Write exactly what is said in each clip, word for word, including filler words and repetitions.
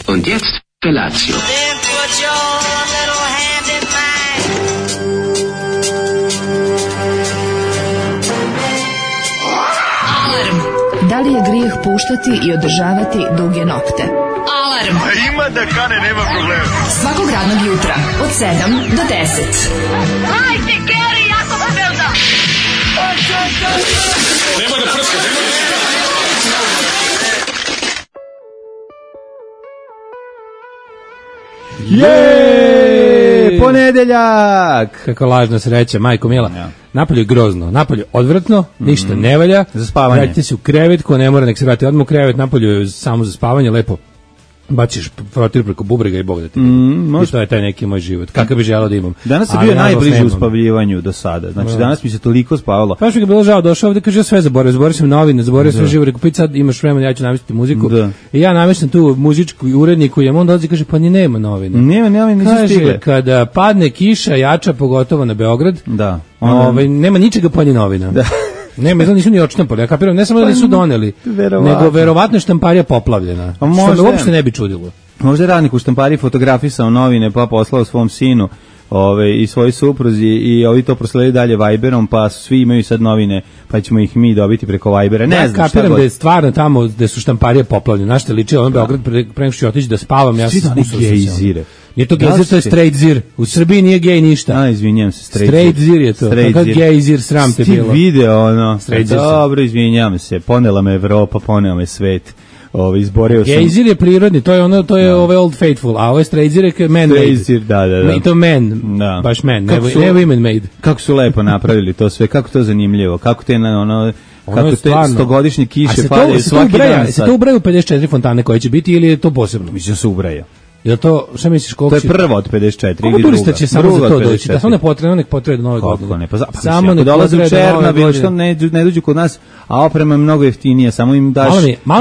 Und jetzt Felatio. Da li je grijeh puštati i održavati duge nokte? Alarm! A ima da kane, nema problema. Svakog radnog jutra, od sedam do deset. Hajde, Geri, jako se velda! Nema da prska, nema da prska. Jeee, ponedeljak! Kako lažna sreća, majko mila. Ja. Napolje je grozno, napolje je odvratno, mm-hmm. ništa ne valja. Za spavanje. Vratite se u krevet, ko ne mora nek se vrati odmah u krevet, napolje je samo za spavanje, lepo baciš frotir preko bubrega i Bog da ti mm, i to je taj neki moj život. Kakav bi želeo da imam. Danas je bio najbliži uspavljivanju do sada. Znači no. Danas mi se toliko spavalo. Pa što mi je bilo žao, došao ovde, kaže ja sve zaboravio, zaboravio sam novine, zaboravio sve živo, rekao, sad imaš vremena, ja ću namestiti muziku. Da. I ja namestim tu muzičku uredniku i on dolazi i kaže, pa ni nema novina. Nema, nema, nisu kaže, stigle. Kada padne kiša jača, pogotovo na Beograd, da. Ovaj, nema ničega pa ni novina. Da. Ne, me nisu ni odštampali. Ja kapiram, ne samo da nisu doneli, verovatno. nego verovatno je štamparija poplavljena. Što me uopšte ne bi čudilo. Možda je radnik u štampariji fotografisao novine pa poslao svom sinu ove, i svojoj supruzi i ovi to prosledili dalje Viberom, pa svi imaju sad novine, pa ćemo ih mi dobiti preko Vibera. Ne ja znam, kapiram da je stvarno tamo gde su štamparije poplavljene. Znaš te liči, ono Beograd pre, pre nego što ću otići da spavam, ja sam usao gejzire. Nije to gejzir, to je straight zir. U Srbiji nije gej ništa. A, izvinjam se, straight, straight zir je to. Kakav gejzir, sram te bilo. Ti video, ono, dobro, izvinjam se, ponela me Evropa, ponela me svet. Ovaj izborio sam. Gejzir je prirodni, to je ono, to je ovaj old faithful, a ovo je straight zir je man made. Da, da, da. I to man, da. Baš man, ne, su, ne women made. Kako su lepo napravili to sve, kako to zanimljivo, kako te na ono kako te stogodišnje kiše padaju svaki dan. Se to ubraju pedeset četiri fontane koje će biti ili je to posebno? Mislim se ubraja. Jel to, šta misliš koliko to je prvo od pedeset četiri ili druga? Će samo za to doći, da samo ne potrebno, nek potrebe nove godine. Ne, pa, pa samo ne dolaze u Černobil, što ne, ne dođu kod nas, a oprema je mnogo jeftinija, samo im daš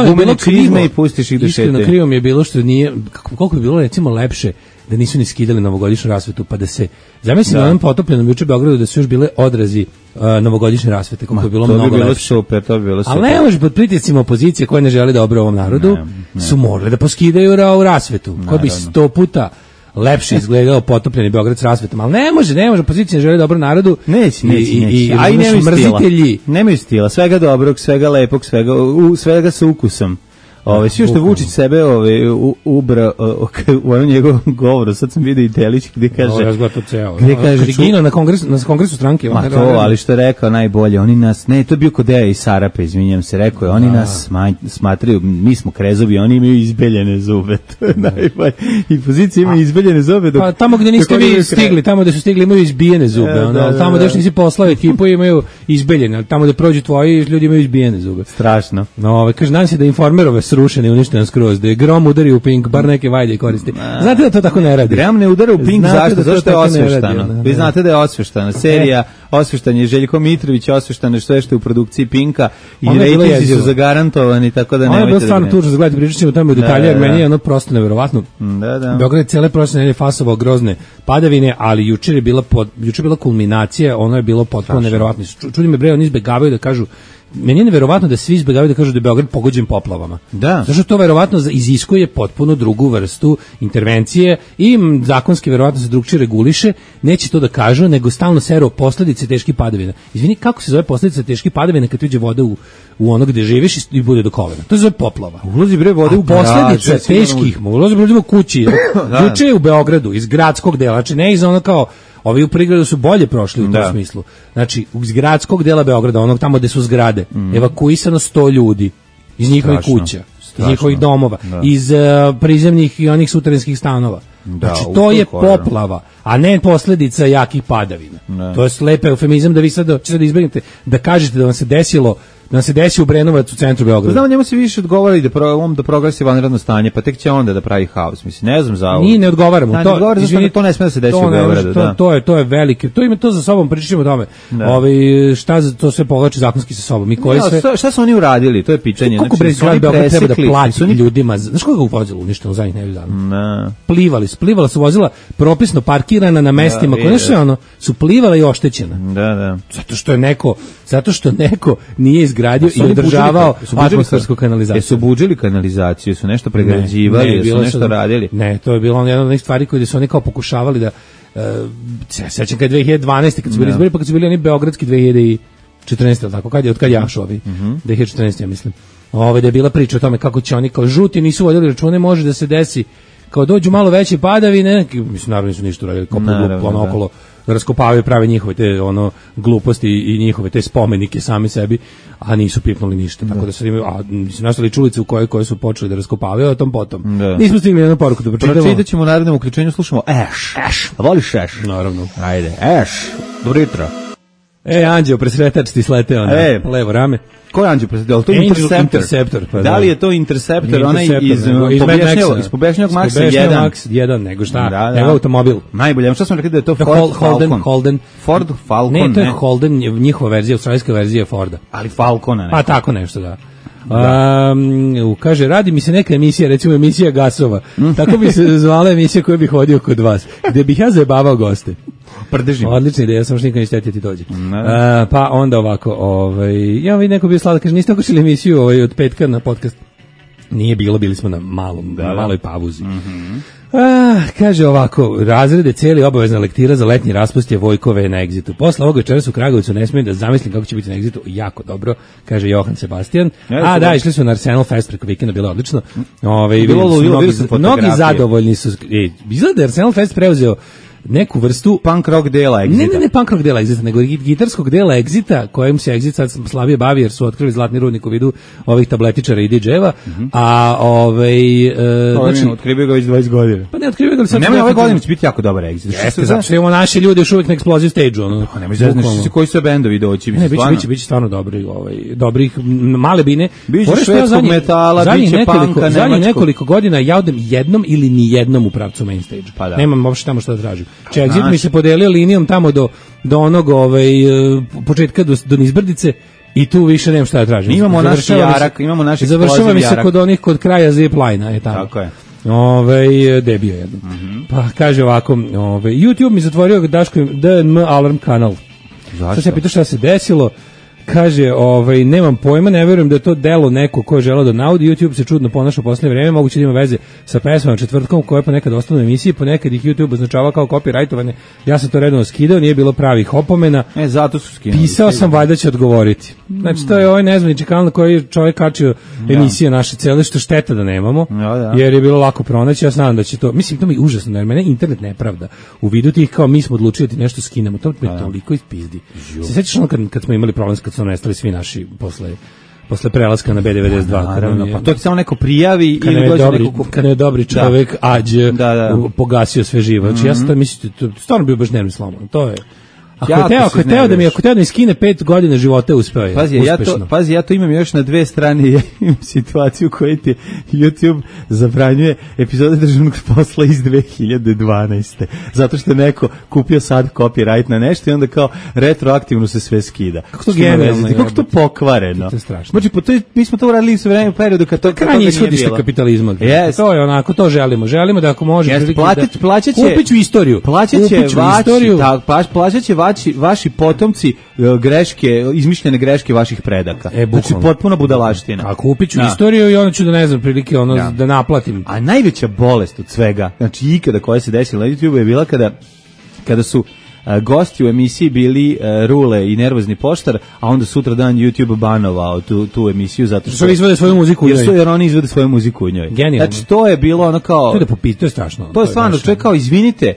gumene čizme i pustiš ih da šete. Iskreno krivo mi je bilo što nije, koliko bi bilo recimo lepše da nisu ni skidali novogodišnju rasvetu, pa da se, zamislim da. Na onom potopljenom juče Beogradu da su još bile odrazi uh, novogodišnje rasvete, kako je bilo to mnogo bi bilo lepše. Super, to bi bilo super. Ali ne može pod pritiscima opozicije koje ne želi da obre ovom narodu, ne, ne. su morali da poskidaju ra, rasvetu, koja bi sto puta lepše izgledao potopljeni Beograd s rasvetom, ali ne može, ne može, opozicija ne želi dobro narodu. Neće, neće, i, neće. I, a i nemaju mrzitelji. Nemaju stila, svega dobrog, svega lepog, svega, u, svega sa ukusom. Ove, svi što Vučić sebe ove, u, ubra u onom njegovom govoru, sad sam vidio i delić gdje kaže... Ovo to ceo. Gdje kaže... Ču... na, kongresu, na kongresu stranke. Ma to, ali što je rekao najbolje, oni nas... Ne, to je bio kod Deja i Sarape, izvinjam se, rekao je, oni da. nas sma, smatraju, mi smo krezovi, oni imaju izbeljene zube. To je najbolje. I pozicija imaju izbeljene zube. Dok, pa tamo gdje niste vi stigli, tamo gdje su stigli imaju izbijene zube. Ja, ono, da, da, tamo gdje još nisi poslao ekipu imaju izbeljene, ali tamo gdje prođu tvoji ljudi imaju izbijene zube. Strašno. No, ove, kaže, nadam se da informerove srušene i uništene skroz, da je grom udari u Pink, bar neke vajde koristi. Znate da to tako ne radi? Grom ne udara u Pink, znate zašto? Zašto je osveštano? Vi znate da je osveštana serija, osveštan je Željko Mitrović, osveštano je sve što je u produkciji Pinka i rejtinzi su zagarantovani, tako da nemojte da... Ono je bilo stvarno tužno za gledati, pričat ćemo o tome u detalje, jer meni je ono prosto neverovatno. Da, da. Beograd je cijele prošle nedelje fasovao grozne padavine, ali jučer je bila, pod, jučer je bila kulminacija, ono je bilo potpuno neverovatno. Čudi me bre, oni izbegavaju da kažu, meni je neverovatno da svi izbegavaju da kažu da je Beograd pogođen poplavama. Da. Zato što to verovatno iziskuje potpuno drugu vrstu intervencije i zakonski verovatno se drugčije reguliše, neće to da kažu, nego stalno seru posledice teških padavina. Izvini, kako se zove posledica teških padavina kad uđe voda u, u ono gde živiš i bude do kolena? To se zove poplava. Ulazi bre vode u posljedica garaže, teških, ulazi bre u kući. Juče je u Beogradu iz gradskog dela, znači ne iz ono kao ovi u prigradu su bolje prošli u tom da. smislu. Znači, iz gradskog dela Beograda, onog tamo gde su zgrade, mm. evakuisano sto ljudi iz njihovih Strašno. kuća, Strašno. iz njihovih domova, da. iz uh, prizemnih i onih suterenskih stanova. Da, znači, to je poplava, a ne posljedica jakih padavina. Ne. To je slepe eufemizam da vi sad, sad izbjegnete, da kažete da vam se desilo da se desi u Brenovac u centru Beograda. Znamo, njemu se više odgovara da pro, on da proglasi vanredno stanje, pa tek će onda da pravi haos. Mislim, ne znam za ovo. Ni ne odgovaramo. Da, to, ne odgovara izvini, to ne sme da se desi u Beogradu. To, da. to je to je velike. To ima to za sobom, pričamo o tome. Ovaj šta za to sve povlači zakonski sa sobom. Mi koji ja, sve šta su oni uradili? To je pitanje. Koliko znači, grad Beograd treba da plati oni... ljudima? Znaš koliko je vozilo uništeno zadnjih nedelju dana? Ne. Plivali, splivala su vozila propisno parkirana na mestima, koje sve ono su plivala i oštećena. Da, da. Zato što je neko Zato što neko nije izgradio i održavao atmosfersku kanalizaciju. Jesu budžili kanalizaciju, su nešto pregrađivali, ne, ne, jesu nešto su, radili? Ne, to je bilo jedna od onih stvari koje su oni kao pokušavali da... Uh, sećam kad je dve hiljade dvanaeste kad su bili izbori, pa kad su bili oni beogradski dve hiljade četrnaeste, tako, kad je, od kad jašu ovi, mm-hmm. dve hiljade četrnaeste, ja mislim. Ove, da je bila priča o tome kako će oni kao žuti nisu vodili račune, može da se desi kao dođu malo veće padavine, mislim, naravno nisu ništa radili, kao ono okolo, raskopavaju, prave njihove te ono gluposti i njihove te spomenike sami sebi, a nisu pipnuli ništa. Da. Tako da sad imaju, a nisu nastali čulice u koje koje su počeli da raskopavaju, a tom potom. Da. Nismo stigli jednu poruku da pročitamo. Pročitat ćemo u narednom uključenju, slušamo Ash. Ash. A voliš Ash? Naravno. Ajde, Ash. Dobro jutro. E, Anđeo, presretač ti sleteo na e. levo rame. Ko je Anđeo presretač? To je Interceptor. Interceptor pa da li je to Interceptor? Onaj iz Pobješnjavog Maxa jedan. Max jedan, nego šta? Da, nego automobil. Najbolje. Šta smo rekli da je to Ford Holden, Falcon? Holden. Ford Falcon, ne. Ne, to je Holden, njihova verzija, australijska verzija Forda. Ali Falcona, ne. Pa tako nešto, da. Da. Um, kaže, radi mi se neka emisija, recimo emisija gasova. Tako bi se zvala emisija koju bih hodio kod vas, gde bih ja zajebavao goste. Prdržim. Odlična ideja, samo što nikad neće ti dođe. Uh, No. pa onda ovako, ovaj, ja vidim neko bio slada, kaže, niste okošili emisiju ovaj, od petka na podcast? Nije bilo, bili smo na malom, da, na maloj pauzi. Mm-hmm. Ah, kaže ovako, razrede cijeli obavezna lektira za letnji raspust je Vojkove na Egzitu. Posle ovoga večeras u Kragovicu ne smijem da zamislim kako će biti na Egzitu, jako dobro, kaže Johan Sebastian. Ja, A da, išli su na Arsenal Fest preko vikenda, bilo odlično. Ove, bilo, bilo, mnogi, mnogi zadovoljni su. E, izgleda Arsenal Fest preuzeo neku vrstu punk rock dela Exita. Ne, ne, ne punk rock dela Exita, nego gitarskog dela Exita, kojem se Exit sad slabije bavi jer su otkrili zlatni rudnik u vidu ovih tabletičara i didževa, mm-hmm. a ovaj e, znači otkrivaju ga već dvadeset godina. Pa ne otkrivaju ga sad. Nema ove godine će biti jako dobar Exit. Jeste, zato što imamo naši ljudi još uvijek na Explosive Stage, ono. Pa nema znači koji su bendovi doći, biće stvarno. Biće biće stvarno dobri, ovaj dobrih male bine. Biće švedskog metala, biće punka, zadnjih nekoliko godina ja odem jednom ili ni jednom u pravcu main stage. Pa da. Nemam uopšte tamo što da tražim. Exit mi se podelio linijom tamo do do onog ovaj početka do do Nizbrdice i tu više nemam šta da tražim. Imamo naš jarak, imamo naš završava mi se kod onih kod kraja zipline-a je tamo. Tako je. Ovaj debio jedno. Mm-hmm. Pa kaže ovako, ovaj YouTube mi zatvorio Daško D N M alarm kanal. Zašto? Sad se pita šta se desilo. Kaže, ovaj, nemam pojma, ne verujem da je to delo neko ko je želeo da naudi. YouTube se čudno ponaša u poslednje vreme, moguće da ima veze sa pesmama četvrtkom koje ponekad ostanu u emisiji, ponekad ih YouTube označava kao copyrightovane. Ja sam to redovno skidao, nije bilo pravih opomena. E, zato su skinuli. Pisao sam, valjda će odgovoriti. Znači, to je ovaj nezvanični kanal na koji je čovjek kačio emisije naše cele, što šteta da nemamo, ja, da. Jer je bilo lako pronaći. Ja znam da će to, mislim, to mi je užasno, jer mene internet nepravda. U vidu tih kao mi smo odlučili da ti nešto skinemo, to me toliko ispizdi. Se sećaš ono kad, kad smo imali problem kad su nestali svi naši posle posle prelaska na B devedeset dva, naravno, pa to ti samo neko prijavi ili dođe dobri, neko kad je dobri čovjek da. Ađe da, da. pogasio sve živo. Znači mm-hmm. ja sam to mislio, to stvarno bio baš nervni slomom. To je Ako je teo, ako je teo da mi, ako teo da mi skine pet godina života, uspeo je. Pazi, ja to, pazi, ja to imam još na dve strane, ja imam situaciju koju ti YouTube zabranjuje epizode državnog posla iz dve hiljade dvanaeste. Zato što je neko kupio sad copyright na nešto i onda kao retroaktivno se sve skida. Kako to genijalno, kako to pokvareno. To je strašno. Znači, po to, mi smo to uradili sve vreme u periodu kad to, kad to nije bilo. Kapitalizma. Yes. To je onako, to želimo. Želimo da ako može... Yes, plaćać, da, plaćaće... Kupiću istoriju. Plaćaće vaši, ta, plaćaće vaši, vaši potomci greške, izmišljene greške vaših predaka. E, znači, potpuno budalaština. A kupit ću istoriju i onda ću da ne znam, prilike ono, ja. da naplatim. A najveća bolest od svega, znači ikada koja se desila na YouTube je bila kada, kada su a, gosti u emisiji bili a, Rule i Nervozni poštar, a onda sutra dan YouTube banovao tu, tu emisiju zato što... Što izvode svoju muziku u njoj. Jer, jer oni izvode svoju muziku u njoj. Genijalno. Znači, to je bilo ono kao... To je da popiti, to je strašno. To je stvarno, čovjek kao, izvinite,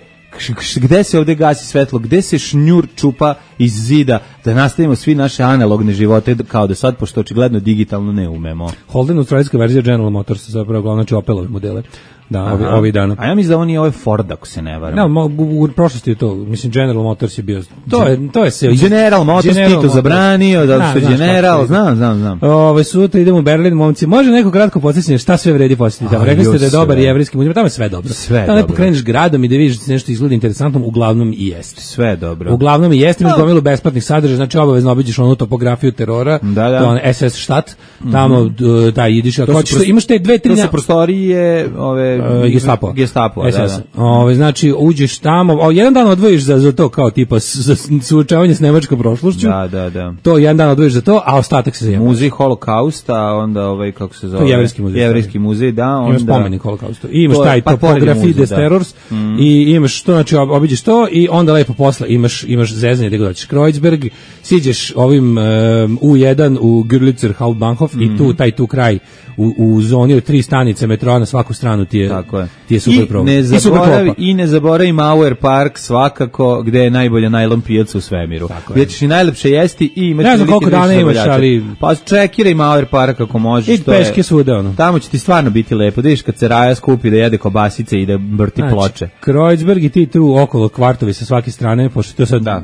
gde se ovde gasi svetlo, gde se šnjur čupa iz zida, da nastavimo svi naše analogne živote kao da sad, pošto očigledno digitalno ne umemo. Holden, australijska verzija General Motors, zapravo glavno će Opelove modele. Da, ovi, ovi dana. A ja mislim da on je ovaj Ford, ako se ne varam. No, u, u prošlosti je to, mislim, General Motors je bio, to je, to je se... General Motors, General Tito zabranio, da su General, znam, znam, znam. Ove, sutra idemo u Berlin, momci, može neko kratko podsjećanje, šta sve vredi podsjetiti tamo? Rekli ste da je dobar jevrijski muzej, tamo je sve dobro. Sve tamo dobro. Tamo pokreneš gradom i da vidiš nešto izgleda interesantno, uglavnom i jeste. Sve dobro. Uglavnom i jeste, no, gomilu besplatnih sadržaja, znači obavezno obiđeš onu topografiju terora, da, da. to je on es es štat, tamo mm-hmm. taj idiš, ako hoćeš, pros... imaš te dve, tri... To su prostorije ove... Uh, Gestapo. Gestapo, da, da. Ove, znači, uđeš tamo, o, jedan dan odvojiš za, za to kao tipa za suočavanje s nemačkom prošlošću, da, da, da. to jedan dan odvojiš za to, a ostatak se zajema. Muzej holokausta, onda ovaj, kako se zove? To je jevrejski muzej. Jevrejski muzej, da. Onda... Imaš spomenik holokaustu. I imaš taj pa, topografiji des da. terrors mm. i imaš to, znači obiđeš to i onda lepo posle imaš, imaš zezanje gde god hoćeš. Kreuzberg, siđeš ovim um, U jedan u Görlitzer Hauptbahnhof mm. i tu, taj tu kraj u, u zoni od tri stanice metroa na svaku stranu ti je, je. Ti je super problem. Ne zaboravi, I ne zaboravi Mauer Park svakako gde je najbolja najlon pijaca u svemiru. Gdje ćeš i najlepše jesti i imati... Ne znam koliko dana imaš, ali... Pa čekiraj Mauer Park ako možeš. I peške svuda, ono. Tamo će ti stvarno biti lepo. Da vidiš kad se Raja skupi da jede kobasice i da vrti znači, ploče. Kreuzberg i ti tu okolo kvartovi sa svake strane, pošto to sad... Da.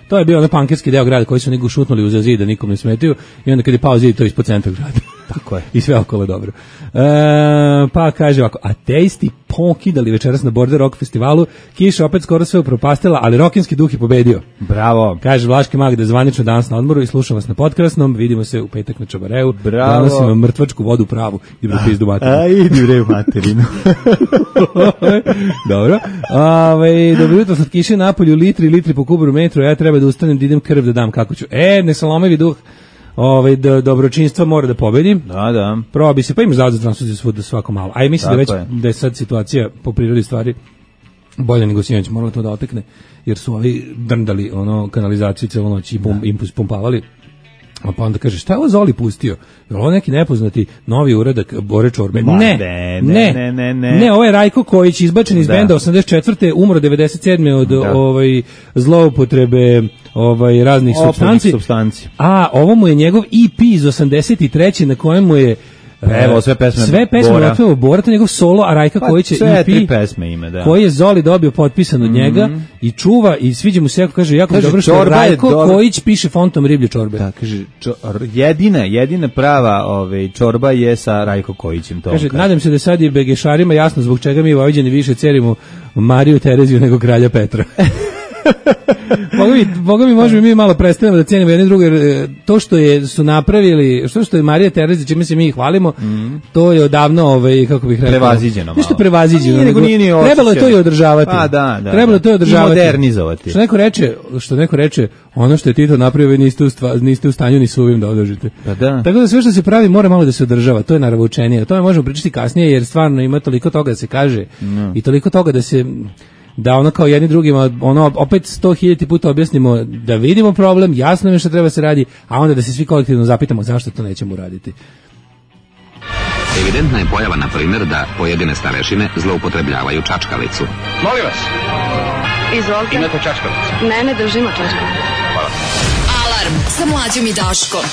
To je bio onaj pankerski deo grada koji su nego šutnuli uz zid da nikom ne smetaju i onda kad je pao zid to je ispod centra grada. Tako je. I sve okolo dobro. E, pa kaže ovako, ateisti pokidali večeras na Border Rock festivalu, kiša opet skoro sve upropastila, ali rokinski duh je pobedio. Bravo. Kaže Vlaški mag da je zvanično danas na odmoru i slušam vas na Podkrasnom, vidimo se u petak na Čabareu. Bravo. Donosim vam mrtvačku vodu pravu. Idem da pizdu materinu. A, idi bre u materinu. Dobro. Ove, dobro jutro, slatkiše napolju, litri, litri po kubru metru, ja treba da ustanem da idem krv da dam kako ću. E, ne salomevi duh. Ovaj do dobročinstva mora da pobedi. Da, da. Probi se, pa imaš zavod za transfuziju svuda svako malo. A ja mislim da već je. da je sad situacija po prirodi stvari bolje nego sinoć, moralo to da otekne, jer su ovi drndali ono kanalizaciju celu noć i pum, impuls pumpavali. A pa onda kaže, šta je ovo Zoli pustio? Je ovo neki nepoznati novi uradak Bore Čorbe? Ne, ne, ne, ne, ne, ne. Ne, ovo je Rajko Kojić, izbačen iz da. benda osamdeset četvrte umro devedeset sedme od da. ovaj, zloupotrebe ovaj, raznih supstanci. supstanci. A ovo mu je njegov E P iz osamdeset treće na kojem mu je Evo, sve pesme sve pesme Bora. Bora, Bora to njegov solo, a Rajka pa, Kojić je sve E P tri pesme ima, da. koji je Zoli dobio potpisan od njega mm-hmm. i čuva i sviđa mu se, jako kaže, jako kaže, dobro što Rajko dobro. Kojić piše fontom riblje čorbe. Da, kaže, čo, jedina, jedina prava ove, čorba je sa Rajko Kojićem. To kaže, nadam se da sad i begešarima jasno zbog čega mi Vojvođani više cerimo Mariju Tereziju nego kralja Petra. Boga mi, Boga mi možemo mi malo predstavljamo da cijenimo jedne druge, to što je su napravili, što što je Marija Terezija, čime se mi hvalimo, mm. to je odavno, ovaj, kako bih rekao, prevaziđeno. Nešto prevaziđeno. Nije, nego nije ni trebalo je to i održavati. Pa da, da. Trebalo je to i održavati. I modernizovati. Što neko reče, što neko reče, ono što je Tito napravio, vi niste u, stva, niste u stanju ni suvim da održite. Pa da. Tako da sve što se pravi mora malo da se održava, to je naravno učenije. O tome možemo pričati kasnije jer stvarno ima toliko toga da se kaže no. i toliko toga da se da ono kao jedni drugima, ono opet sto hiljada puta objasnimo da vidimo problem, jasno je što treba se radi, a onda da se svi kolektivno zapitamo zašto to nećemo uraditi. Evidentna je pojava, na primjer, da pojedine starešine zloupotrebljavaju čačkalicu. Molim vas. Izvolite. Imate čačkalicu? Ne, ne držimo čačkalicu. Hvala. Alarm sa Mlađom i Daškom.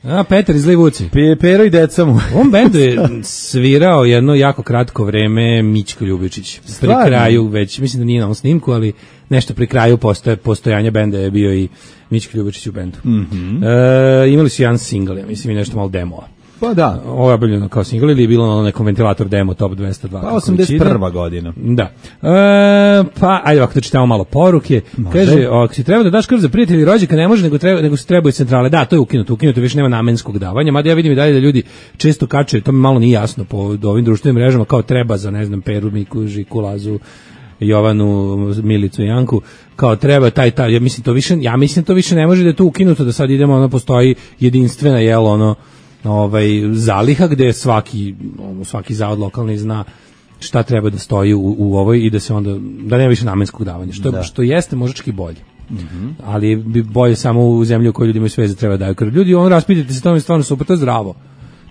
A, Petar iz Livuci. Pe, pero i deca mu. U ovom bendu je svirao jedno jako kratko vreme Mićko Ljubičić. Pri kraju, već, mislim da nije na ovom snimku, ali nešto pri kraju postoje, postojanja benda je bio i Mićko Ljubičić u bendu. Mm-hmm. e, imali su jedan single, ja mislim i nešto malo demoa. Pa da. Ovo je objavljeno kao single ili je bilo na nekom ventilator demo Top dvesta dva. Pa osamdeset prva godina. Da. E, pa, ajde ovako da čitamo malo poruke. Može. Kaže, ako si treba da daš krv za prijatelji i rođaka, ne može, nego, treba, nego se trebaju centrale. Da, to je ukinuto, ukinuto, više nema namenskog davanja. Mada ja vidim i dalje da ljudi često kače, to mi malo nije jasno po ovim društvenim mrežama, kao treba za, ne znam, Peru, Miku, Žiku, Lazu, Jovanu, Milicu i Janku, kao treba taj, taj, ja mislim to više, ja mislim to više ne može da je to ukinuto, da sad idemo, ono, postoji jedinstvena, jel, ono, ovaj zaliha gde svaki ono, svaki zavod lokalni zna šta treba da stoji u, u ovoj i da se onda da nema više namenskog davanja što da. što jeste možda bolje. Mm-hmm. Ali bi bolje samo u zemlji u kojoj ljudi imaju sve za treba daju krv. Ljudi, on raspitajte se, to je stvarno super, to je zdravo.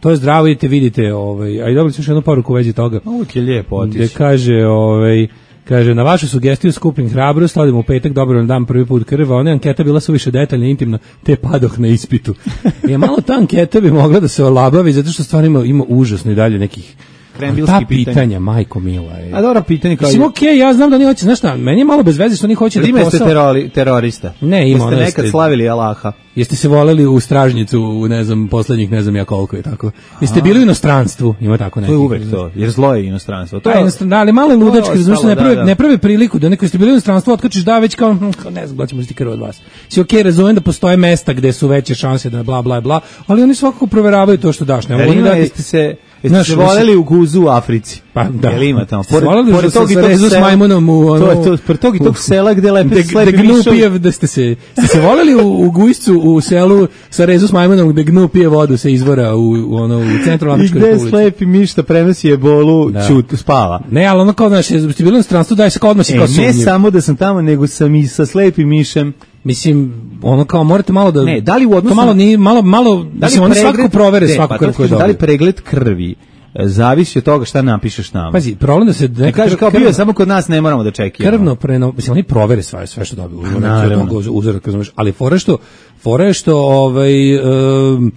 To je zdravo, idete, vidite, ovaj, a i dobili smo još jednu poruku u vezi toga. Uvijek je lijepo otići. Gde kaže, ovaj, kaže, na vašu sugestiju skupim hrabrost, odemo u petak, dobro nam dam prvi put krva, ona anketa bila suviše detaljna, intimna, te padoh na ispitu. Je malo ta anketa bi mogla da se olabavi, zato što stvarno ima, ima užasno i dalje nekih krembilski ta pitanja. pitanja, majko mila. Je. A dobro pitanje kao... Mislim, okej, okay, ja znam da oni hoće, znaš šta, meni je malo bez veze što oni hoće da posao... posao... Ima ste terorista. Ne, ima. Jeste nekad ste... slavili Allaha. Jeste se voleli u stražnjicu, u, ne znam, poslednjih ne znam ja koliko je tako. Jeste bili u inostranstvu, ima tako neki. To je uvek to, jer zlo je inostranstvo. To je inostranstvo, ali malo je ludački, zato što ne prave, da, da. ne prave priliku da neko ste bili u inostranstvu, otkačiš da već kao, hm, kao ne znam, da ćemo ziti krv od vas. Si okej, okay, razumem da postoje mesta gde su veće šanse da bla bla bla, ali oni svakako proveravaju to što daš. Ne mogu dati. Jeste se Jeste se voleli u guzu u Africi? Pa da. Jel ima tamo? Pored, pored tog i tog sela. S majmunom u ono... To je to, pored tog i tog sela gde lepe slepi mišovi. Da gnu pije, da ste se... Ste se voleli u, u Gujscu, u selu sa rezu s majmunom gde gnu pije vodu se izvora u, u, ono, u centru Afričkoj republici. I gde slepi miš da prenosi ebolu, da. Čut, spava. Ne, ali ono kao, znaš, ste bili u stranstvu, daj se kao odmah si e, kao sumnjiv. Ne samo da sam tamo, nego sam i sa slepim mišem. Mislim, ono kao morate malo da... Ne, da li u odnosu... malo, ni, malo, malo, da mislim, oni svakako provere svaku krv koju dobiju. Da li pregled krvi zavisi od toga šta napišeš nama. Pazi, problem da se ne kaže kao bio samo kod nas ne moramo da čekamo. Krvno preno, mislim oni provere sve sve što dobiju. Uzorak, razumeš, ali fore što fore što ovaj um,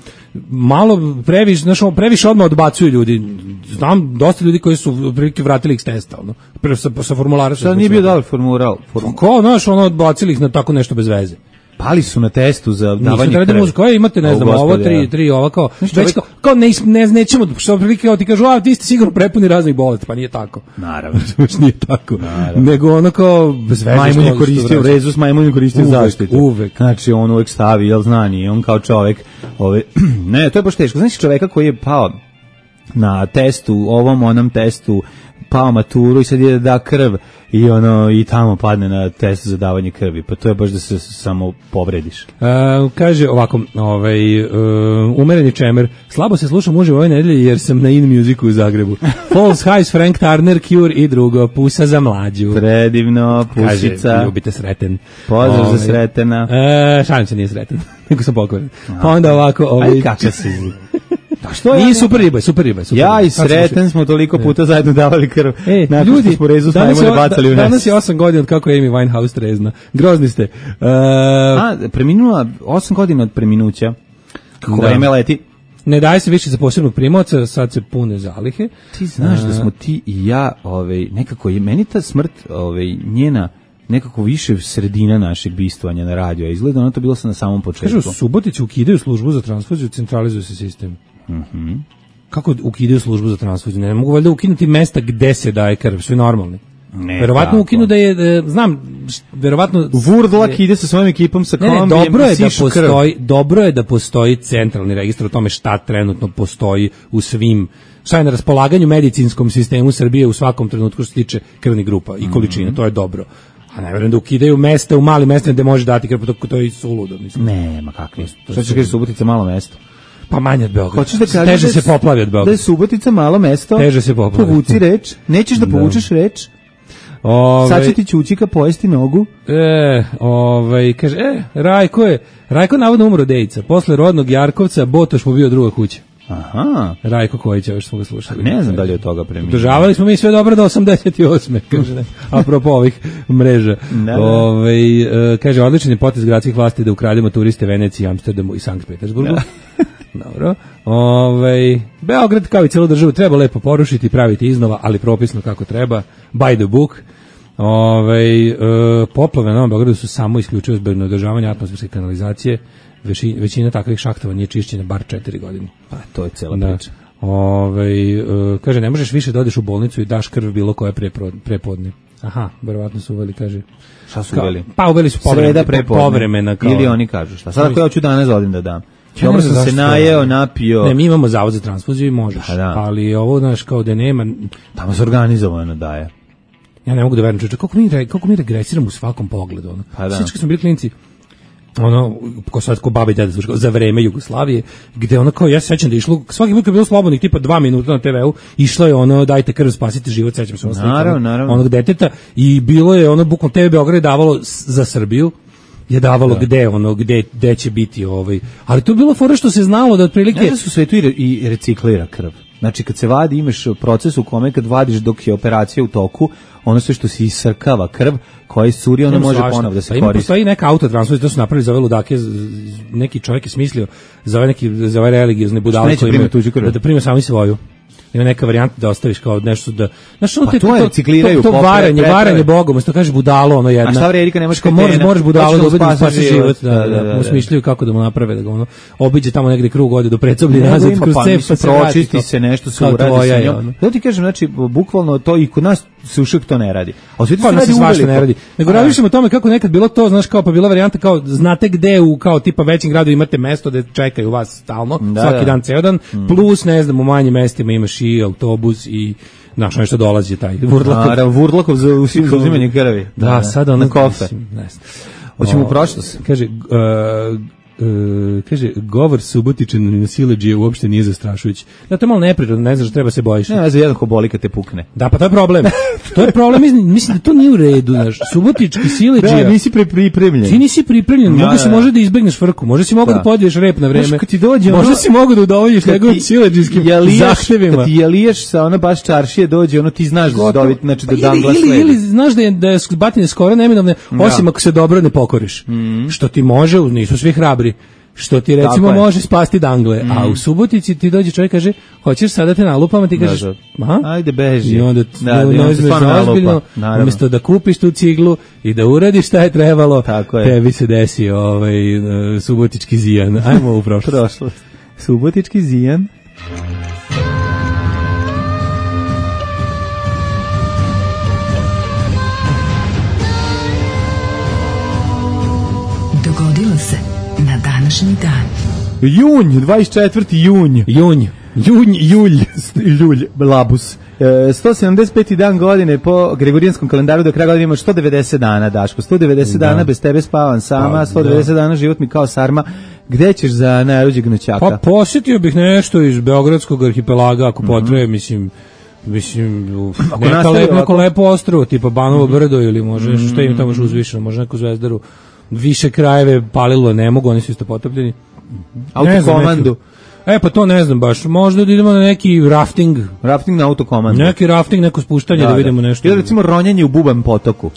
malo previše, znači previše odmah odbacuju ljudi. Znam dosta ljudi koji su prilike vratili ih s testa, ono. Pre sa, sa formulara su. Šta nije bio dobar formular? Form... Ko, znaš, ono odbacili ih na tako nešto bez veze. Pali su na testu za davanje krvi. Nisu da imate, ne znam, ovo, ovo tri, tri ova kao, već kao, kao ne, ne, nećemo, što prilike kao ti kažu, a ti ste sigurno prepuni raznih bolesti, pa nije tako. Naravno. Nije tako. Naravno. Nego ono kao, bez veze. Majmun je koristio, rezus majmun je koristio uvek, zaštitu. Uvek. Znači, on uvek stavi, jel znani, on kao čovek, ove, ne, to je baš teško. Znači, čoveka koji je pao na testu, ovom, onom testu, pao maturu i sad je da krv i ono i tamo padne na test za davanje krvi, pa to je baš da se samo povrediš. Uh, kaže ovako, ovaj, uh, umereni čemer, slabo se slušam uživo ove nedelje jer sam na In Musicu u Zagrebu. False Highs, Frank Turner, Cure i drugo, Pusa za mlađu. Predivno, Pusica. Kaže, ljubite Sreten. Pozdrav ovaj, za Sretena. Uh, šalim se, nije Sreten, nego sam pokvaran. Pa onda ovako... Ovaj, aj kakva si... Da što je? Nije super riba, super riba, super. Ja i Sreten smo toliko puta zajedno davali krv. E, ljudi, smo rezu smajmune bacali u nas. Danas je osam godina od kako je Amy Winehouse trezna. Grozni ste. Uh, A, preminula osam godina od preminuća. Kako vreme leti. Ne daje se više za posebnog primaoca, sad se pune zalihe. Ti znaš uh, da smo ti i ja, ovaj, nekako je meni ta smrt, ovaj, njena nekako više sredina našeg bistvanja na radiju, a izgleda ono to bilo sam na samom početku. Kažu, Subotići ukidaju službu za transfuziju, centralizuje se sistem. Mhm. Mm Kako ukidaju službu za transfuziju? Ne mogu valjda ukinuti mesta gde se daje krv, sve normalni. Ne, verovatno ukinu da je, znam, verovatno... Vurdlak ide sa svojom ekipom sa kombijem, ne, ne, dobro je da postoji, dobro je da postoji centralni registar o tome šta trenutno postoji u svim, šta je na raspolaganju medicinskom sistemu Srbije u svakom trenutku što se tiče krvnih grupa i količine, mm-hmm. to je dobro. A ne verujem da ukidaju mesta u malim mestima gde može dati krv, to je i suludo, mislim. Ne, ma kakvi. Šta ćeš kaži Subotica malo mesto? Pa manje od Beograda. Hoćeš da kažeš teže se poplavi od Beograda. Da je Subotica malo mesto? Teže se poplavi. Povuci reč. Nećeš da povučeš reč? Ove, sad će ti Ćućika pojesti nogu. E, ovaj, kaže, e, Rajko je, Rajko navodno umro Dejica. Posle rodnog Jarkovca, Botoš mu bio druga kuća. Aha. Rajko Kojić, još smo ga slušali. Ne znam da li je od toga preminuo. Održavali smo mi sve dobro do osamdeset osme kaže ne. Apropo ovih mreža. Da, da. Ove, e, kaže, odličan je potez gradskih vlasti da ukrademo turiste Veneciji, Amsterdamu i Sankt Petersburgu. Da. Dobro. Ove, Beograd kao i celu državu treba lepo porušiti i praviti iznova, ali propisno kako treba. By the book. Ove, e, poplave na Novom Beogradu su samo isključivo zbog neodržavanja atmosferske kanalizacije. Većina, većina takvih šahtova nije čišćena bar četiri godine. Pa to je cela da. priča. Ove, uh, kaže, ne možeš više da odeš u bolnicu i daš krv bilo koje prepodne. Aha, verovatno su uveli, kaže. Šta su uveli? Pa uveli su povremena, povremena kao. Ili oni kažu šta. Sad ako ja hoću danas odim da dam. Ja dobro sam se najeo, napio. Ne, mi imamo zavod za transfuziju i možeš. Da, da. Ali ovo, znaš, kao da nema. Tamo se organizovano daje. Ja ne mogu da verujem, kako mi, kako mi regresiramo u svakom pogledu. Ono. Pa da. Sjećam kad smo bili klinci, ono, ko sad ko babi deda slušao, za vreme Jugoslavije, gde ono kao, ja se sećam da išlo, svaki put kad je bilo slobodnih tipa dva minuta na te ve u, išlo je ono, dajte krv, spasite život, sećam se ono slika, onog deteta, i bilo je ono, bukvalno te ve Beograd je davalo za Srbiju, je davalo da. gde ono gde gde će biti ovaj, ali to je bilo fora što se znalo da otprilike ne da su svetu i, i reciklira krv. Znači kad se vadi imaš proces u kome kad vadiš dok je operacija u toku, ono sve što se isrkava krv koja curi, ono može ponovo da se pa koristi. Postoji neka autotransfuzija, to su napravili za ove ludake, neki čovjek je smislio za ove neki za ove religiozne budale koji imaju da, da prime sami svoju. ima neka varijanta da ostaviš kao nešto da znaš ono Pa te, to je, to, recikliraju, to, to popre- varanje, preprave. varanje bogom, umesto kaže budalo ono jedna. A šta vre, Erika, nemaš Kao moraš, kretena, moraš budalo hoće da da ubedi da spasi spasi život. život, da, Da, da, da, da, usmišljaju kako da mu naprave da ga ono obiđe tamo negde krug ode do predsoblje Nego nazad ima, kroz pa cep mislim, pa se vrati pročisti to. se, nešto se Kao uradi tvoja sa je, njom. ono. Da ti kažem, znači, bukvalno to i kod nas se ušak to ne radi. A u svijetu Pa se nas se radi svašta uveliko. ne radi. Nego A, razmišljamo o tome kako nekad bilo to, znaš, kao pa bila varijanta kao znate gde u kao tipa većim gradu imate mesto gde čekaju vas stalno, Da, svaki da. dan ceo dan, plus ne znam u manjim mestima imaš i autobus i znaš nešto dolazi taj Vurlakov. Naravno, Vurlakov za usi- za uzimanje krvi. Da, sad ono na kofe. mislim, ne znam. Hoćemo u O, prošlost. Kaže, uh, Uh, kaže, govor Subotičan na siledžije uopšte nije zastrašujući. Da, to je malo neprirodno, ne znaš, treba se bojiš. Ne, za jedan ko boli kad te pukne. Da, pa to je problem. To je problem, mislim, mislim da to nije u redu, znaš. Subotički siledžija. Da, nisi pri, pripremljen. Ti nisi pripremljen, Da, mogu si da. može da izbegneš frku, može si mogu da, Da. podiješ rep na vreme. Znaš, kad ti dođe ono- Možda si mogu da udovoljiš Kad njegovim ti siledžijskim jaliješ- zahtevima. Kad ti jaliješ sa ona baš čaršije dođe, ono ti znaš da se dobiti, znači da Pa dan ili, glas ili, sledi. ili znaš da je, da je batine skoro neminovne, osim ako se dobro ne pokoriš. Što ti može, nisu svi hrabri, što ti recimo Tako je. može spasti dangle, a u Subotici ti dođe čovjek kaže, hoćeš sada te nalupam, a ti kažeš, Da, da. aha, Ajde, beži. i onda Da, da, i ne onda te uzmeš stvarno za nalupa, ozbiljno, naravno. umjesto da kupiš tu ciglu i da uradiš šta je trebalo, Tako je. tebi se desi ovaj, e, subotički zijan. Ajmo u prošlost. Prošlost. Subotički zijan. Dogodilo se na današnji dan. Junj, dvadeset četvrti junj. Junj, junj, julj. Ljulj, labus. E, sto sedamdeset peti dan godine po Gregorijanskom kalendaru, do kraja godine ima sto devedeset dana, Daško. sto devedeset Da. dana bez tebe spavam sama, Pa, sto devedeset da. dana život mi kao sarma. Gde ćeš za najluđeg noćaka? Pa posjetio bih nešto iz Beogradskog arhipelaga, ako potrebe, mislim, mislim, uf, Ako neka nastavi lep, neko ovako- lepo ostrvo, tipa Banovo brdo ili može, šta im tamo još uzvišeno, može neku zvezdaru, više krajeve palilo ne mogu, oni su isto potopljeni. Ne znam, Autokomandu. neki- E, pa to ne znam baš, možda da idemo na neki rafting, Rafting na autokomandu. neki rafting, neko spuštanje, da, vidimo nešto. Ili recimo ronjenje u Bubanj potoku.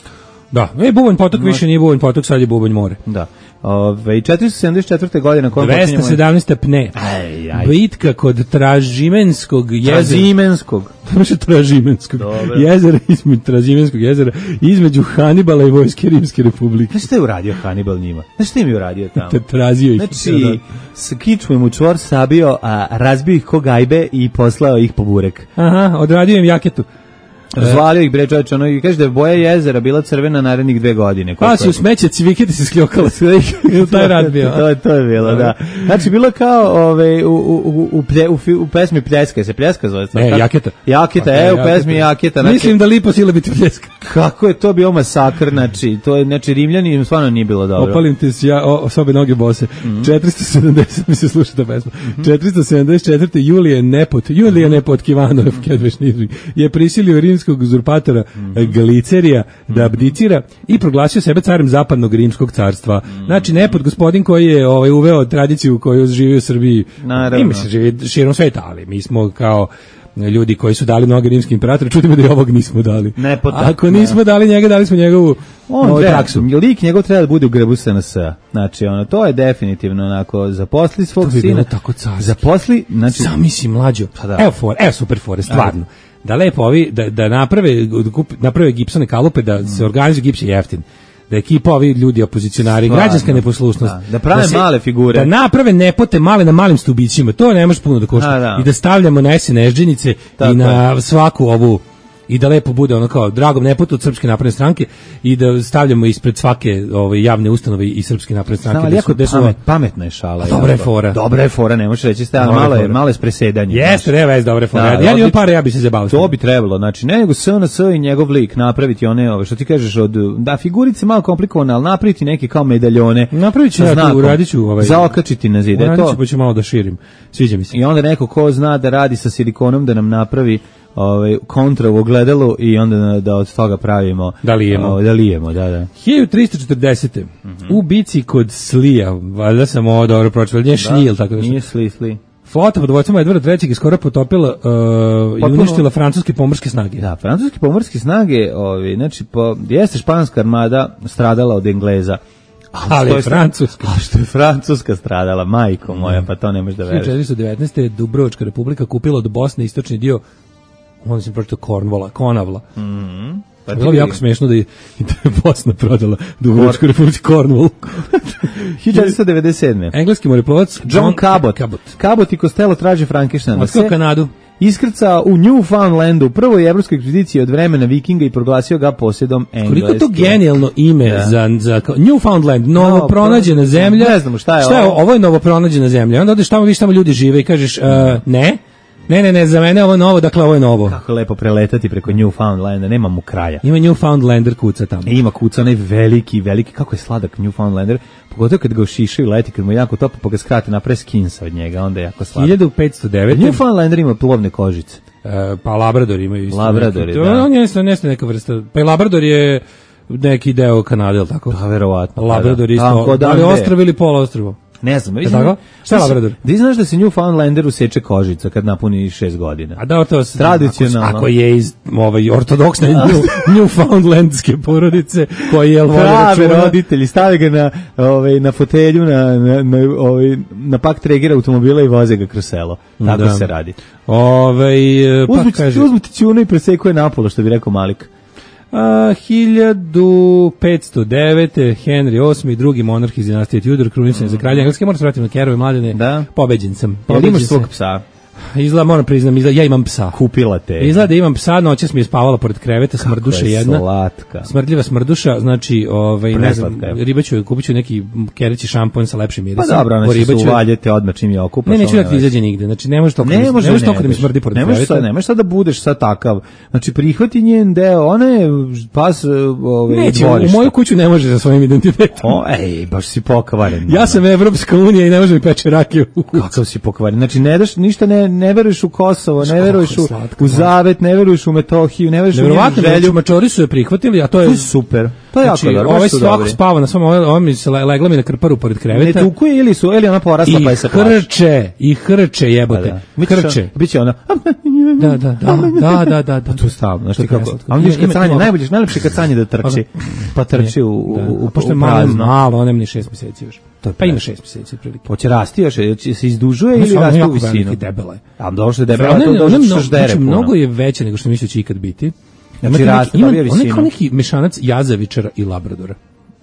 Da, e, Bubanj potok više nije Bubanj potok, sad je Bubanj more. Da. Ove, i četiristo sedamdeset četvrte godine kojom dvesta sedamnaesta pne. Aj, aj. Bitka kod Tražimenskog jezera. Trazimenskog. Može Tražimenskog Dobro. jezera, između Tražimenskog jezera, između Hanibala i Vojske Rimske republike. Znaš šta je uradio Hannibal njima? Znaš šta im je uradio tamo? Te trazio ih. Znači, s kičmom u čvor sabio, a razbio ih ko gajbe i poslao ih po burek. Aha, odradio im jaketu. Razvalio ih bre čovječe, ono i kaže da je boja jezera bila crvena narednih dve godine. Pa Koliko su je- smeće cviketi se skljokala. Ili taj rad bio. to, to je bilo, da. Znači, bilo kao ove, u, u, u, u, plje- u, fi- u pesmi Pljeska, se Pljeska zove? Ne, Kako? Jaketa. Jaketa, Pa, e, u Jaketa. pesmi Jaketa. Znači, Mislim da lipo sila biti pljeska. kako je to bio masakr, znači, to je, znači, Rimljani im stvarno nije bilo dobro. Opalim te s ja, o, sobe noge bose. Mhm. četiristo sedamdeset mi se sluša ta pesma. četiristo sedamdeset četvrte Julije Nepot, Julije Nepot Kivanov, Kedveš Nižnik, je prisilio rimskog uzurpatora Mhm. Galicerija da abdicira i proglasio sebe carem zapadnog rimskog carstva. Mhm. Znači Nepot, gospodin koji je ovaj uveo tradiciju koju živi u Srbiji. Naravno. I mi se živi širom sveta, ali mi smo kao ljudi koji su dali mnoge rimski imperatori, čudimo da i ovog nismo dali. Nepota. Ako nismo dali njega, dali smo njegovu On ovaj, treba, taksu. lik njegov treba da bude u grbu S N S-a. Znači, ono, to je definitivno onako, zaposli svog To bi bilo sina. tako carski. Zaposli, znači, Zamisli mlađo. Pa da. Evo for, evo super fore, stvarno. Da lepo ovi da da naprave da kup- naprave gipsone kalupe, da se organizuje gips je jeftin. Da ekipa ovi ljudi opozicionari, Stvarno. građanska neposlušnost. Da, da prave male figure. Da naprave nepote male na malim stubićima. To ne može puno da košta. A, da. I da stavljamo na esenežđenice Tako i na svaku ovu i da lepo bude ono kao dragom nepotu od Srpske napredne stranke i da stavljamo ispred svake ove javne ustanove i Srpske napredne stranke. znam, ali gde jako su- gde su- pamet, pametna je šala. A dobra je jako. fora. Dobra je fora, ne možeš reći, stavljamo Dobra je malo je, fora. malo je presedanje. Jeste, ne vez, dobre fore. Da, Ja ja imam odlično. pare, ja bi se zabavio. To bi trebalo, znači, ne nego S N S i njegov lik napraviti one, ove, što ti kažeš, od, da, figurice malo komplikovane, ali napraviti neke kao medaljone. Napravit ću sa ja tu, znakom. uradit ću ovaj- Zaokačiti na zid, e Uradit ću, to. pa ću malo da širim. Sviđa mi se. I onda neko ko zna da radi sa silikonom da nam napravi ovaj kontra u ogledalu i onda da, da od toga pravimo Da lijemo. ovaj, da lijemo, da, da. hiljadu tristo četrdesete u bici kod Slija, valjda sam ovo dobro pročitao, nije Šljil, tako da Nije sli, sli. flota pod vojstvom Edvarda trećeg je skoro potopila uh, i Potpuno- uništila francuske pomorske snage. Da, francuske pomorske snage, ovi, znači, po, jeste španska armada stradala od Engleza, ali je Francuska. A što je Francuska stradala, majko moja, pa to ne možeš da veruješ. hiljadu četiristo devetnaeste. Dubrovačka republika kupila od Bosne istočni dio, onda sam pročitao Cornwalla, Konavla. Mhm. Pa bilo bi jako smiješno da je, da je Bosna prodala Dubrovačku republiku Cornwall. hiljadu četiristo devedeset sedme. Engleski moreplovac John, John Cabot. Cabot. Cabot i Costello traže Frankensteina. Otkrio Kanadu. Iskrcao u Newfoundlandu, prvoj evropskoj ekspediciji od vremena Vikinga i proglasio ga posjedom Engleske. Koliko je to genijalno ime ja. za, za Newfoundland, novo no, pronađena zemlja. Ne znamo šta je šta je ovo. Ovo je novo pronađena zemlja. Onda odeš tamo, vidiš tamo ljudi žive i kažeš uh, ne, ne, ne, ne, za mene ovo je novo, dakle ovo je novo. Kako je lepo preletati preko Newfoundlanda, nema mu kraja. Ima Newfoundlander kuca tamo. E, ima kuca, onaj veliki, veliki, kako je sladak Newfoundlander, pogotovo kad ga ušišaju leti, kad mu je jako topo, pa ga skrate napre skinsa od njega, onda je jako sladak. hiljadu petsto devet. Newfoundlander ima plovne kožice. E, pa Labrador imaju isto. Labrador neki, je, to, da. On je nešto neka vrsta, pa i Labrador je neki deo Kanade, ili tako? Pa verovatno. Labrador pa, isto, da li ostrvo ili poluostrvo? Ne znam, je tako? Šta je Labrador? Da znaš da se Newfoundlanderu seče kožica kad napuni šest godina. A da, to tradicionalno. Ako, ako je iz ovaj ortodoksne Newfoundlandske porodice koji je prave roditelji stave ga na ovaj na fotelju na na na, ovaj, na pak tregera automobila i voze ga kroz selo. Tako da se radi. Ovaj pa uzmite, kaže uzmite ćunu i presekuje napola, što bi rekao Malik. A, hiljadu petsto devet. Henry osmi, drugi monarh iz dinastije Tudor, krunisan mm. za kralja Engleske. Moram se vratiti na Kerove mladene. Da. Pobeđen sam. Pobeđen imaš svog psa? Izgleda, moram priznam, izgleda, ja imam psa. Kupila te. Izgleda da imam psa, noćas mi je spavala pored kreveta, smrduša jedna. Slatka. Smrdljiva smrduša, znači, ovaj, ne znam, ribaću, kupit ću neki kereći šampon sa lepšim mirisom. Pa dobro, ona će se uvaljete odmah čim je okupaš. Ne, neću da ti izađe nigde, znači ne može toliko, ne može ne toliko da mi smrdi pored kreveta. Ne možeš sad da budeš sad takav, znači prihvati njen deo, ona je pas ovaj, neće, u moju kuću ne može sa svojim identitetom. O, ej, baš si pokvaren. Ja sam Evropska unija i ne može mi peče rakiju u kuću. Kakav si pokvaren, znači ne daš, ništa ne, ne veruješ u Kosovo, ne veruješ u, u Zavet, ne veruješ u Metohiju, ne veruješ u njenu želju. Mačori su je prihvatili, a to je, to je super. To je znači, jako dobro. Ovaj svako spava na svom, ovo mi se legla mi na krparu pored kreveta. Ne tukuje ili su, ili ona porasla pa je se plaši. I hrče, i hrče jebote. Da. Hrče. Biće ona. Da, da, da, da, da, da. Pa to stavno, znači kako. A on vidiš kacanje, najbolje, najlepše kacanje da trči. Pa trči u u pošto malo, malo, on nema ni šest mjeseci još. Pa ima šest mjeseci prilike. Hoće rasti još, će se izdužuje ili raste u visinu? Debela je. A dobro što je debela, to dođe što ždere puno. Mnogo je veće nego što mislio će ikad biti. Znači raste, pa bio visinu. On je kao neki mešanac jazavičara i labradora.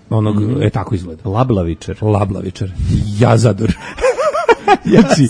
Onog, mm. e, tako izgleda. Lablavičar. Lablavičar. Jazador. Znači,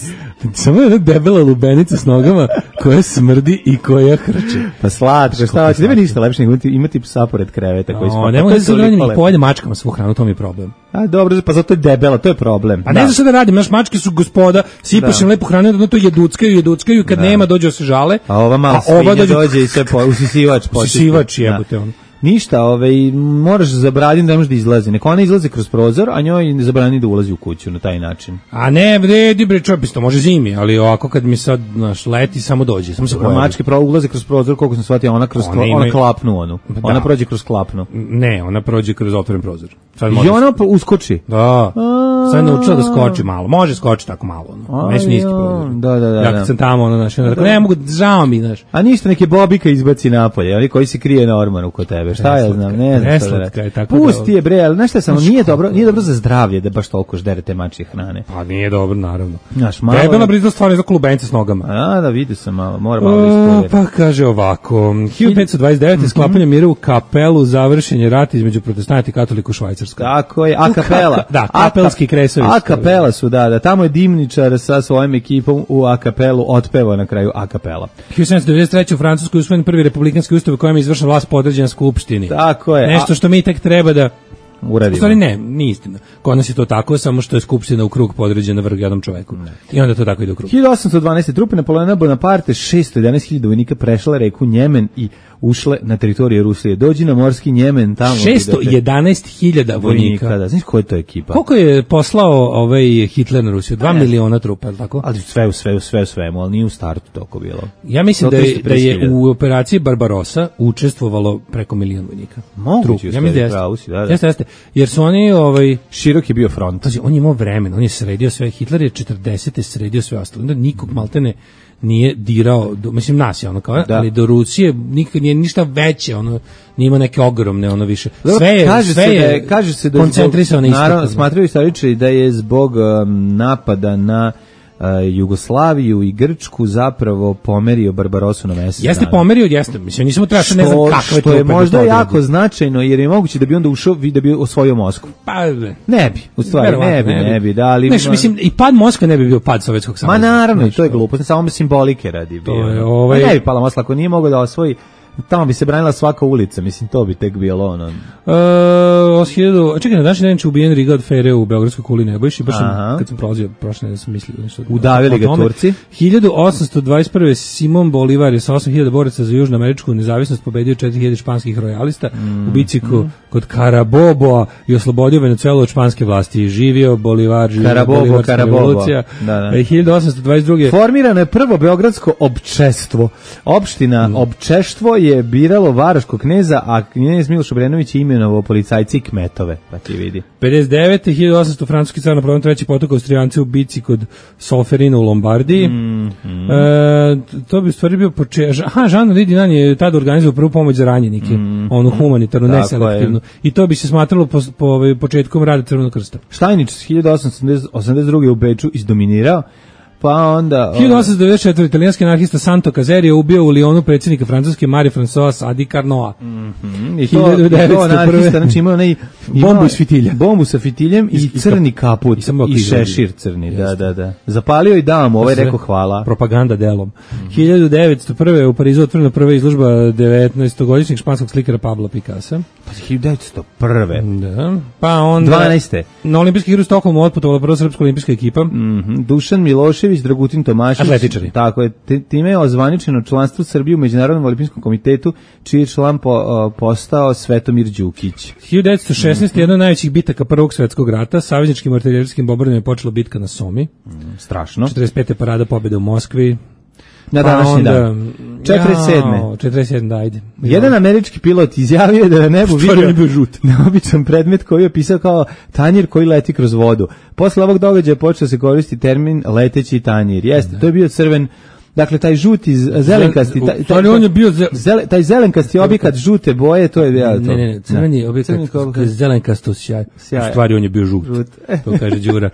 samo jedna debela lubenica s nogama koja smrdi i koja hrče. Pa slatko, šta hoće, nema ništa lepše nego imati psa pored kreveta koji spava. Ne mogu da se radim i pojede mačkama svu hranu, to mi je problem. A dobro, pa zato je debela, to je problem. A ne znam šta da radim, naš mačke su gospoda, sipaš im lepu hranu, da to jeduckaju, jeduckaju, kad nema dođe se žale. A ova mala svinja dođe i sve usisivač. Usisivač jebote on. Ništa, ovaj, moraš zabraniti da ne može da izlazi. Neko ona izlazi kroz prozor, a njoj ne zabrani da ulazi u kuću na taj način. A ne, vredi bre, čovjek, to može zimi, ali ovako kad mi sad naš leti samo dođe, samo se pojavi. Mačke pravo ulaze kroz prozor, koliko sam shvatio, ona kroz ona, ona klapnu onu. Da. Ona prođe kroz klapnu. Ne, ona prođe kroz otvoren prozor. Sad I ona pa uskoči. Da. Sad naučila da skoči malo. Može skoči tako malo, ono. Neće niski prozor. Da, da, da. Ja kad sam tamo, ono, znaš, ne mogu, žao mi, znaš. A ništa, neke bobika izbaci napolje, oni koji se krije normalno kod tebe. Šta ja znam, ne znam šta da reći. Pusti je bre, ali znaš šta samo, nije dobro, nije dobro za zdravlje da baš toliko ždere te mačje hrane. Pa nije dobro, naravno. Znaš, malo. Debela brizla stvarno za klubence s nogama. A, da vidio sam malo, mora malo ispovjeriti. Pa kaže ovako, hiljadu petsto dvadeset devete sklapanje mira u Kapelu, završen rat između protestanata i katolika u Švajcarskoj. Tako je, a kapela. Da, kapelski kresovi. A kapela su, da, da, tamo je Dimničar sa svojim ekipom u a kapelu otpevao na kraju a kapela. hiljadu sedamsto devedeset treće u Francuskoj usvojen prvi republikanski ustav u kojem je izvršena vlast podređena skupštini. Tako je. Nešto što mi tek treba da uradimo. U stvari ne, nije istina. Kod nas je to tako, samo što je skupština u krug podređena vrh jednom čoveku. Ne. I onda to tako ide u krug. hiljadu osamsto dvanaeste trupe Napoleona Bonaparte, šesto jedanaest hiljada vojnika prešla reku Njemen i ušle na teritoriju Rusije. Dođi na morski Njemen tamo. šesto jedanaest hiljada vojnika. Da, znaš koja je to ekipa? Koliko je poslao ovaj Hitler na Rusiju? Dva miliona trupa, je li tako? Ali sve u sve u sve u svemu, ali nije u startu toliko bilo. Ja mislim da je, da je u operaciji Barbarossa učestvovalo preko milion vojnika. Moguće, ja mislim da jeste. Da, da. Jeste, jeste. Jer su oni ovaj širok je bio front. Pazi, on je imao vremena, on je sredio sve, Hitler je četrdesete sredio sve ostalo. Onda nikog maltene nije dirao, do, mislim nas je ono kao, da. ali do Rusije nikad nije ništa veće, ono nije ima neke ogromne ono više. Sve je, kaže sve se je, da je kaže se da koncentrisano isto. Naravno, smatraju istoričari da je zbog um, napada na Uh, Jugoslaviju i Grčku zapravo pomerio Barbarosu na mesec. Jeste dana. Pomerio, jeste. Mislim, nisam utrašao, ne znam kakve to. Što je možda jako značajno, jer je moguće da bi onda ušao, da bi osvojio Moskvu. Pa, ne bi, u stvari, ne bi, ne bi, da, ali... Neš, mislim, i pad Moskve ne bi bio pad Sovjetskog saveza. Ma naravno, i to je glupo, samo simbolike radi. To je, ovaj... Ne bi pala Moskva, ako nije mogao da osvoji, tamo bi se branila svaka ulica, mislim, to bi tek bilo ono... Uh, hiljadu, čekaj, na današnji dan će ubijen Riga od Fere u Beogradskoj kuli Nebojši, baš sam, kad sam prolazio prošle, da sam mislio nešto... Udavili ga Turci. hiljadu osamsto dvadeset prve. Simon Bolivar je sa osam hiljada boraca za južnoameričku nezavisnost pobedio četiri hiljade španskih rojalista mm. u bici mm. kod Caraboboa i oslobodio Venezuelu od španske vlasti. Živio Bolivar, živio Carabobo, Bolivarska Carabobo. revolucija. Da, da. hiljadu osamsto dvadeset druge. Formirano je prvo beogradsko občestvo. Opština mm. občestvo je biralo Varoškog kneza, a knez Miloš Obrenović je imenovao policajci i kmetove, pa ti vidi. pedeset devete. hiljadu osamsto. francuski car Napoleon treći potukao Austrijanci u bici kod Solferina u Lombardiji. Mm, mm. E, to bi u stvari bio početak. Aha, Jean Dinan je tada organizovao prvu pomoć za ranjenike, mm, onu humanitarnu, mm, neselektivnu. I to bi se smatralo po, po, po početkom rada Crvenog krsta. Štajnić hiljadu osamsto osamdeset druge. u Beču izdominirao. Pa onda... hiljadu osamsto devedeset četvrte. italijanski anarhista Santo Cazeri je ubio u Lyonu predsjednika Francuske Marie-Françoise Sadi Carnot. Mm -hmm. I to, to anarhista, znači imao onaj... Bombu iz fitilja. Bombu sa fitiljem i, i crni kaput. I, i šešir crni, da, da, da. Zapalio i dao mu, ovaj rekao hvala. Propaganda delom. Mm. hiljadu devetsto prve. u Parizu otvorena prva izložba devetnaestogodišnjeg španskog slikara Pabla Picassa. Pa hiljadu devetsto prve. Da. Pa onda... dvanaeste. Na olimpijski igru u Stokholmu otputovala prva srpska olimpijska ekipa. Mm -hmm. Dušan Milošević, Dragutin Tomašić. Atletičari. Tako je. Time je ozvaničeno članstvo Srbije u Međunarodnom olimpijskom komitetu, čiji je član po, o, postao Svetomir Đukić. hiljadu devetsto šesnaeste. Mm -hmm. jedna od najvećih bitaka Prvog svjetskog rata, savezničkim artiljerijskim bombardovanjem je počela bitka na Somi. Mm, strašno. četrdeset pete. parada pobjede u Moskvi. Na današnji dan. četrdeset sedme. četrdeset sedme. da, ajde. Jedan američki pilot izjavio je da na nebu vidio bio žut. neobičan predmet koji je opisao kao tanjir koji leti kroz vodu. Posle ovog događaja počeo se koristiti termin leteći tanjir. Jeste, da. To je bio crven. Dakle, taj žuti, zelenkasti, taj, taj, on je bio zele, taj zelenkasti objekat žute boje, to je bio to. Ne, ne, ne, crveni objekat, zelenkasto sjaj. U stvari on je bio žut. žut. To kaže Đura,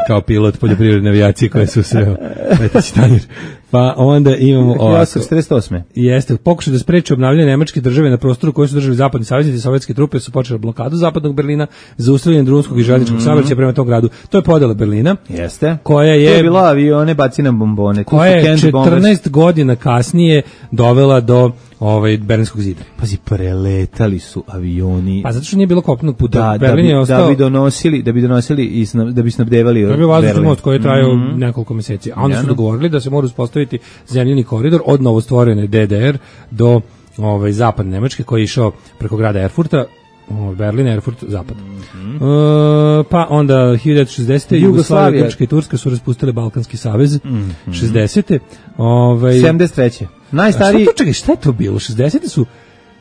kao pilot poljoprivredne avijacije koje su sreo. Leteći tanjir. Pa onda imamo ovako. četrdeset osme. Jeste, pokušaj da spreči obnavljanje nemačke države na prostoru koji su držali zapadni saveznici, sovjetske trupe su počele blokadu zapadnog Berlina za ustavljanje drumskog i željezničkog mm-hmm. saobraćaja prema tom gradu. To je podela Berlina. Jeste. Koja je, to je bila avione baci na bombone. Koja je četrnaest godina kasnije dovela do ovaj Berlinskog zida. Pazi, preletali su avioni. Pa zato što nije bilo kopnenog puta. Da, Berlin da, bi, je ostao, da bi donosili, da bi donosili i snab, da bi snabdevali Berlin. To je bio vazdušni most koji je trajao mm-hmm. nekoliko meseci. A onda su dogovorili da se mora uspostaviti zemljani koridor od novostvorene D D R do ovaj zapadne Nemačke koji je išao preko grada Erfurta, Berlin, Erfurt, zapad. Mm-hmm. Uh, pa onda hiljadu devetsto šezdesete. Jugoslavija, Grčka i Turska su raspustile Balkanski savez. Mm-hmm. šezdesete. Ovaj sedamdeset treće. Najstariji. Šta, čekaj, šta je to bilo? šezdesete su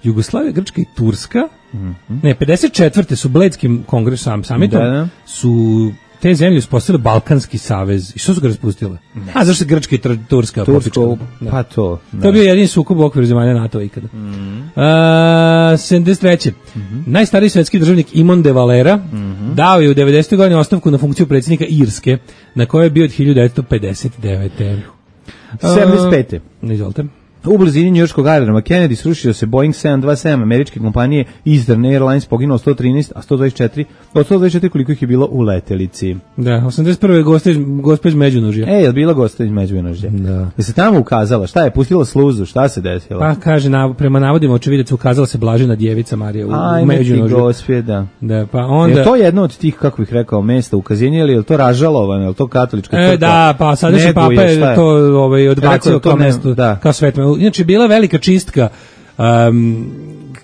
Jugoslavija, Grčka i Turska. Mm-hmm. Ne, pedeset četvrte su Bledskim kongresom samitom da, da. su te zemlje uspostavile Balkanski savez. I što su ga raspustile? Ne. A zašto se Grčka i Turska Tursko, pa to. Da. To je bio jedini sukob u okviru zemalja NATO-a ikada. Mm-hmm. Uh, sedamdeset treće. Mm-hmm. Najstariji svetski državnik Imon de Valera mm-hmm. dao je u devedesetoj godini ostavku na funkciju predsjednika Irske, na kojoj je bio od hiljadu devetsto pedeset devete. sedamdeset pete. Uh, izvolite. U blizini njujorškog aerodroma Kennedy srušio se Boeing sedam dvadeset sedam američke kompanije Eastern Airlines, poginulo sto trinaest, a sto dvadeset četiri, od sto dvadeset četiri koliko ih je bilo u letelici. Da, osamdeset prve gospa iz Međunožja. E, je li bila gospa iz Međunožja? Da. Je se tamo ukazala? Šta je? Pustila sluzu? Šta se desilo? Pa kaže, na, prema navodima očevidaca ukazala se Blažena djevica Marija u, u Međunožju. Aj, gospje, da. Da, pa onda... Je to jedno od tih, kako bih rekao, mesta ukazivanja, ili je to Ražalovano, je li to katolička crkva? E, da, pa sadašnji papa je to ovaj, odbacio kao mesto, da. Kao svetme. Inače, bila velika čistka um,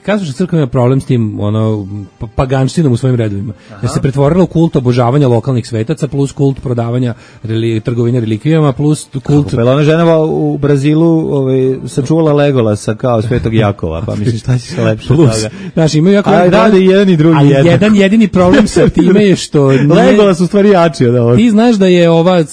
katolička crkva ima problem s tim ono pa- paganštinom u svojim redovima. Jer se pretvorila u kult obožavanja lokalnih svetaca plus kult prodavanja reli, trgovine relikvijama plus kult. Pa ona žena u Brazilu ovaj, sačuvala Legolasa kao Svetog Jakova, pa mislim šta će se lepše od toga. Znaš, imaju jako... A rade i jedan i drugi ali jednako. jedan jedini problem sa time je što... Nije, Legolas u stvari jači od ovog. Ti znaš da je ova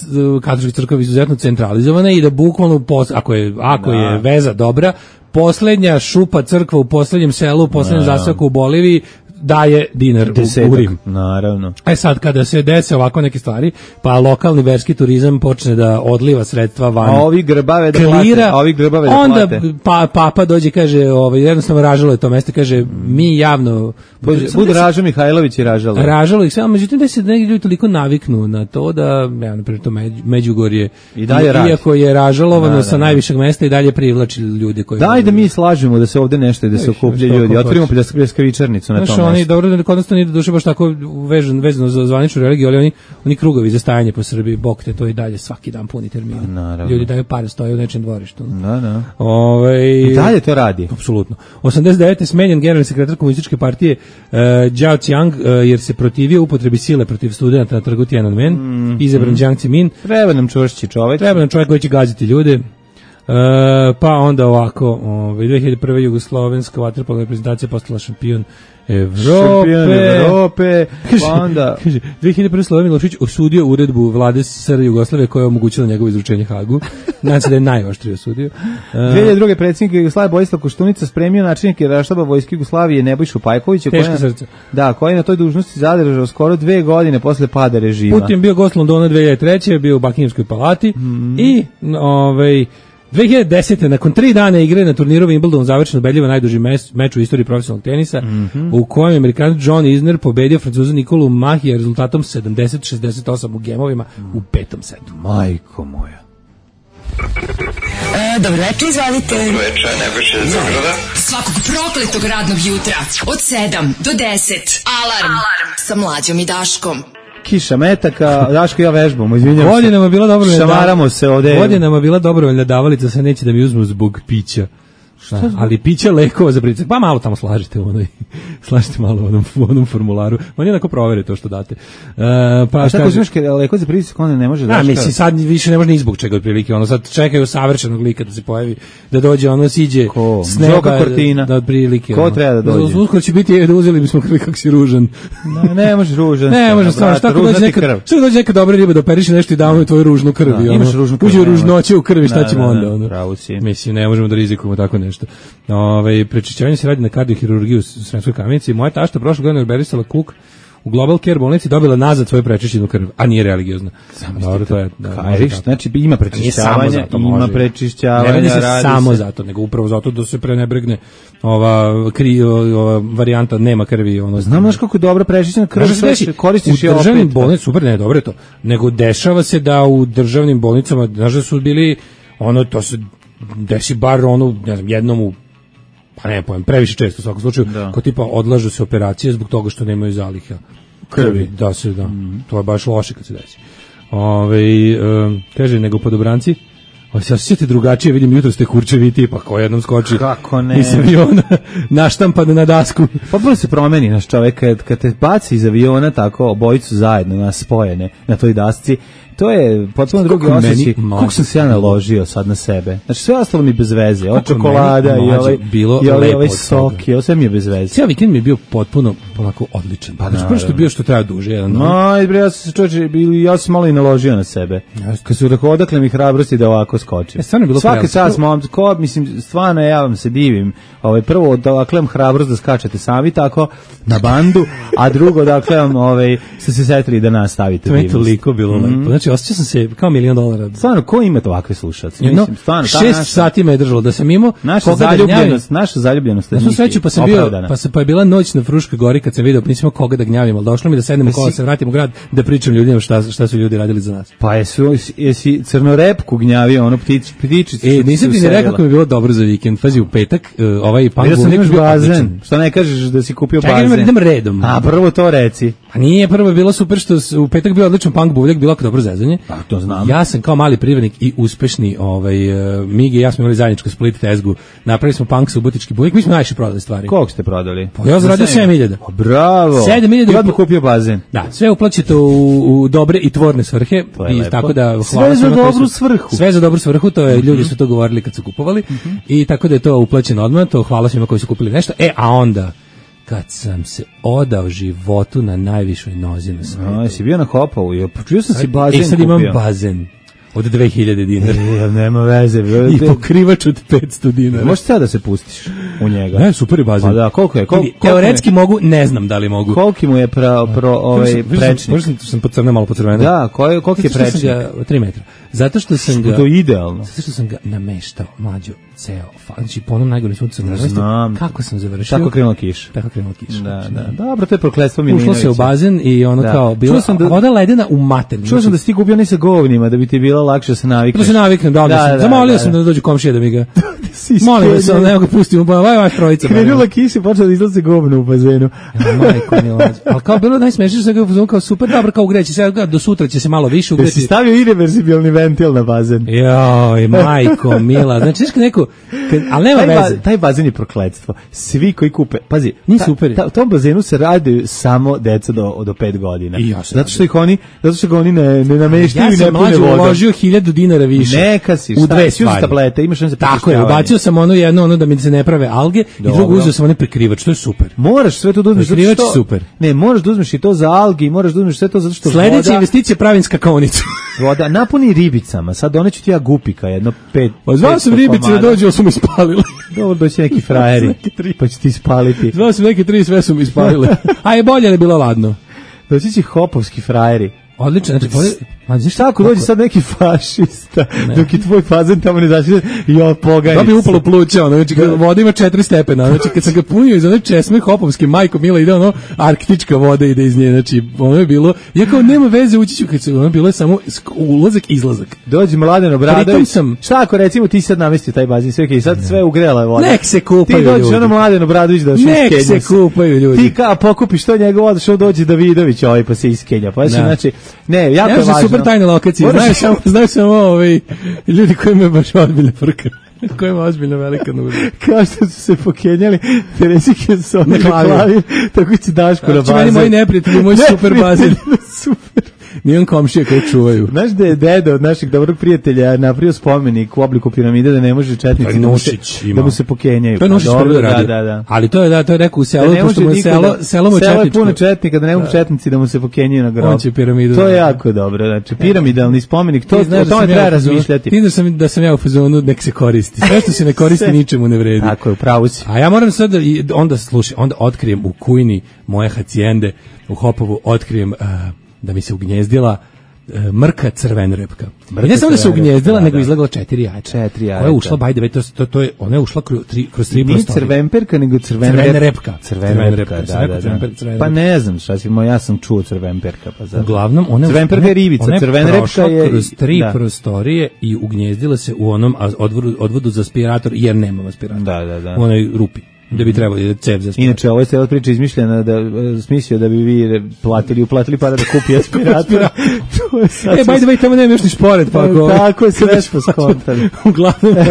katolička crkva izuzetno centralizovana i da bukvalno, pos, ako, je, ako Da. je veza dobra, poslednja šupa crkva u poslednjem selu, u poslednjem zaseoku u Boliviji, daje dinar u, u Rim. Naravno. E sad, kada se dese ovako neke stvari, pa lokalni verski turizam počne da odliva sredstva van. A ovi grbave da klira, plate. A ovi grbave da onda plate. pa, papa dođe i kaže, ovaj, jednostavno ražalo je to mesto, kaže, mi javno... Bud Raža Mihajlović i Ražalo. Ražalo ih sve, međutim da se neki ljudi toliko naviknu na to da, ja, naprimjer, to Međ, Međugorje, I dalje radi. iako je ražalovano Da, da, sa da. najvišeg mesta i dalje privlači ljude koji... Daj da mi slažemo da se ovde nešto i da se Viš, okupljaju što ljudi. ko Otvorimo hoće. pljeskavičarnicu na Znaš, tom oni, mestu. dobro, da kod nas to nije do duše baš tako vezano, vezano za zvaničnu religiju, ali oni, oni krugovi za stajanje po Srbiji, bog te, to i dalje svaki dan puni termini. Naravno. Ljudi daju pare, stoje u nečem dvorištu. Da, da. Ove, I dalje to radi. Apsolutno. osamdeset devete smenjen generalni sekretar komunističke partije uh, Jiao Qiang uh, jer se protivio upotrebi sile protiv studenta na trgu Tiananmen, mm, izabran mm. Jiang Zemin. Treba nam čvršći čovjek. Treba nam čovjek koji će gaziti ljude. Uh, pa onda ovako, ovaj, dve hiljade prve jugoslovenska vaterpolna reprezentacija postala šampion Evrope. Šampion Evrope. Kaže, Pa onda... kaže, dve hiljade prve Slobodan Milošević osudio uredbu vlade S R Jugoslavije koja je omogućila njegovo izručenje Hagu. Nadam se da je najoštrije osudio. Uh, dve hiljade druge predsjednik Jugoslavije Borislav Koštunica spremio načelnik Generalštaba Vojske Jugoslavije Nebojšu Pajkovića, Teško koji srce. da, koji je na toj dužnosti zadržao skoro dve godine posle pada režima. Putin bio gost Londona dve hiljade treće bio u Buckinghamskoj palati mm. i ovaj dve hiljade desete nakon tri dana igre na turniru Wimbledon završeno ubedljivo najduži mes, meč u istoriji profesionalnog tenisa mm-hmm. u kojem je Amerikanac John Isner pobedio Francuza Nikolu Mahija rezultatom sedamdeset šezdeset osam u gemovima mm. u petom setu. Majko moja. E, dobro večer, izvalite. Dobro večer, Nebojša iz Beograda. Svakog prokletog radnog jutra od sedam do deset. Alarm, Alarm. Sa Mlađom i Daškom. Kiša metaka, Daško ja vežbamo, izvinjam se. Godinama bila dobrovoljna. Šamaramo se ovde. Godinama bila dobrovoljna davalica, se neće da mi uzmu zbog pića. Da, ali piće lekova za pritisak, pa malo tamo slažite u onoj, slažite malo u onom, u onom formularu. Oni onako provere to što date. Uh, pa a šta ko znaš, lekova za pritisak, onda ne može da... A, mislim, sad više ne može ni zbog čega otprilike, ono, sad čekaju savršenog lika da se pojavi, da dođe, ono, siđe ko? s neba, Zoka Kortina. da otprilike. Ko ono, treba da dođe? Uskoro će biti, da uzeli bismo krvi kako si ružan. Ne, ne može ružan. Ne, može stvarno, šta ako dođe neka, šta dođe neka dobra riba da operiše nešto i damo tvoju ružnu krv. Da, imaš ružnu krv. Uđe ružnoće u krvi, šta da, ćemo da, onda? da, Ono. pravo si. Mislim, ne možemo da rizikujemo tako nešto. Ove, prečišćavanje se radi na kardiohirurgiju u Sremskoj Kamenici. Moja tašta prošle godine orberisala kuk u Global Care bolnici, dobila nazad svoju prečišćenu krv, a nije religiozna. Dobro, to je, da, Kajriš, znači ima prečišćavanja, ima prečišćavanja. Ne radi se radi samo se. zato, nego upravo zato da se prenebregne ova, kri, ova varijanta nema krvi. Ono, znam znaš kako je dobra prečišćena krv, sve koristiš u je opet. U državnim bolnicama, super, ne, dobro je to, nego dešava se da u državnim bolnicama, znaš da su bili, ono, to se desi bar ono, ne znam, jednom u pa ne pojem, previše često u svakom slučaju, da. Ko tipa odlažu se operacije zbog toga što nemaju zaliha krvi. Da se, da. Mm. To je baš loše kad se desi. Ove, um, kaže, nego podobranci, o, se osjećate drugačije, vidim jutro ste kurčevi tipa, ko jednom skoči kako ne iz aviona, naštampan na dasku. Pa bilo se promeni naš čovek, kad, kad te baci iz aviona tako, obojicu zajedno, nas spojene na toj dasci, to je potpuno drugi osjećaj. Kako sam se ja naložio sad na sebe. Znači sve ostalo mi bez veze. Od čokolada i ovaj, bilo i ovaj, ovaj sok i ovo sve mi je bez veze. Cijel vikend mi je bio potpuno onako odličan. Pa znači, prvo što je bio što treba duže. Jedan no, bre, ja sam se čovječe, ja sam malo i naložio na sebe. Kad su rekao, odakle mi hrabrosti da ovako skočim. E, bilo svaki čas, mom, ko, mislim, stvarno ja vam se divim. Ovaj, prvo, odakle vam hrabrost da skačete sami tako na bandu, a drugo, odakle vam ovaj, ste se setili da nas stavite. To je toliko bilo lepo. Mm. Znači, osjećao sam se kao milion dolara. Stvarno, ko ima ovakve slušalce? Jedno, šest naša, sati me je držalo da sam imao. Naša zaljubljenost, naša zaljubljenost. Ja sam sreću, pa sam bio, pa, sam, pa je bila noć na Fruškoj gori kad sam vidio, pa nisam koga da gnjavim, ali došlo mi da sednemo kola, se vratim u grad, da pričam ljudima šta, šta su ljudi radili za nas. Pa jesu, jesi crnorepku gnjavio, ono ptič, ptičicu. E, nisam ti ne rekao kako mi je bilo dobro za vikend. Pazi, u petak, uh, ovaj punk bulnik bio bazen. Što ne kažeš da si kupio Čekaj, bazen? Čekaj, idem redom. A, prvo to reci. A nije, prvo je bilo super što s- u petak bio odličan punk buvljak, bilo jako dobro zezanje. Pa, to znam. Ja sam kao mali privrednik i uspešni ovaj, uh, Migi i ja smo imali zajedničku split tezgu. Napravili smo punk subotički buvljak, mi smo najviše prodali stvari. Koliko ste prodali? Pa ja zaradio sedam hiljada. O, bravo. sedam hiljada I odmah kupio bazen. Da, sve uplaćete u, u dobre i tvorne svrhe To je i lepo. tako da hvala Sve za svima koji dobru su- svrhu. Sve za dobru svrhu, to je ljudi su to govorili kad su kupovali i tako da je to uplaćeno odmah, to hvala svima koji su kupili nešto. E, a onda kad sam se odao životu na najvišoj nozi na svijetu. A, jesi bio na Hopovu? Ja počuo sam si bazen E, sad imam kupio. bazen od dve hiljade dinara. E, nema veze. I pokrivač od petsto dinara. Možeš sada da se pustiš u njega. Ne, super je bazen. Pa da, koliko je? Kol, Vidi, koliko teoretski mogu, ne znam da li mogu. Koliki mu je pra, pro, ovaj prečnik? Možda sam, sam podcrneo malo podcrveno. Da, koji, koliki je Zato što sam prečnik? ga- tri metra. Zato što sam ga... To je idealno. Zato što sam ga nameštao, mlađo, ceo. fa- Znači, po onom najgorem suncu sam nameštao. Znam. Kako sam završio? Tako krenula kiša. Tako krenula kiša. Da, Znači, da. Dobro, to je prokletstvo Milinovića. Ušlo se u bazen i ono Da. kao, bilo Čuo sam da- voda ledena u materinu. Čuo sam da si ti kupio ne sa govnima, da bi ti bilo lakše da se navikneš. Da se naviknem, da, da, sam. Zamolio sam da dođu komšije da mi ga... Molim vas, iskenjaju. evo ga pustim, ba, vaj, vaj, trojica. Krenula kiša i počela da izlaze govno u bazenu. Ja, majko mila. Ali kao bilo najsmešnije što sam ga uzmano kao super, dobro, kao ugreći se, evo, do sutra će se malo više Da si ugreti. stavio irreversibilni ventil na bazen. Joj, majko mila. Znači, znaš kad neko, kad, ali nema Taj, ba, veze. taj bazen je prokletstvo. Svi koji kupe, pazi, Nije ta- super. ta- u tom bazenu se rade samo deca do, do pet godina. I ja se zato što ih oni, zato što ga oni ne, ne nameštaju Ja i ne sam pune mlađe vodom. uložio hiljadu dinara više. Neka si, u šta, dve si uzeo stvari. tablete, imaš ono za Tako je, prečišćavanje. ubacio sam ono jedno, ono da mi se ne prave alge, i Dobro. drugo uzeo sam onaj prekrivač, to je super. Moraš sve to da uzmeš. zato Prekrivač što- je super. Ne, moraš da uzmeš i to za alge i moraš da uzmeš sve to zato što Sledeća voda, investicija pravim skakaonicu. voda napuni ribicama. Sad doneću ti ja gupika, jedno pet. Pa zvao sam petsto ribice da komada. dođu, ali su mi spalili. Dobro, doći neki frajeri, Neki tri. pa će ti spaliti. Zvao sam neke tri, sve su mi spalile. A je bolje, ali je bilo ladno. Doći će hopovski frajeri. Odlično, znači, bolje, ma, znaš Šta ako dođe sad neki fašista, dok je tvoj fazen tamo ne zašli, jo, pogaj. Da bi upalo pluća, ono, znači, kad voda ima četiri stepena, znači, kad sam ga punio iz one česme hopovske, majko mila, ide ono, arktička voda ide iz nje, znači, ono je bilo, ja kao, nema veze, ući ću, kad se, ono bilo je samo sk- ulazak, izlazak. Dođe Mladen Pritom Obradović. sam- Šta ako recimo ti sad namestio taj bazen, sve okej, sad sve ugrela je voda. Nek se kupaju Ti dođeš ljudi. ono Mladen Obradović da se Nek iskenja. se kupaju ljudi. Ti ka pokupiš to njegov voda, što dođe Davidović ovaj pa se iskenja. Pa Da. znači, ne, jako je Ja sam važno. super tajne lokacije, Moraš- znaju samo, znaju samo ovaj, ljudi koji imaju baš ozbiljne frke. Koja ima ozbiljno velika nužda. Kao što su se pokenjali Teresike s ovim Na klavir. klavir, tako će Daško na Znači, bazen. meni moji neprijatelji, moj super bazen. Super. Nije on komšije koji čuvaju. Znaš da je deda od našeg dobrog prijatelja napravio spomenik u obliku piramide da ne može To je četnici da mu se, Nušić da imao. mu se pokenjaju. To je Nušić Pa dobro, prvi da, radio. da, da. Ali to je, da, to je rekao u Da selu, ne pošto može mu je niko selo, da- selo mu je selo je četničko. puno četnika, da ne mogu četnici da mu se pokenjaju na grob. On će piramidu To da- je jako dobro, znači piramidalni spomenik, to, Ti o znaš da tome sam ja treba u fazonu- razmišljati. Ti znaš sam, da sam ja u fazonu nek se koristi. Sve što se ne koristi Sve. ničemu ne vredi. Tako je, upravo si. A ja moram sad da, i onda slušaj, onda otkrijem u kujni moje hacijende u Hopovu, otkrijem uh, da mi se ugnjezdila uh, mrka crvenrepka. I ne samo da se crvenrepka, ugnjezdila, da, nego da. izlegla četiri jajca. Četiri Koja je jajeta. ušla, by the way, to, to, to je, ona je ušla kroz tri, kroz tri Nije prostorije. crvenperka, nego crvenrepka. Crvenrepka. Crvenrepka, Crvenrepka, sam da, rekao da, crvenper- da. crvenrepka. Pa ne znam šta si, ja sam čuo crvenperka. Pa zato. Uglavnom, ona Crvenperka je ribica, ona crvenrepka prošla je- kroz tri da. prostorije i ugnjezdila se u onom a- odvodu, odvodu za aspirator, jer nema aspirator. Da, da, da. U onoj rupi, gde bi trebalo da cev za aspirator. Inače, ovo je cijela priča izmišljena da e, smislio da bi vi platili, uplatili para da kupi aspirator. To je sad E, by the way, tamo nema još ni šporet, pa ako... Tako je, sve smo skontali. Uglavnom, ovaj,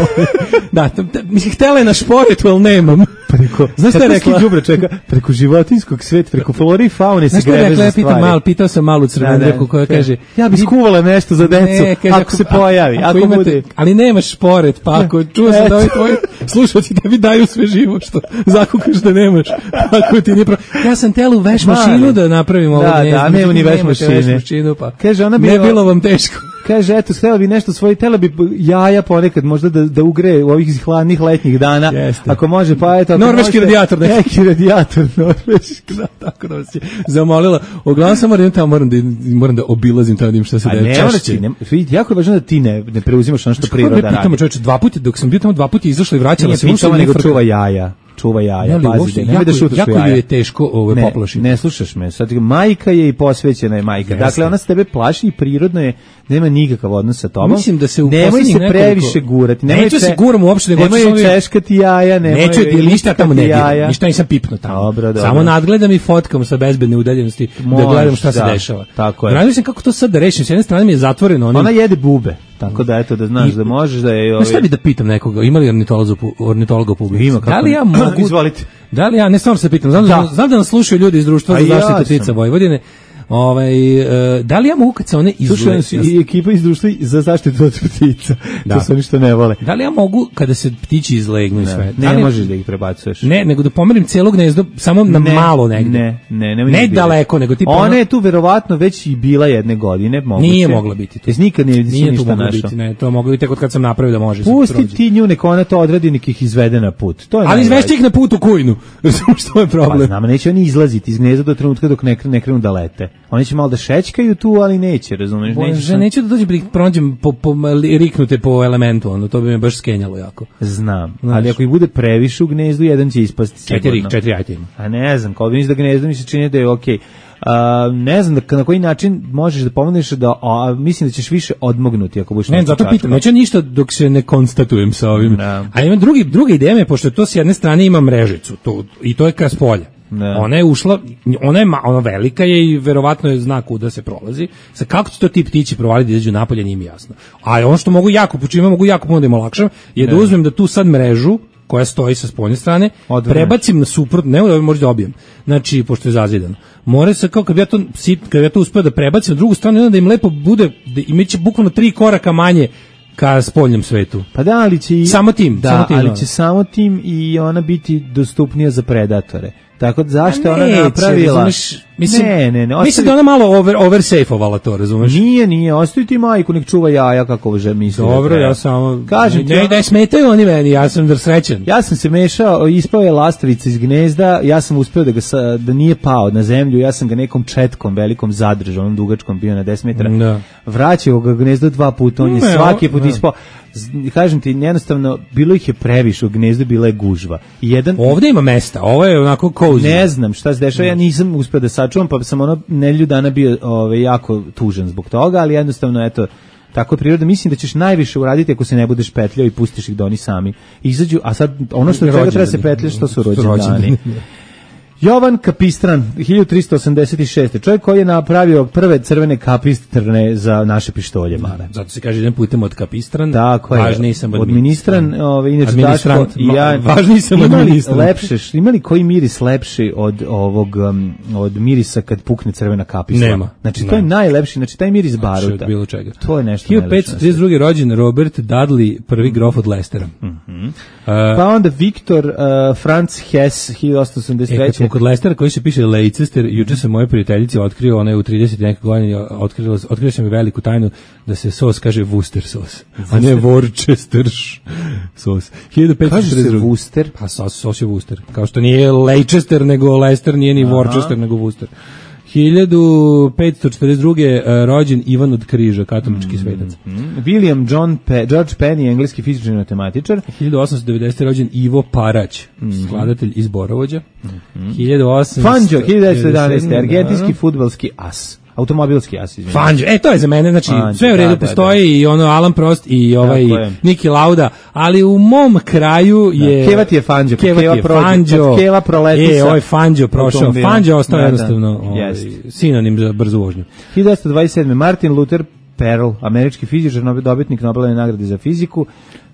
da, t- t- mislim, htjela je na šporetu, ali nemam. Preko, Znaš šta je rekla? Đubre čeka, preko životinjskog sveta, preko flore i faune se Znaš šta je grebe rekla? za Ja pitam stvari. malo, pitao sam malu crvenu Da, da. reku koja kaže... Ja bih skuvala nešto za decu, Ne, kaže, ako, se pojavi, ako, imate, bude. ali nemaš šporet, pa ako čuo sam da ovi Eto. tvoji slušalci tebi daju sve živo što zakukaš da nemaš, pa ako ti nije pro... Ja sam telu veš mašinu Mali. da napravim ovo Da, gnezdo, da, nema ni međutim, veš nemate mašine. veš mašinu, pa Kaže, ona ne bila- bilo vam teško. Kaže, eto, htjela bi nešto svoje, htjela bi jaja ponekad možda da, da ugre u ovih hladnih letnjih dana. Jeste. Ako može, pa eto. ako Norveški može, radijator neki. Neki radijator, norveški. Da, tako da vas je zamolila. Uglavnom sam moram tamo, moram da, moram da obilazim tamo da im šta se A da ne, mora češće. ti, ne, vidi, jako je važno da ti ne, ne preuzimaš ono što Kako priroda ne pitamo radi. čoveče, dva puta, dok sam bio tamo dva puta izašla i vraćala Nije se, pitala, ušla i nego frka. čuva jaja. čuva jaja, Ne, ali pazi, uopšte, nemoj jako, da šutaš jako u jaja. joj je teško ove Ne, poplašiti. ne slušaš me. Sad majka je i posvećena je majka. Jeste. Dakle, ona se tebe plaši i prirodno je, nema nikakav odnos sa tobom. Mislim da se u nemoj poslednjih se nekoliko- previše gurati. Nemoj Neću če- se guram uopšte, nego nemoj hoću joj samo- češkati jaja, nemoj Neću joj ili ništa tamo ne češkati diram, jaja. ništa nisam pipnuo tamo. Dobro, dobro. Samo nadgledam i fotkam sa bezbedne udaljenosti da Možeš, gledam šta se da, dešava. tako je. Razmišljam kako to sad da rešim. S jedne strane mi je zatvoreno onim. Ona jede bube, tako da eto da znaš I- da možeš da je... Znaš šta bi da pitam nekoga, ima li ornitologa u pu- ornitologa u publici? Ima, kako Da li ja ne? mogu... Izvolite. Da li ja, ne stvarno se pitam, znam da, Da. znam da nas slušaju ljudi iz društva A za ja zaštitu sam. ptica Vojvodine. Ovaj, e, da li ja mogu kad se one Slušaj, izule... i ekipa iz društva za zaštitu od ptica. Da. To su oni što ne vole. Da li ja mogu kada se ptići izlegnu i sve? Da Ne li- možeš da ih prebacuješ. Ne, nego da pomerim cijelo gnezdo, samo na Ne, malo negde. Ne, ne, nemoj Ne ni biti. daleko, nego tipa Ona ono- je tu verovatno već i bila jedne godine, moguće. Nije mogla biti tu. Jesi nikad nije, Nije tu ništa moglo našao. biti, ne, to moglo biti tek od kad sam napravio da može. se Pusti prođe. ti nju, neka ona to odradi, nek ih izvede na put. To je Ali najvažnije. izvešći ih na put u kujnu. Razumiješ što je Pa problem? znam, neće oni izlaziti iz gnezda do trenutka dok ne, ne krenu da lete. Oni će malo da šećkaju tu, ali neće, razumeš? Neće Bože, sam- neću da dođem da ih prođem po, po, li- riknute po elementu, ono, to bi me baš skenjalo jako. Znam, Znaš. ali ako ih bude previše u gnezdu, jedan će ispasti Četiri, sigurno. četiri ajte ima. A ne znam, kao vidiš da gnezdo mi se čini da je okej. A, ne znam da, na koji način možeš da pomogneš da, a, mislim da ćeš više odmognuti ako budeš Ne, nešto zato čačkao. pitam, neće ništa dok se ne konstatujem sa ovim. Da. A ima drugi, druga ideja me, pošto to s jedne strane ima mrežicu, to, i to je ka s polja. Da. Ona je ušla, ona je ma, ona velika je i verovatno je zna kuda se prolazi. Sa kako će to ti ptići provaliti da izađu napolje, nije mi jasno. A ono što mogu jako, po čime mogu jako puno da im olakšam, je da uzmem da tu sad mrežu koja stoji sa spoljne strane, Odvrneš. prebacim na suprotno, ne da možda dobijem. Znači, pošto je zazidano. Mora se kao kad bi ja to sit, kad bi ja to uspeo da prebacim na drugu stranu, onda da im lepo bude, da imaće bukvalno tri koraka manje ka spoljnom svetu. Pa da, ali će i... Samo tim, da, samo tim, ali da. će samo tim i ona biti dostupnija za predatore. Tako da zašto je ona Neće, napravila? razumeš, mislim, ne, ne, ne. Mislim ostavi- da ona malo over, oversafeovala to, razumeš? Nije, nije, ostavi ti majku, nek čuva jaja kako že misli. da Dobro, treba. ja samo... Kažem ti, ne, ono- ne smetaju oni meni, ja sam da srećan. Ja sam se mešao, ispao je lastavica iz gnezda, ja sam uspeo da ga sa, da nije pao na zemlju, ja sam ga nekom četkom velikom zadržao, onom dugačkom bio na deset metara. Da. Vraćao ga gnezdo dva puta, on je Ne, svaki o- put da. ispao. Z- Kažem ti, jednostavno, bilo ih je previše u gnezdu, bila je gužva. I jedan, Ovde ima mesta, ovo je onako cozy. ne znam šta se dešava, ja nisam uspeo da sačuvam, pa sam ono nedelju dana bio ove, jako tužan zbog toga, ali jednostavno, eto, tako je priroda. Mislim da ćeš najviše uraditi ako se ne budeš petljao i pustiš ih da oni sami izađu, a sad ono što treba treba se petljaš, to su rođendani. Jovan Kapistran, hiljadu tristo osamdeset šeste. Čovjek koji je napravio prve crvene kapistrne za naše pištolje male. Zato se kaže jedan putem od kapistran, Tako je. važniji sam od administran, ovaj inače Administrant, Daško i ja. ma- važniji sam od imali administrant. lepše, imali koji miris lepši od ovog um, od mirisa kad pukne crvena kapisla. Nema. Znači to Nema. je najlepši, znači taj miris Znači, baruta. od bilo čega. To je nešto. hiljadu petsto trideset druge rođen Robert Dudley, prvi grof od Leicestera. Mhm. Uh, Pa onda Viktor uh, Franz Hess hiljadu osamsto osamdeset E, kad treće. smo kod Leicestera koji se piše Leicester, juče sam moje prijateljici otkrio, ona je u trideset neke godine, otkrila, otkrio sam mi veliku tajnu da se sos kaže Worcester sos, a ne Worcester sos. hiljadu petsto Kaže se šezdeset druge. Worcester. Pa sos, sos je Worcester. Kao što nije Leicester, nego Leicester, nije ni Worcester, nego Worcester. hiljadu petsto četrdeset druge. rođen Ivan od Križa, katolički svetac. William John Pe George Penny, engleski fizičar i matematičar. hiljadu osamsto devedesete. rođen Ivo Parać, skladatelj iz Borovođa. hiljadu osamsto Fangio, hiljadu devetsto jedanaeste. Da. argentinski fudbalski as. Automobilski as, izvinite. Fangio, e to je za mene, znači Fangio, sve u redu da, da, postoji i ono Alan Prost i ovaj Tako je. Niki Lauda, ali u mom kraju je Keva ti je Fangio, Keva, Keva ti je prođe, Fangio, kad Keva proleti e, sa ovaj Fangio prošao, automobilom. Fangio ostao Da, da. jednostavno ovaj, Jest. sinonim za brzu vožnju. hiljadu devetsto dvadeset sedme. Martin Luther Perl, američki fizičar, nobe- dobitnik Nobelove nagrade za fiziku.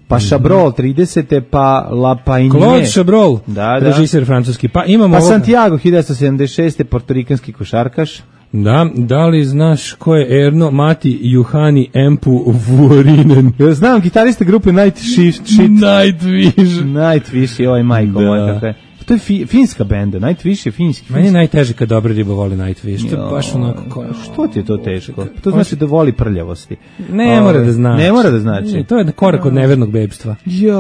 Pa Chabrol tridesete. Pa Lapaigne. Claude Chabrol, Da, da. režiser francuski. Pa imamo Pa ovog- Santiago hiljadu devetsto sedamdeset šeste. portorikanski košarkaš. Da, da li znaš ko je Erno Mati Juhani Empu Vuorinen? Ja znam gitarista grupe Night Shift. Shit. Nightwish. Nightwish je ovaj majko Da. moj kakve. To je fi, finska benda, Nightwish je finski. Meni je najteže kad dobra riba voli Nightwish. To je baš onako ko... Što ti je to teško? To znači da voli prljavosti. Ne Ove, mora da znači. Ne mora da znači. Ne, to je korak od nevernog bebstva. Ja.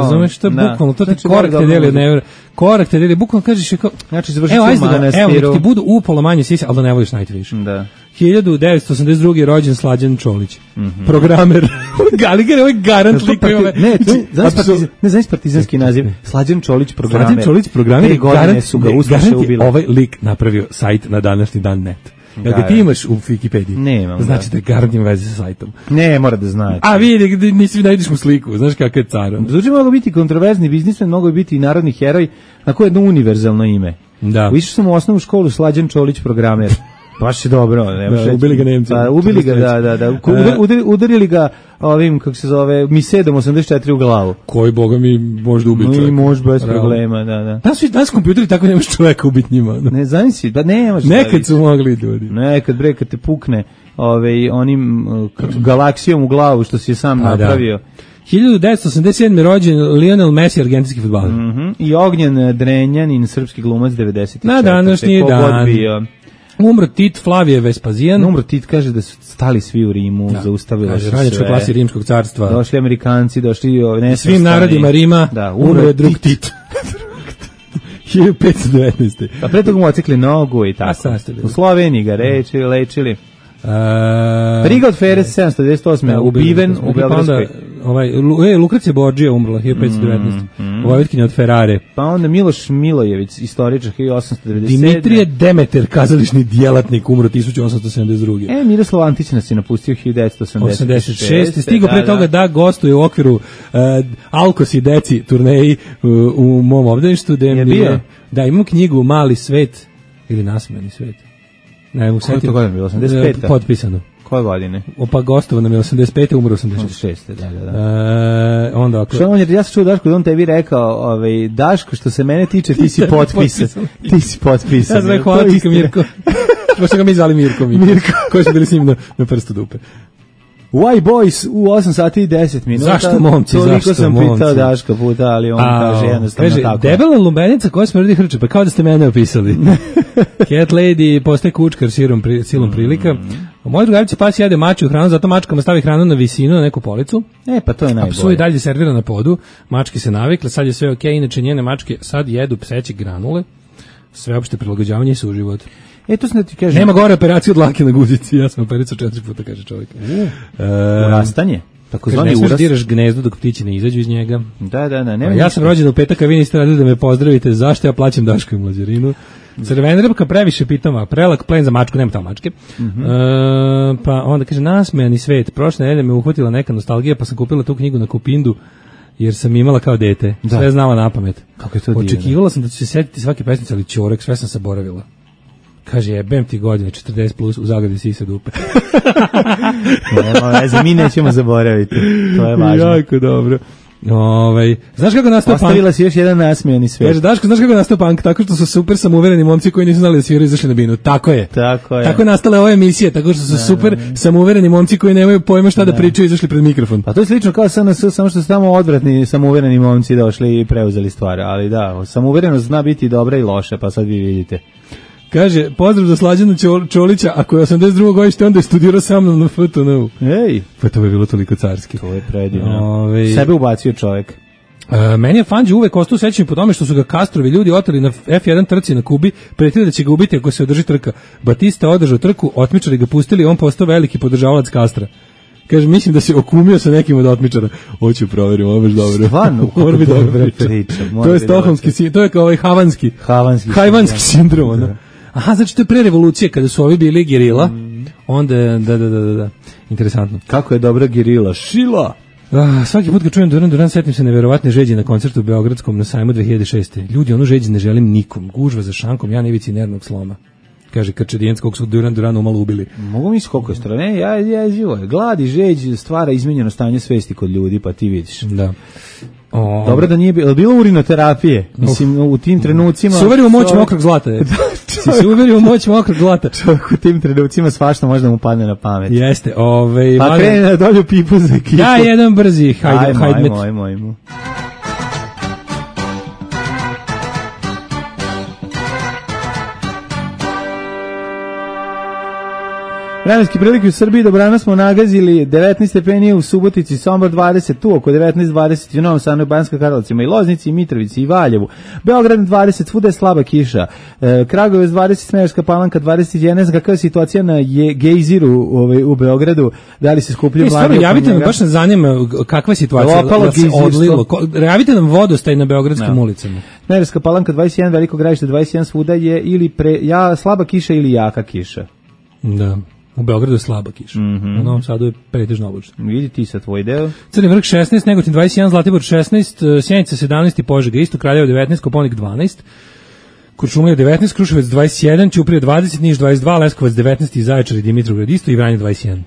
Razumeš, to je Da. bukvalno, to ti Znači, korak da, te da, deli od da. never, korak te deli, bukvalno kažeš je kao, Znači, završit evo, ću ajde u da, evo, manastiru. nek ti budu upola manje sise, ali da ne voliš Nightwish. Da. hiljadu devetsto osamdeset druge je rođen Slađan Čolić. Mm-hmm. Programer. Galiger je ovaj garant lik. Ne, znaš partizan, ne znaš partizanski naziv. Slađan Čolić programer. Slađan Čolić programer i godine su ga ustaše ubili. Ovaj lik napravio sajt na današnji dan net. Jel ga ti imaš u Wikipediji? Nemam. Znači da je garant ima veze sa sajtom. Ne, mora da znači. A vidi, nisi najdiš mu sliku, znaš kakav je car. Zvuči mogu biti kontroverzni biznismen, mogu biti i narodni heroj, na koje jedno univerzalno ime. Da. Išao sam u osnovnu školu Slađan Čolić programer. Baš je dobro. Ne, da, ubili ga Nemci. Pa, ubili ga, da, da, da. Udarili, udarili ga ovim, kako se zove, Misedom osamdeset četiri u glavu. Koji, boga mi, možda ubiti čovjek. Mi može bez Realno. problema, da, da. Danas su danas kompjuteri, tako nemaš čovjeka ubiti njima. Da. Ne, znam si, da nemaš. Nekad su mogli ljudi. Nekad, bre, kad te pukne ovaj, onim uh, galaksijom u glavu, što si je sam A, napravio. Da. hiljadu devetsto osamdeset sedme rođen Lionel Messi, argentinski fudbaler. Mm -hmm. I Ognjen Drenjanin, srpski glumac devedeset četvrte. Na današnji dan. Umro Tit Flavije Vespazijan. Umro Tit, kaže da su stali svi u Rimu, da. Zaustavilo se sve. Radničkoj klasi Rimskog carstva. Došli Amerikanci, došli ne svim narodima Rima. Da, umro je drug Tit. hiljadu petsto devetnaeste. A pre toga mu ocikli nogu i tako. U Sloveniji ga rečili, lečili. Uh, Riga od Feres sedamsto devedeset osme ubiven u Beogradskoj. Ovaj e, Lukracija Borđija umrla hiljadu petsto devetnaeste. Mm, mm. Vojvodkinja od Ferrare. Pa onda Miloš Milojević, istoričar hiljadu osamsto devedeset sedme. Dimitrije Demeter, kazališni djelatnik, umro tisuću osamsto sedamdeset druge. E, Miroslav Antić nas je napustio hiljadu devetsto osamdeset šeste. Stigo pre da, toga da gostuje u okviru uh, Alkos i Deci turneji uh, u mom obdaništu. Da, je bio? Da, imam knjigu Mali svet ili Nasmeni svet. Ne, u Koje to godine bilo? osamdeset pete. Potpisano. Koje godine? Opa, gostovo nam je osamdeset pete, umro osamdeset šeste. Da, da, da. E, onda ako... Što on je, ja sam čuo Daško da on tebi rekao, ovaj, Daško, što se mene tiče, ti si potpisan. Ti si potpisan. Ja znam, hvala ti, Mirko. Što ga mi zvali Mirko. Mirko. Koji su bili s njim na, na prstu dupe. Why Boys u osam sati i deset minuta. Zašto momci, Toliko zašto sam momci? Pitao Daška puta, ali on A, kaže jednostavno kaže, tako. Debela lubenica koja smrdi hrče, pa kao da ste mene opisali. Cat Lady postaje kučkar silom, pri, silom prilika. Moj drugarica pas jede maču hranu, zato mačkama stavi hranu na visinu, na neku policu. E, pa to je najbolje. A psu i dalje servira na podu, mačke se navikle, sad je sve okej, okay, inače njene mačke sad jedu pseće granule, sveopšte prilagođavanje i suživot. E, to sam da ti kažem. Nema gore operacije od dlake na guzici, ja sam opericao četiri puta, kaže čovjek. Uh, e, urastanje. Tako zvani urast. Ne smiješ diraš gnezdo dok ptići ne izađu iz njega. Da, da, da. Nema ja sam rođen u petak, a vi niste radili da me pozdravite, zašto ja plaćam Daško i Mlađarinu. Crvena ribka previše pitoma, prelak plen za mačku, nema tamo mačke. Mm -hmm. e, pa onda kaže, nasmejani svet, prošle nedelje me uhvatila neka nostalgija, pa sam kupila tu knjigu na Kupindu, jer sam imala kao dete, da. Sve znala na pamet. Kako je to divno. Očekivala sam da ću se setiti svake pesmice, ali ćorek, sve sam zaboravila. Kaže, jebem ti godine, četrdeset plus, u zagradi sisa dupe. Nema veze, mi nećemo zaboraviti. To je važno. Jako dobro. Ovaj, znaš kako nastao punk? Ostavila si još jedan nasmijani svet. Kaže, Daško, znaš kako nastao punk? Tako što su super samouvereni momci koji nisu znali da sviraju izašli na binu. Tako je. Tako je. Tako je nastala ova emisija, tako što su da, super da, da. samouvereni momci koji nemaju pojma šta da, da pričaju izašli pred mikrofon. Pa to je slično kao S N S, samo što su tamo odvratni samouvereni momci došli i preuzeli stvari. Ali da, samouverenost zna biti dobra i loša, pa sad vi vidite. Kaže, pozdrav za Slađanu Čolića, ako je osamdeset drugo godište, onda je studirao sa mnom na F T N-u. Ej! Pa to je bilo toliko carski. To je predivno. Ove... Sebe ubacio čovjek. E, meni je Fangio uvek ostao sećan po tome što su ga Castrovi ljudi oteli na F jedan trci na Kubi, pretili da će ga ubiti ako se održi trka. Batista održao trku, otmičari ga pustili, on postao veliki podržavalac Castra. Kaže, mislim da se okumio sa nekim od otmičara. Hoću proverim, ovo je baš dobro. Stvarno, mora biti dobra priča. To je stokholmski sindrom, to je kao ovaj havanski, havanski, havanski sindrom. Ono. Aha, znači to je pre revolucije, kada su ovi bili gerila, mm. onda, da, da, da, da, da, interesantno. Kako je dobra gerila, šila! Ah, svaki put kad čujem Duran Duran, setim se neverovatne žeđe na koncertu u Beogradskom na sajmu dve hiljade šeste. Ljudi, ono žeđe ne želim nikom, gužva za šankom, ja na ivici nervnog sloma. Kaže Krčedijenc, kog su Duran Duranu malo ubili. Mogu misli koliko je strane, ja, ja, ja, glad i žeđ stvara izmenjeno stanje svesti kod ljudi, pa ti vidiš. Da. O... Dobro da nije bilo, bilo urinoterapije, mislim, u tim trenucima... Se uverio u moć mokrog zlata, je. Si se uverio u moć mokrog zlata. Čovjek u tim trenucima svašta možda mu padne na pamet. Jeste, ovaj... Pa krene na dolju pipu za ekipu. Da, jedan brzi, hajde, ajmo, hajde. Ajmo, ajmo, ajmo. Vremenski prilike u Srbiji, dobrano smo nagazili devetnaest stepeni u Subotici, Sombor dvadeset, tu oko devetnaest dvadeset u Novom Sadu i Banjskoj Karlovcima i Loznici i Mitrovici i Valjevu. Beograd dvadeset, svuda je slaba kiša. E, Kragujevac dvadeset, Smederevska Palanka dvadeset jedan. Kakva je situacija na je, Gejziru ovaj, u Beogradu? Da li se skupljaju mladi? Javite nam, baš nas zanima kakva je situacija. Da se odlilo. Javite nam vodostaj na beogradskim no. ulicama. Smederevska Palanka dvadeset jedan, Veliko Gradište dvadeset jedan, svuda je ili pre, ja, slaba kiša ili jaka kiša. Da. U Beogradu je slaba kiša. Mm-hmm. U Novom Sadu je pretežno oblačno. Vidi ti sa tvoj deo. Crni vrh šesnaest, Negotin dvadeset jedan, Zlatibor šesnaest, Sjenica sedamnaest i Požega isto, Kraljevo devetnaest, Koponik dvanaest, Kuršumlija devetnaest, Kruševac dvadeset jedan, Ćuprija dvadeset, Niš dvadeset dva, Leskovac devetnaest i Zaječar i Dimitrovgrad isto i Vranje dvadeset jedan.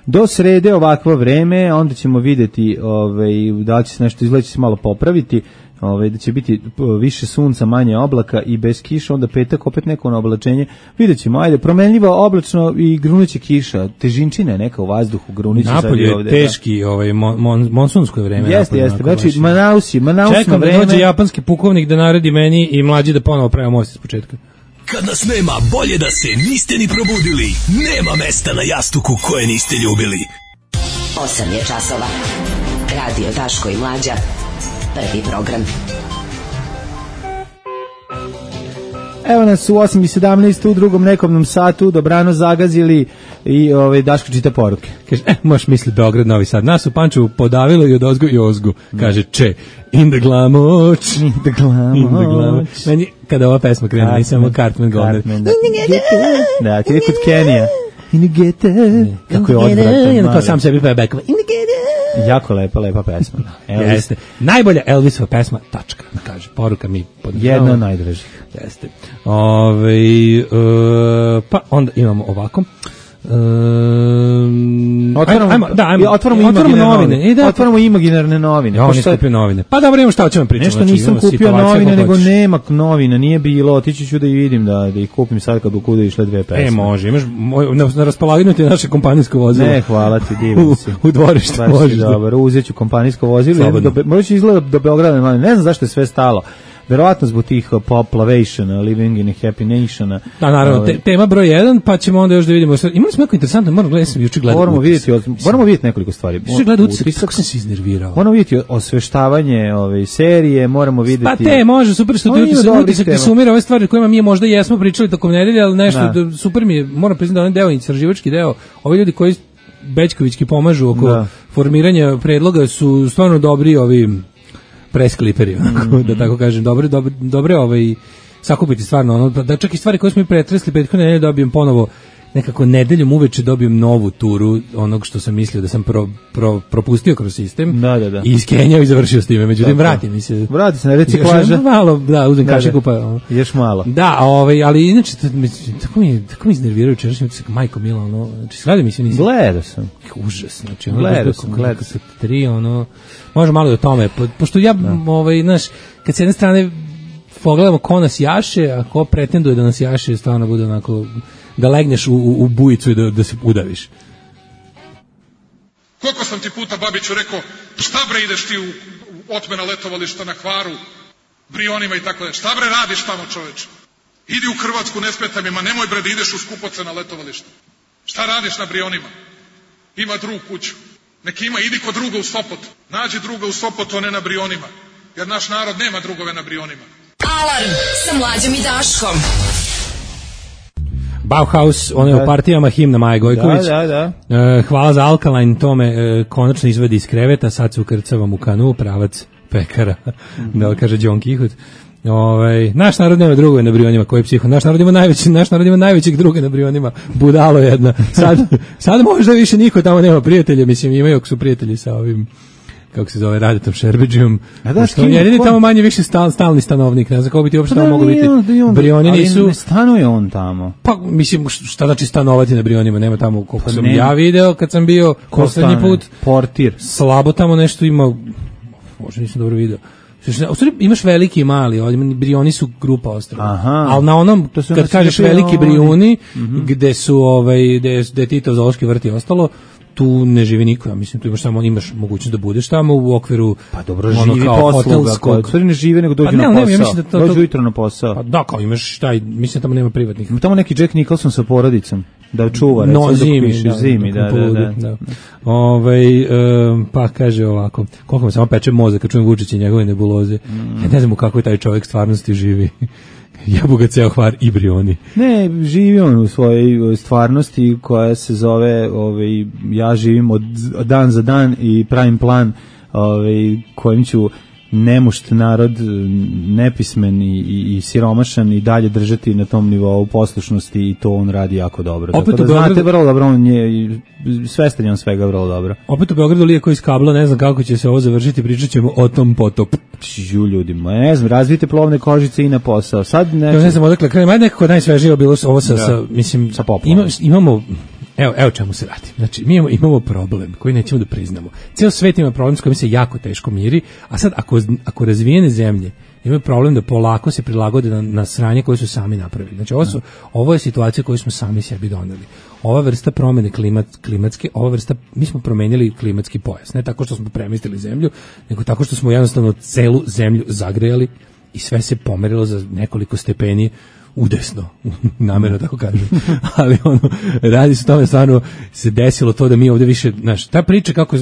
Do srede ovakvo vreme, onda ćemo videti ovaj, da li će se nešto izgleda, će se malo popraviti, ovaj, da će biti više sunca, manje oblaka i bez kiša, onda petak opet neko na oblačenje. Vidjet ćemo, ajde, promenljivo oblačno i grunuće kiša, težinčina je neka u vazduhu, grunuće napolje je ovde, teški, da. ovaj, mon, mon, monsunsko vreme. Jeste, jeste, znači Manausi, Manausno čekam vreme. Čekam da dođe japanski pukovnik da naredi meni i mlađi da ponovo pravimo most iz početka. Kad nas nema, bolje da se niste ni probudili. Nema mesta na jastuku koje niste ljubili. osam je časova. Radio Daško i Mlađa. Prvi program. Evo nas u osam i sedamnaest u drugom nekomnom satu, dobrano zagazili i ovaj, Daško čita poruke. Kaže, e, možeš misli Beograd, Novi Sad. Nas u Pančevu podavilo i od ozgu i ozgu. Kaže, če, in the glamoć. In the glamoć. Meni, kada ova pesma krene, nisam samo Cartman Goldner. Da, ti je kod Kenija. In the gete. Kako je odvratan. Kao sam sebi peva bekova. In the gete. Jako lepa, lepa pesma. Elvis. Jeste. Najbolja Elvisova pesma, tačka. Kaže, poruka mi podržava. Jedna od najdražih. Jeste. Ove, uh, pa onda imamo ovako. Um, otvaramo, ajmo, da, ajmo, otvaramo, otvaramo novine. novine. I da, otvaramo imaginarne novine. Ja, on je skupio novine. Pa dobro, imamo šta o čemu pričamo. Nešto znači, nisam kupio novine, nego nema novina, nije bilo. Otići ću da i vidim, da, da ih kupim sad kad u kuda išle dve pesme. E, može, imaš na, na raspolaganju ti naše kompanijsko vozilo. Ne, hvala ti, divim si. U, u dvorištu možeš. Dobro, uzet ću kompanijsko vozilo. Možda će izgleda do Beograda, ne znam zašto je sve stalo. Verovatno zbog tih population, living in a happy nation. Da, naravno, te, tema broj jedan, pa ćemo onda još da vidimo. Imali smo neko interesantno, moram gledati, sam juče gledao. Moramo vidjeti, moramo vidjeti nekoliko stvari. Juče gledao utisak, kako sam se iznervirao. Moramo vidjeti osveštavanje ove serije, moramo vidjeti. Pa te, može, super što ti utisak, utisak ti sumira ove stvari kojima mi možda jesmo pričali tokom nedelje, ali nešto, da. Da, super mi je, moram priznati da onaj deo, istraživački deo, ovi ljudi koji Bećkovićki pomažu oko da. formiranja predloga su stvarno dobri ovi preskliperi, mm-hmm. da tako kažem, dobre, dobre, dobre ovaj, sakupiti stvarno, ono, da čak i stvari koje smo i pretresli prethodne nedelje dobijem ponovo, nekako nedeljom uveče dobijem novu turu onog što sam mislio da sam pro, pro, propustio kroz sistem da, da, da. i iskenjao i završio s time, međutim vrati mi se. Vrati se na reciklaža. Malo, da, uzem kašiku pa. Ono. Još malo. Da, ovaj, ali inače, tako mi, tako mi iznervirao čerašnji utisak, majko mila, ono, znači, gledaj mi se nisam. Gledao sam. Užas, znači, ono, gledao sam, gledao sam. Tri, ono, može malo i o tome, po, pošto ja, da. ovaj, znaš, kad s jedne strane pogledamo ko nas jaše, a ko pretenduje da nas jaše, stvarno bude onako, da legneš u, u, u bujicu i da, da se udaviš. Koliko sam ti puta, Babiću, rekao, šta bre ideš ti u, u otmena letovališta na Hvaru, Brionima i tako da, šta bre radiš tamo, čoveče? Idi u Hrvatsku, ne smeta mi, ma nemoj bre da ideš u skupocena letovališta. Šta radiš na Brionima? Ima drug kuću. Neki ima, idi kod druga u Sopot. Nađi druga u Sopotu, a ne na Brionima. Jer naš narod nema drugove na Brionima. Alarm sa Mlađom i Daškom. Bauhaus, on je u partijama himna Maje Gojković. Da, da, da. E, hvala za Alkaline, tome e, konačno izvedi iz kreveta, sad se ukrcavam u kanu, pravac pekara, mm-hmm. da li kaže John Kihut. Ovaj, naš narod nema drugove na Brionima, koji je psiho. Naš narod ima najveći, naš narod ima najvećeg druga na Brionima, budalo jedna. Sad, sad možda više niko tamo nema prijatelja, mislim imaju ako su prijatelji sa ovim, kako se zove, Radetom Šerbeđijom. A da, što on jedini tamo manje više stal, stalni stanovnik, ne znam kako bi ti uopšte tamo mogu biti. Brioni nisu... Ali ne stanuje on tamo. Pa, mislim, šta znači stanovati na Brionima, nema tamo, koliko sam ja video kad sam bio poslednji put. Portir. Slabo tamo nešto ima, možda nisam dobro video. U stvari imaš veliki i mali, ovdje Brioni su grupa ostrava. Ali na onom, kad kažeš veliki Brioni, mm-hmm. gde su, ovaj, gde, gde je Tito zoološki vrt i ostalo, tu ne živi niko, ja mislim, tu imaš samo imaš mogućnost da budeš tamo u okviru pa dobro živi posluga, stvari ne žive nego dođu pa, ne, na posao, ne, ja mislim da to, dođu jutro na posao. Pa da, kao imaš taj, mislim tamo nema privatnih. Ima tamo neki Jack Nicholson sa porodicom. da čuva, recimo, no, dok zimi, piše, da, zimi, da, da, da, da. Ovaj, um, pa kaže ovako, koliko me samo peče mozak kad čujem Vučića i njegove nebuloze. Mm. Ja ne znam u kakvoj taj čovjek stvarnosti živi. Jebu ga ceo Hvar i Brioni. Ne, živi on u svojoj stvarnosti koja se zove, ovaj, ja živim od dan za dan i pravim plan ovaj, kojim ću nemušt narod, nepismen i, i, i siromašan i dalje držati na tom nivou poslušnosti i to on radi jako dobro. Opet Tako da Beogradu, znate vrlo dobro, on je svestan je on svega vrlo dobro. Opet u Beogradu lijeko iz kabla, ne znam kako će se ovo završiti, pričat ćemo o tom potop. Žu ljudima, ne znam, razvijte plovne kožice i na posao. Sad ne, ne znam odakle krenem, ajde nekako najsvežije bilo ovo sa, da. sa mislim, sa poplavom. Ima, imamo, evo, evo čemu se radi. Znači, mi imamo, imamo problem koji nećemo da priznamo. Ceo svet ima problem s kojim se jako teško miri, a sad ako, ako razvijene zemlje imaju problem da polako se prilagode na, na sranje koje su sami napravili. Znači, ovo, su, ovo je situacija koju smo sami sebi doneli. Ova vrsta promene klimat, klimatske, ova vrsta, mi smo promenili klimatski pojas. Ne tako što smo premestili zemlju, nego tako što smo jednostavno celu zemlju zagrejali i sve se pomerilo za nekoliko stepeni udesno, namjerno tako kažem, ali ono, radi se tome, stvarno se desilo to da mi ovdje više, znaš, ta priča kako,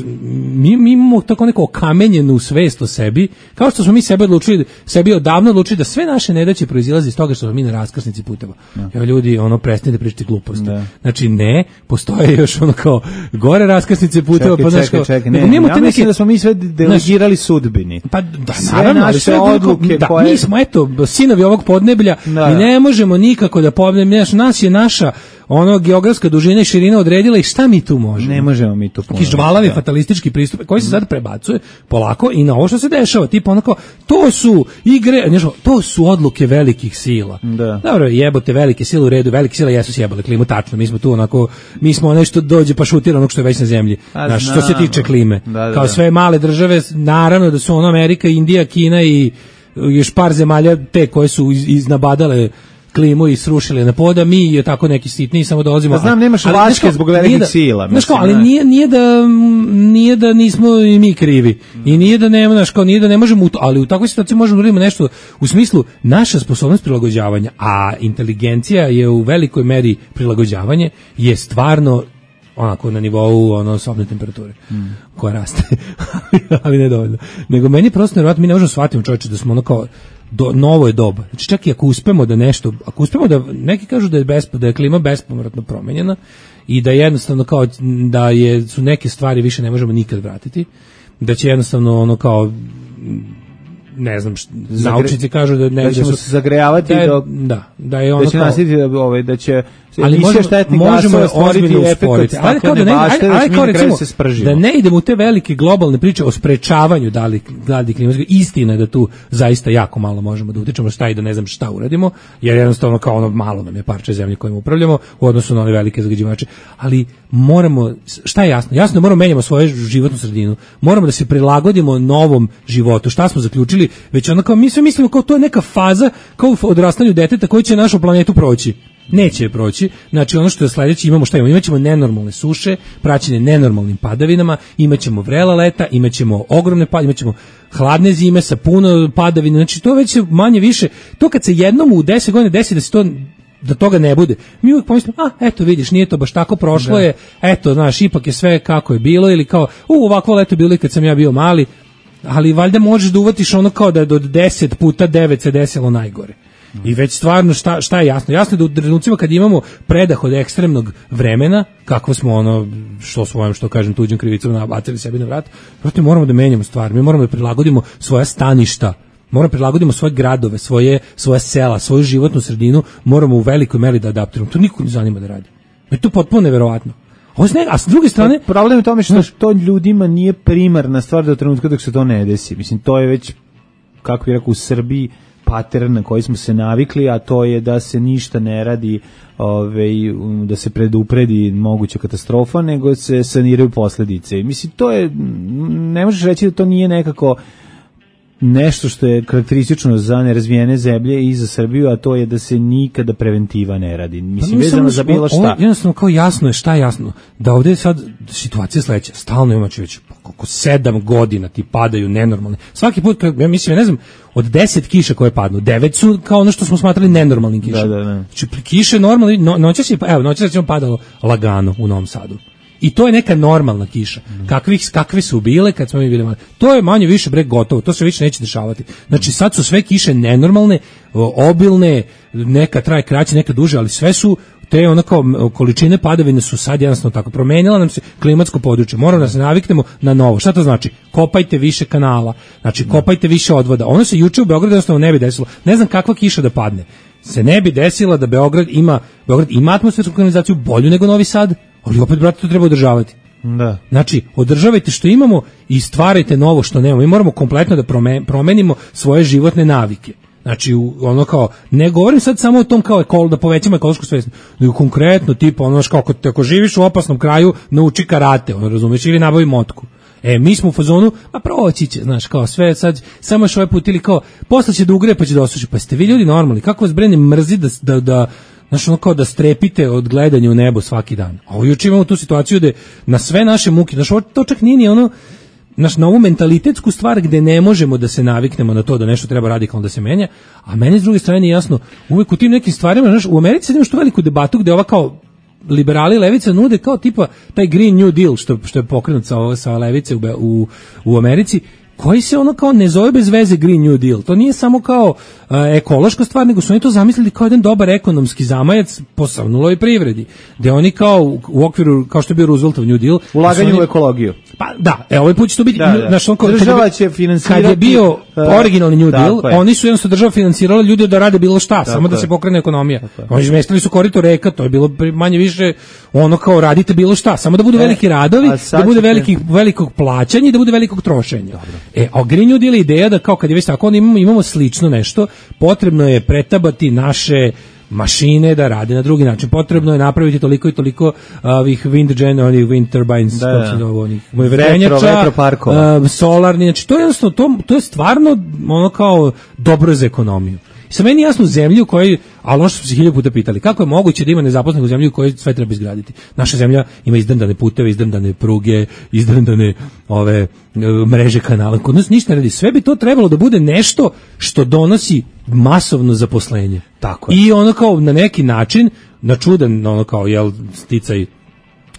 mi, mi imamo tako neko okamenjenu svest o sebi, kao što smo mi sebe odlučili, sebi odavno odlučili da sve naše nedaće proizilaze iz toga što smo mi na raskrsnici puteva. Ja. Evo ljudi, ono, prestanite pričati gluposti. Da. Znači, ne, postoje još ono kao gore raskrsnice puteva, čekaj, pa znaš čekaj, kao, čekaj, ne, ja mislim neke, da smo mi sve delegirali naš, sudbini. Pa da, sve naravno, naše sve odluke da, koje... mi smo, eto, sinovi ovog podneblja, da. Mi ne možemo nikako da pobedimo, nas je naša ono geografska dužina i širina odredila i šta mi tu možemo? Ne možemo mi tu puno. Taki žvalavi fatalistički pristup koji se sad prebacuje polako i na ovo što se dešava, tipa onako, to su igre, nešto, to su odluke velikih sila. Da. Dobro, jebote, velike sile u redu, velike sile jesu sjebale klimu, tačno, mi smo tu onako, mi smo nešto dođe pa šutira onog što je već na zemlji. Znaš, što se tiče klime. Da, da, kao sve male države, naravno da su ono Amerika, Indija, Kina i još par zemalja te koje su iz, iznabadale klimu i srušili na poda, mi je tako neki sitni samo dolazimo. Da znam, nemaš vaške zbog velikih da, sila. Znaš kao, ali nije, nije, da, nije da nismo i mi krivi. I nije da nema, znaš kao, nije da ne možemo, ali u takvoj situaciji možemo da uradimo nešto u smislu naša sposobnost prilagođavanja, a inteligencija je u velikoj meri prilagođavanje, je stvarno onako na nivou ono sobne temperature mm. koja raste, ali ne dovoljno. Nego meni prosto nevjerojatno, mi ne možemo shvatiti čovječe da smo ono kao do, novo je doba. Znači čak i ako uspemo da nešto, ako uspemo da, neki kažu da je, besp, da je klima bespovratno promenjena i da jednostavno kao da je, su neke stvari više ne možemo nikad vratiti, da će jednostavno ono kao ne znam, št, naučnici kažu da ne da ćemo da su, se zagrejavati da je, do, da, da je ono da će kao, nasiti ovaj da će ali možemo, možemo ozbiljno usporiti, ali kao da ne, bašte, ali, ali kao recimo, da ne idemo u te velike globalne priče o sprečavanju da li, da li klimatske, istina je da tu zaista jako malo možemo da utičemo šta i da ne znam šta uradimo, jer jednostavno kao ono malo nam je parče zemlje kojim upravljamo u odnosu na one velike zagađivače, ali moramo, šta je jasno? Jasno je moramo menjamo svoju životnu sredinu, moramo da se prilagodimo novom životu, šta smo zaključili, već ono kao mi sve mislimo kao to je neka faza kao u odrastanju deteta koji će našu planetu proći. Neće je proći, znači ono što je sledeće imamo šta imamo, imaćemo nenormalne suše, praćene nenormalnim padavinama, imaćemo vrela leta, imaćemo ogromne padavine, imaćemo hladne zime sa puno padavina, znači to već manje više, to kad se jednom u deset godina desi da se to da toga ne bude. Mi uvijek pomislimo, a eto vidiš, nije to baš tako, prošlo da. je, eto, znaš, ipak je sve kako je bilo, ili kao, u, ovakvo leto bilo i kad sam ja bio mali, ali valjda možeš da uvatiš ono kao da od deset puta devet se desilo najgore. I već stvarno šta, šta je jasno? Jasno je da u trenucima kad imamo predah od ekstremnog vremena, kako smo ono, što svojom, što kažem, tuđim krivicom nabacili sebi na vrat, proto moramo da menjamo stvari, mi moramo da prilagodimo svoja staništa, moramo da prilagodimo svoje gradove, svoje, svoje sela, svoju životnu sredinu, moramo u velikoj meri da adaptiramo. To niko ne zanima da radi. Je to potpuno neverovatno. A s druge strane, problem je tome što to ljudima nije primarna stvar do trenutka dok se to ne desi. Mislim, to je već, kako je rekao, u Srbiji pattern na koji smo se navikli, a to je da se ništa ne radi, ovaj, da se predupredi moguća katastrofa, nego se saniraju posledice. Mislim, to je, ne možeš reći da to nije nekako nešto što je karakteristično za nerazvijene zemlje i za Srbiju, a to je da se nikada preventiva ne radi. Mislim, pa, vezano za bilo šta. Ovo, jednostavno, kao jasno je, šta je jasno? Da ovdje je sad situacija sledeća. Stalno imaće već oko sedam godina ti padaju nenormalne. Svaki put, kad, ja mislim, ja ne znam, od deset kiša koje padnu, devet su kao ono što smo smatrali nenormalnim kišama. Da, da, da. Znači, kiše normalno, no, noćas je, evo, noćas je padalo lagano u Novom Sadu. I to je neka normalna kiša. Kakvih, kakve su bile kad smo mi bili mali. To je manje više bre gotovo, to se više neće dešavati. Znači sad su sve kiše nenormalne, obilne, neka traje kraće, neka duže, ali sve su te ono kao količine padavine su sad jednostavno tako. Promenila nam se klimatsko područje. Moramo da se naviknemo na novo. Šta to znači? Kopajte više kanala. Znači kopajte više odvoda. Ono se juče u Beogradu jednostavno ne bi desilo. Ne znam kakva kiša da padne. Se ne bi desila da Beograd ima Beograd ima atmosfersku kanalizaciju bolju nego Novi Sad. Ali opet, brate, to treba održavati. Da. Znači, održavajte što imamo i stvarajte novo što nemamo. Mi moramo kompletno da promenimo svoje životne navike. Znači, ono kao, ne govorim sad samo o tom kao ekolo, da povećamo ekološku svest, nego konkretno, tipa, ono, kao, ako, ako živiš u opasnom kraju, nauči karate, ono, razumiješ, ili nabavi motku. E, mi smo u fazonu, a proći će, znaš, kao sve sad, samo još ovaj put ili kao, posle će da ugre pa će da osuši. Pa ste vi ljudi normalni, kako vas brene mrzi da, da, da znaš, ono kao da strepite od gledanja u nebo svaki dan. A ovo juče imamo tu situaciju da na sve naše muke, znaš, ovo to čak nije ni ono, znaš, na ovu mentalitetsku stvar gde ne možemo da se naviknemo na to da nešto treba radikalno da se menja, a meni s druge strane nije jasno, uvek u tim nekim stvarima, znaš, u Americi imaš tu veliku debatu gde ova kao liberali levica nude kao tipa taj Green New Deal što, što je pokrenut sa, sa levice u, u, u Americi, koji se ono kao ne zove bez veze Green New Deal. To nije samo kao uh, ekološka stvar, nego su oni to zamislili kao jedan dobar ekonomski zamajac posavnuloj privredi, gde oni kao u, u okviru, kao što je bio Rooseveltov New Deal, ulaganje oni, u ekologiju. Pa da, e, ovaj put će to biti, da, da. Naš, on, kao, država će finansirati. Kad je bio uh, originalni New Deal, je. oni su jednostavno država finansirala ljude da rade bilo šta, tako samo da je. se pokrene ekonomija. Oni izmestili su korito reka, to je bilo manje više ono kao radite bilo šta, samo da budu e, veliki radovi, da bude velikih, velikog plaćanja i da bude velikog trošenja. Dobro. E, a Green New Deal je ideja da kao kad je već tako, imamo, imamo slično nešto, potrebno je pretabati naše mašine da rade na drugi način. Potrebno je napraviti toliko i toliko ovih wind gen, onih wind turbines, da, kako se zove, onih vetrenjača, vetroparkova, uh, solarni, znači to je jednostavno, to, to je stvarno ono kao dobro za ekonomiju. I sa meni jasno u zemlji u kojoj, ali ono što smo se hiljadu puta pitali, kako je moguće da ima nezaposlenih u zemlji u kojoj sve treba izgraditi? Naša zemlja ima izdrndane puteve, izdrndane pruge, izdrndane ove mreže kanala. Kod nas ništa ne radi. Sve bi to trebalo da bude nešto što donosi masovno zaposlenje. Tako je. I ono kao na neki način, na čudan ono kao jel sticaj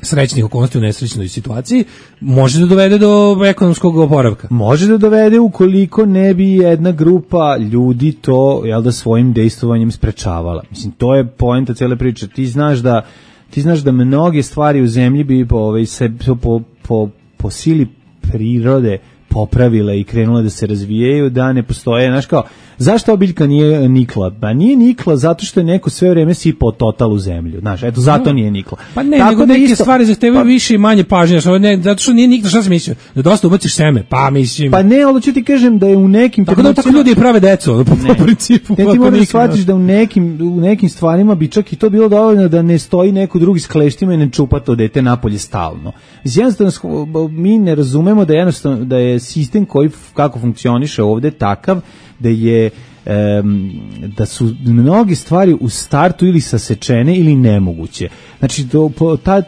srećnih okolnosti u nesrećnoj situaciji, može da dovede do ekonomskog oporavka. Može da dovede ukoliko ne bi jedna grupa ljudi to, jel da, svojim dejstvovanjem sprečavala. Mislim, to je poenta cele priče. Ti znaš da ti znaš da mnoge stvari u zemlji bi po, ovaj, se, po, po, po sili prirode popravile i krenule da se razvijaju, da ne postoje, znaš kao, zašto ova biljka nije nikla? Pa nije nikla zato što je neko sve vreme sipao total u zemlju, znaš, eto, zato nije nikla. Pa ne, tako nego da neke isto, stvari zahtevaju pa, više i manje pažnje, ne, zato što nije nikla, šta si mislio? Da dosta ubaciš seme, pa mislim. Pa ne, ali ću ti kažem da je u nekim... Tako da tako ljudi prave decu, po, po principu. Ne, ti moraš da shvatiš da u nekim, u nekim stvarima bi čak i to bilo dovoljno da ne stoji neko drugi s kleštima i ne čupa to dete napolje stalno. Mislim, jednostavno, mi ne razumemo da, jednostavno, da je sistem koji kako funkcioniše ovde takav da je um, da su mnoge stvari u startu ili sasečene ili nemoguće. Znači do, po, ta,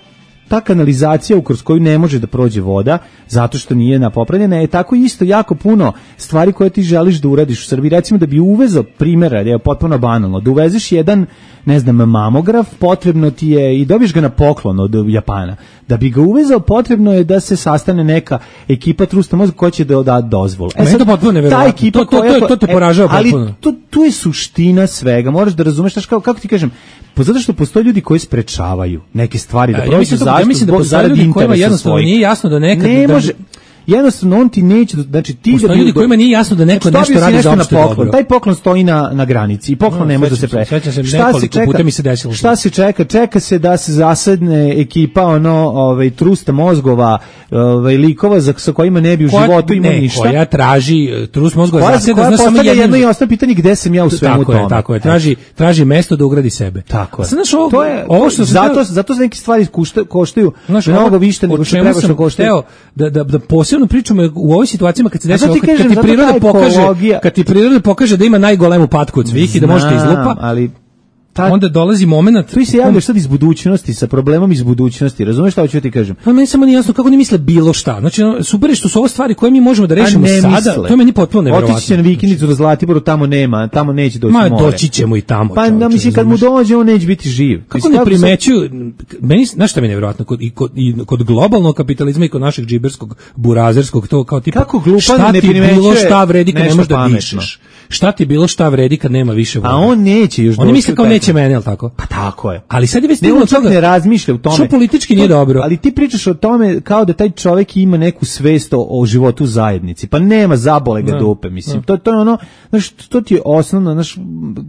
ta kanalizacija kroz koju ne može da prođe voda zato što nije napopravljena je tako isto jako puno stvari koje ti želiš da uradiš u Srbiji. Recimo da bi uvezao primjera, da je potpuno banalno, da uvezeš jedan, ne znam, mamograf, potrebno ti je i dobiješ ga na poklon od Japana. Da bi ga uvezao, potrebno je da se sastane neka ekipa trusta mozga koja će da da dozvolu. E sad, to potpuno neverovatno. To, to, to, to te poražava potpuno. Ali to, tu je suština svega. Moraš da razumeš, znaš, kako, kako ti kažem, pa zato što postoje ljudi koji sprečavaju neke stvari da prođu zašto, ja mislim da postoje ljudi kojima jednostavno nije jasno da nekad... Ne može... Jednostavno on ti neće, znači ti postoje da ljudi kojima nije jasno da neko znači, nešto radi za opšte dobro. Taj poklon stoji na na granici i poklon no, ne može da se pre. Šta se čeka? Puta mi se desilo. Šta se čeka? Čeka se da se zasedne ekipa ono, ovaj trusta mozgova, ovaj likova za sa kojima ne bi u životu imao ništa. Koja traži trust mozgova zaseda, znači samo jedno i osnovno pitanje gde sam ja u svemu tome. Tako je, tako je. Traži traži mesto da ugradi sebe. Tako je. Znaš, ovo, to je ovo što zato zato neke stvari koštaju mnogo više nego što treba što koštaju. Da da da posebno načelno pričamo u ovoj situacijama kad se desi, ti kad, kažem, kad ti priroda pokaže, ekologija... kad ti priroda pokaže da ima najgolemu patku od svih i da možete izlupa, ali ta, onda dolazi momenat. Tu se javljaš sad iz budućnosti, sa problemom iz budućnosti. Razumeš šta hoću ti kažem? Pa meni samo nije jasno kako oni misle bilo šta. Znači, super je što su ovo stvari koje mi možemo da rešimo sada. Misle. To je meni potpuno neverovatno. Otići će na vikendicu do Zlatiboru, tamo nema, tamo neće doći more. Ma, doći ćemo i tamo. Pa da, mislim, kad mu dođe, on neće biti živ. Kako mislim, ne primećuju, meni, znaš šta mi je nevjerovatno, kod, i, kod, i kod globalnog kapitalizma i kod našeg džiberskog, burazerskog, to kao tipa, kako glupan šta ne ti bilo šta vredi kad ne možeš da pametno. dišeš? Šta ti bilo šta vredi kad nema više vode? A on neće još doći. Oni misle kao neće mene, al tako? Pa tako je. Ali sad je već ne, on čak toga, ne razmišlja u tome. Što politički nije dobro. Ali ti pričaš o tome kao da taj čovjek ima neku svest o, o životu u zajednici. Pa nema, zabole ga dupe, mislim. To, to je ono, znaš, to ti je osnovno, znaš,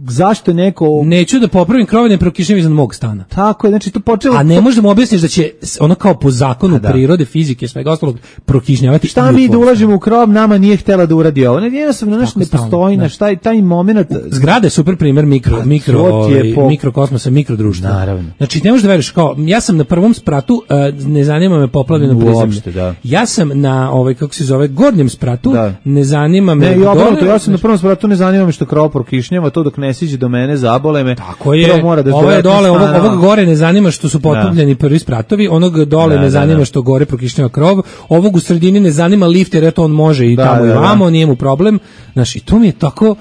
zašto je neko... Neću da popravim krov, ne prokišnjam iznad mog stana. Tako je, znači to počelo... A ne možda mu objasniš da će ono kao po zakonu da. prirode, fizike, svega ostalog prokišnjavati. Šta mi da ulažemo u krov, nama nije htjela da uradi ovo. Ne, jednostavno, znaš, ne postoji, znaš, taj, taj moment. Zgrada je super primjer mikro, mikro, ovaj, po... mikrokosmosa, mikrodruštva. Naravno. Znači, ne možeš da veriš, kao, ja sam na prvom spratu, uh, ne zanima me poplavljeno prizemlje. Da. Ja sam na, ovaj, kako se zove, gornjem spratu, da. ne zanima me... Ne, ja, dole, ja sam na prvom spratu, ne zanima me što krov prokišnjava, to dok ne siđe do mene, zabole me. Tako je, mora da ovo je dole, ovog, ovog gore ne zanima što su potopljeni prvi spratovi, onog dole da, ne zanima da, da. što gore prokišnjava krov, ovog u sredini ne zanima lift, jer eto on može i da, tamo da, i vamo, da. nije mu problem. Znaš, i to mi je tako...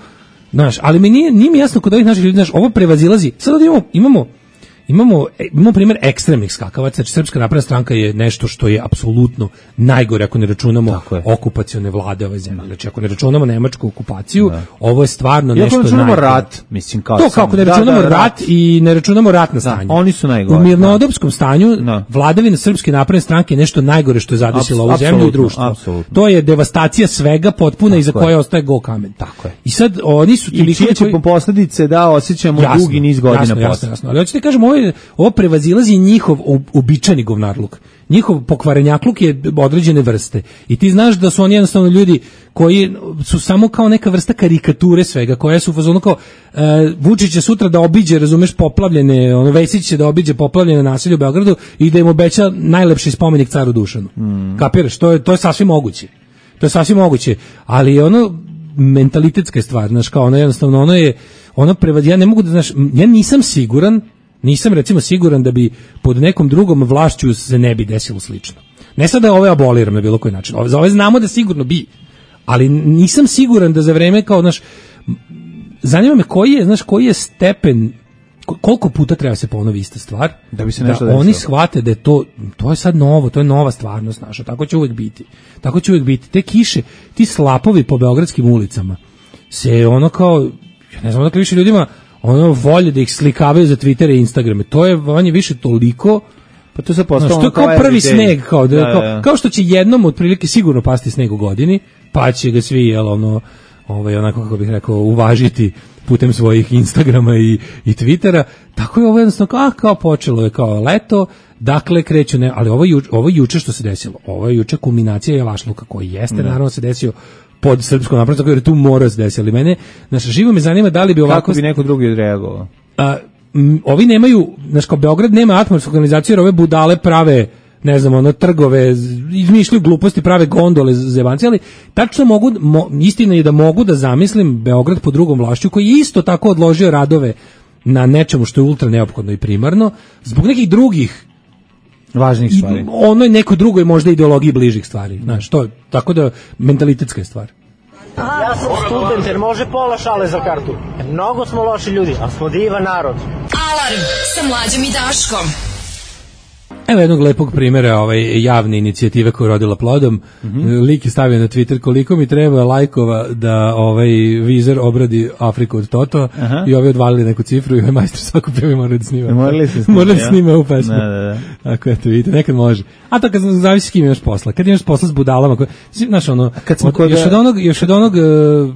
Znaš, ali mi nije, nije mi jasno kod ovih naših ljudi, znaš, ovo prevazilazi. Sad imamo, imamo, imamo, imamo primjer ekstremnih skakavaca, znači Srpska napredna stranka je nešto što je apsolutno najgore ako ne računamo okupacione vlade ove zemlje. Znači, ako ne računamo nemačku okupaciju, da. ovo je stvarno I nešto najgore. Ako ne računamo rat, mislim kao to, kao ako ne računamo da, da, rat, rat i ne računamo ratno stanje. Da, oni su najgore. U mirnodopskom stanju da. vladavina Srpske napredne stranke je nešto najgore što je zadesilo ovu zemlju i društvo. Apsolutno. To je devastacija svega potpuna iza koje ostaje go kamen. Tako je. I sad oni su i čije će po posljedice da osjećamo jasno, dugi niz godina jasno, posle. Jasno, jasno. Ali hoćete kažem, ovo, je, ovo prevazilazi njihov uobičajeni govnarluk. Njihov pokvarenjakluk je određene vrste. I ti znaš da su oni jednostavno ljudi koji su samo kao neka vrsta karikature svega, koja su u fazonu kao uh, Vučić će sutra da obiđe, razumeš, poplavljene, ono Vesić će da obiđe poplavljene naselje u Beogradu i da im obeća najlepši spomenik caru Dušanu. Mm. Kapiraš? To je, to je sasvim moguće. To je sasvim moguće. Ali ono mentalitetska je stvar, znaš, kao ono jednostavno, ono je, ono prevad, ja ne mogu da, znaš, ja nisam siguran, nisam recimo siguran da bi pod nekom drugom vlašću se ne bi desilo slično. Ne sad da ove aboliram na bilo koji način, za ove znamo da sigurno bi, ali nisam siguran da za vreme kao, znaš, zanima me koji je, znaš, koji je stepen, koliko puta treba se ponovi ista stvar, da bi se nešto da oni shvate da je to, to je sad novo, to je nova stvarnost naša, tako će uvijek biti. Tako će uvijek biti. Te kiše, ti slapovi po beogradskim ulicama se ono kao, ja ne znam dakle više ljudima ono volje da ih slikavaju za Twitter i Instagrame. To je vanje više toliko, pa to se postalo, to je kao prvi sneg, kao, da, da, kao, da. kao što će jednom otprilike sigurno pasti sneg u godini, pa će ga svi, jel, ono, ovaj, onako kako bih rekao, uvažiti putem svojih Instagrama i, i Twittera, tako je ovo jednostavno, kao, ah, kao počelo je kao leto, dakle kreću, ne, ali ovo, ju, ovo juče što se desilo, ovo je juče kulminacija javašluka koji jeste, da. naravno se desio pod Srpskom naprednom strankom, jer tu mora se desiti, ali mene, znaš, živo me zanima da li bi ovako... Kako bi neko drugi odreagovao? A, m, ovi nemaju, znaš, kao Beograd nema atmosfersku organizaciju, jer ove budale prave, ne znam, ono, trgove, izmišljaju gluposti, prave gondole zebanci, ali tačno mogu, mo, istina je da mogu da zamislim Beograd pod drugom vlašću, koji je isto tako odložio radove na nečemu što je ultra neophodno i primarno, zbog nekih drugih važnih stvari. Ono je neko drugoj možda ideologiji bližih stvari, znaš, to je, tako da mentalitetska je stvar. Ja sam student jer može pola šale za kartu. Mnogo smo loši ljudi, ali smo divan narod. Alarm sa Mlađom i Daškom. Evo jednog lepog primjera ovaj, javne inicijative koja je rodila plodom. Mm-hmm. Lik je stavio na Twitter koliko mi treba lajkova da ovaj Vizer obradi Afriku od Toto. Aha. I ovi odvalili neku cifru i ovaj majstor svaku pjevi mora da snima. Morali se snima. Mora da snima u pesmu. Da, da, da. Ako eto vidite, nekad može. A to kad zavisi s kim imaš posla. Kad imaš posla s budalama, koje, znaš ono, kad smo od, još od onog, još od onog uh,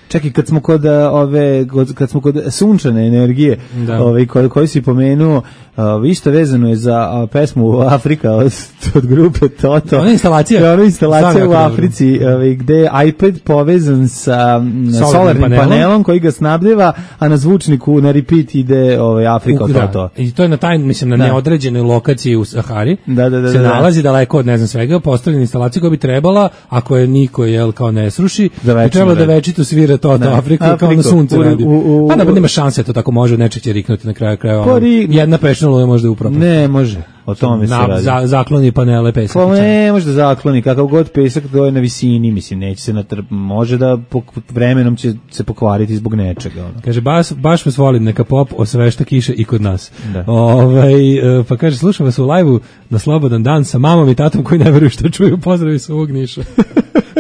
čekaj, kad smo kod ove kad smo kod sunčane energije, ovaj koji koji si pomenuo, Uh, isto vezano je za uh, pesmu Afrika od, od grupe Toto. Ona instalacija. Ona instalacija u Africi uh, gde je iPad povezan sa um, solarnim, solarnim panelom. panelom koji ga snabdeva, a na zvučniku na repeat ide ovaj, Afrika od Toto. I to je na taj, mislim, na da. neodređenoj lokaciji u Sahari. Da, da, da, se da, nalazi daleko od ne znam svega, postavljena instalacija koja bi trebala, ako je niko jel kao ne sruši, bi trebalo da večito svira Toto Afriku kao na sunce radi. Pa da nema šanse, to tako može, nečeg će riknuti na kraju kraja. Ono, jedna pešna je možda upravo. Ne, može. O tome se radi. Za, zakloni panele pesak. Pa ne, može da zakloni, kakav god pesak to je na visini, mislim, neće se natrp, može da pok, vremenom će se pokvariti zbog nečega. Ono. Kaže, baš, baš vas volim, neka pop osvešta kiše i kod nas. Da. Ove, pa kaže, slušam vas u live-u na slobodan dan sa mamom i tatom koji ne veruju što čuju, pozdravi sa ovog Niša.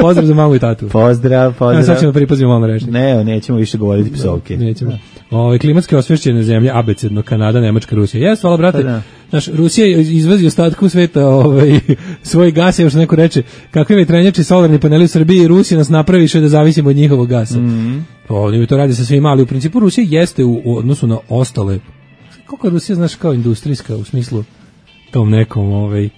Pozdrav za mamu i tatu. Pozdrav, pozdrav. Ja, sad ćemo pripazimo malo reći. Ne, nećemo više govoriti psovke. Nećemo. Ove, klimatske osvešćene zemlje, abecedno, Kanada, Nemačka, Rusija. Jes, hvala, brate. Da. Znaš, Rusija izvozi ostatku sveta ovaj, svoj gas, još neko reče, kakvi vetrenjači solarni paneli u Srbiji, Rusija nas napraviše da zavisimo od njihovog gasa. Mm-hmm. Oni to radi sa svima, ali u principu Rusija jeste u, u odnosu na ostale. Koliko je Rusija, znaš, kao industrijska, u smislu tom nekom, ovaj,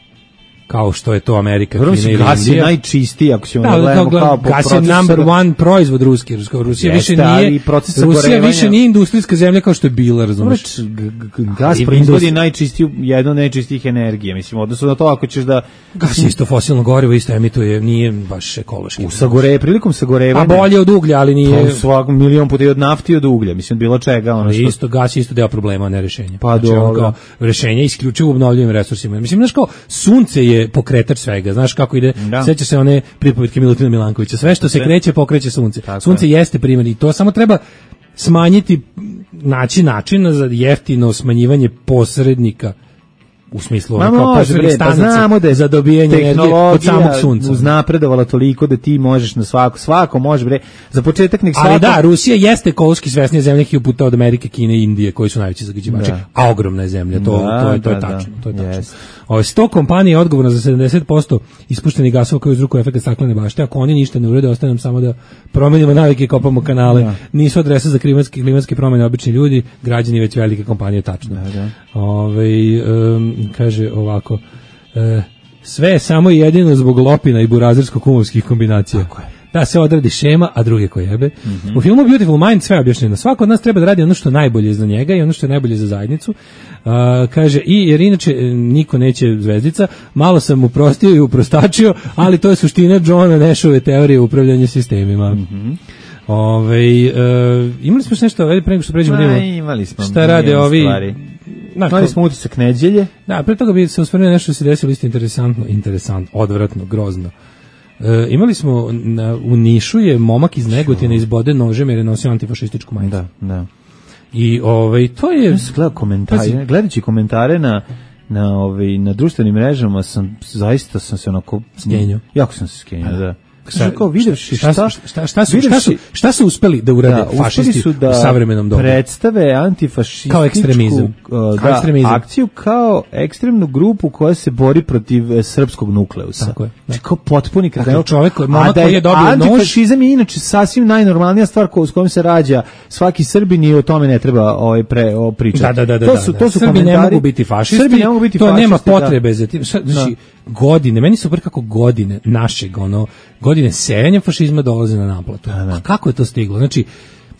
kao što je to Amerika, Kina ili Indija. Gas je najčistiji, ako ćemo da, gledamo da, kao po gas je number one proizvod ruski. Rusija više nije, Rusija više nije industrijska zemlja kao što je bila, razumeš? Gas proizvodi najčistiju, jedno od najčistijih energije, mislim, odnosno na to ako ćeš da... Gas je isto fosilno gorivo, isto emituje, nije baš ekološki. U sagore, prilikom sagorevanja... A bolje od uglja, ali nije... Pa svak milion puta i od nafti i od uglja, mislim, bilo čega. Ono što... Isto, gas je isto deo problema, a ne rešenja. Pa znači, dobro. Rešenje isključivo u obnovljivim resursima. Mislim, znaš kao, sunce je pokretač svega, znaš kako ide, da. Seća se one pripovetke Milutina Milankovića, sve što se kreće pokreće sunce. Tako sunce je. Jeste primjer i to samo treba smanjiti, naći način za jeftino smanjivanje posrednika u smislu Ma kao posrednih stanica pa da za dobijanje energije od samog sunca. Uznapredovala toliko da ti možeš na svako, svako može bre, za početak nek svako... Ali da, Rusija jeste ekološki svesnija zemlja hiljadu puta od Amerike, Kine i Indije, koji su najveći zagađivači, da. A ogromna je zemlja, to, da, to, je, to je da, tačno. Da. To je tačno. Yes. Ove, sto kompanija je odgovorno za sedamdeset posto ispuštenih gasova koji uzrokuju efekt staklene bašte, ako oni ništa ne urede, ostaje nam samo da promenimo navike i kopamo kanale. Da. Nisu adresa za klimatske, klimatske promjene obični ljudi, građani već velike kompanije, tačno. Da, da. Ove, um, kaže ovako, e, sve je samo jedino zbog lopina i burazersko-kumovskih kombinacija. Tako je. Da se odradi šema, a druge ko jebe. Mm-hmm. U filmu Beautiful Mind sve objašnjeno. Svako od nas treba da radi ono što je najbolje za njega i ono što je najbolje za zajednicu. Uh, kaže, i jer inače niko neće zvezdica, malo sam mu prostio i uprostačio, ali to je suština Johna Nashove teorije upravljanja sistemima. Mm-hmm. Ove, uh, imali smo nešto, pre nego što pređemo da imali smo šta rade ovi stvari. Imali smo utisak neđelje. Da, pre toga bi se osvrnuo nešto što se desilo isto interesantno, interesantno, odvratno, grozno. E, imali smo na, u Nišu je momak iz Negotina izbode nožem jer je nosio antifašističku majicu. Da, da. I ovaj to je ja sam gledao komentare, gledajući komentare na na ovaj na društvenim mrežama sam zaista sam se onako skenio. Jako sam se skenio, da. Šta, kao videvši šta, šta, šta, šta, su, šta, su, šta su uspeli da urade da, fašisti su da u savremenom dobu? Predstave antifašističku kao ekstremizam. Uh, kao da, ekstremizam. Akciju kao ekstremnu grupu koja se bori protiv e, srpskog nukleusa. Tako je. Da. Kao potpuni kretenski. Dakle, čovjek koji je dobio nož. Antifašizam je inače sasvim najnormalnija stvar ko, s kojom se rađa svaki Srbin i o tome ne treba ovaj pre o pričati. Da, da, da, to da, su, da. to su Srbi komentari. ne mogu biti fašisti. Srbi ne mogu biti to fašisti. Nema potrebe da. za tim. Znači, godine, meni su kako godine našeg, ono, godine sejanja fašizma dolaze na naplatu. Da, da. A kako je to stiglo? Znači,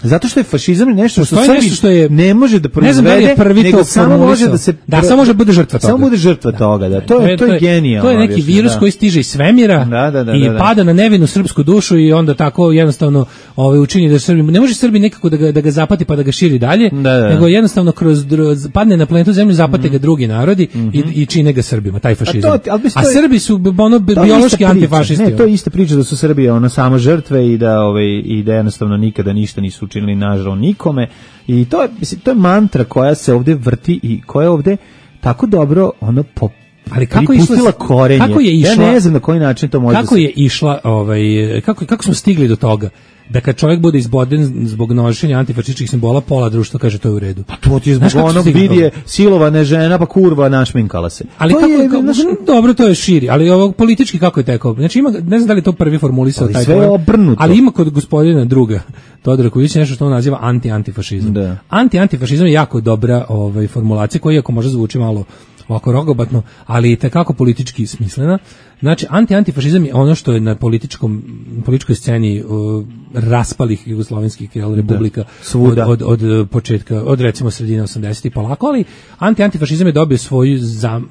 zato što je fašizam nešto što Srbi što je ne može da proizvede, ne znam da je prvi nego samo može da se da samo može bude žrtva toga. Samo bude žrtva da. toga, da. To je to je genijalno. To je neki virus da. koji stiže iz svemira da, da, da, i da, da. pada na nevinu srpsku dušu i onda tako jednostavno ovaj učini da Srbi ne može Srbi nekako da ga da ga zapati pa da ga širi dalje, da, da. nego jednostavno kroz padne na planetu Zemlju zapate mm. ga drugi narodi mm-hmm. i, i čine ga Srbima, taj fašizam. A, to, a, a Srbi su ono biološki antifašisti. Ne, to je ista priča da su Srbi ono samo žrtve i da ovaj i da jednostavno nikada ništa nisu učinili nažao nikome. I to je, mislim, to je mantra koja se ovdje vrti i koja je ovdje tako dobro ono po ali kako je išla korenje. Kako je išla? Ja ne znam na koji način to može. Kako se... je išla, ovaj kako kako smo stigli do toga da kad čovjek bude izboden zbog nošenja antifašističkih simbola, pola društva kaže to je u redu. Pa to ti je zbog onog vidje silovane žena, pa kurva našminkala se. Ali to kako, je, kako, naš... dobro, to je širi, ali ovo politički kako je tekao. Znači ima, ne znam da li je to prvi formulisao taj sve je obrnuto. Ali ima kod gospodina druga Todora Kojića nešto što on naziva anti-antifašizam. Da. Anti-antifašizam je jako dobra ovaj, formulacija koja iako može zvuči malo ovako rogobatno, ali i tekako politički smislena. Znači, anti-antifašizam je ono što je na političkom, političkoj sceni uh, raspalih jugoslovenskih jel, republika od, od, od početka, od recimo sredine osamdesetih polako, ali anti-antifašizam je dobio svoj zam,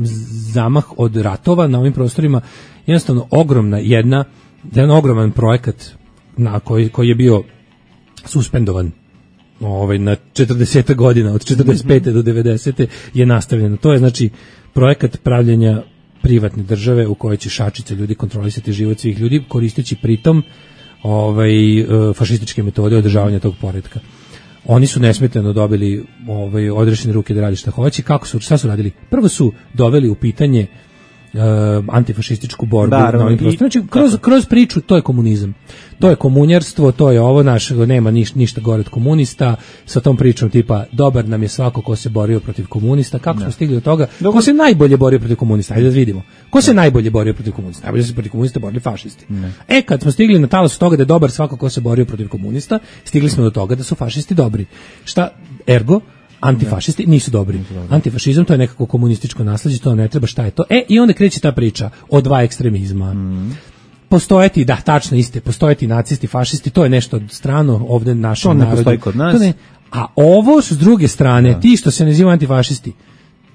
zamah od ratova na ovim prostorima, jednostavno ogromna jedna, jedan ogroman projekat na koji, koji je bio suspendovan ovaj, na četrdeset godina, od četrdeset pete do devedesete je nastavljeno. To je znači projekat pravljenja privatne države u kojoj će šačice ljudi kontrolisati život svih ljudi, koristeći pritom ovaj, fašističke metode održavanja tog poretka. Oni su nesmetano dobili ovaj, odrešene ruke da radi šta hoće. Kako su, šta su radili? Prvo su doveli u pitanje Uh, antifašističku borbu da, na ovim prostorima. Znači, kroz, kroz priču to je komunizam. To je komunjarstvo, to je ovo naš, nema niš, ništa gore od komunista, sa tom pričom tipa dobar nam je svako ko se borio protiv komunista. Kako da. smo stigli do toga? Dobar. Ko se najbolje borio protiv komunista? Ajde da vidimo. Ko da. se najbolje borio protiv komunista? Najbolje se protiv komunista borili fašisti. Ne. E, kad smo stigli na talasu toga da je dobar svako ko se borio protiv komunista, stigli smo do toga da su fašisti dobri. Šta? Ergo, antifašisti nisu dobri. Antifašizam to je nekako komunističko nasleđe, to ne treba, šta je to? E, i onda kreće ta priča o dva ekstremizma. Mm. Postojati, da, tačno iste, postojati nacisti, fašisti, to je nešto strano ovde našem narodu. To ne postoji kod nas. Ne, a ovo s druge strane, da. ti što se nazivaju antifašisti,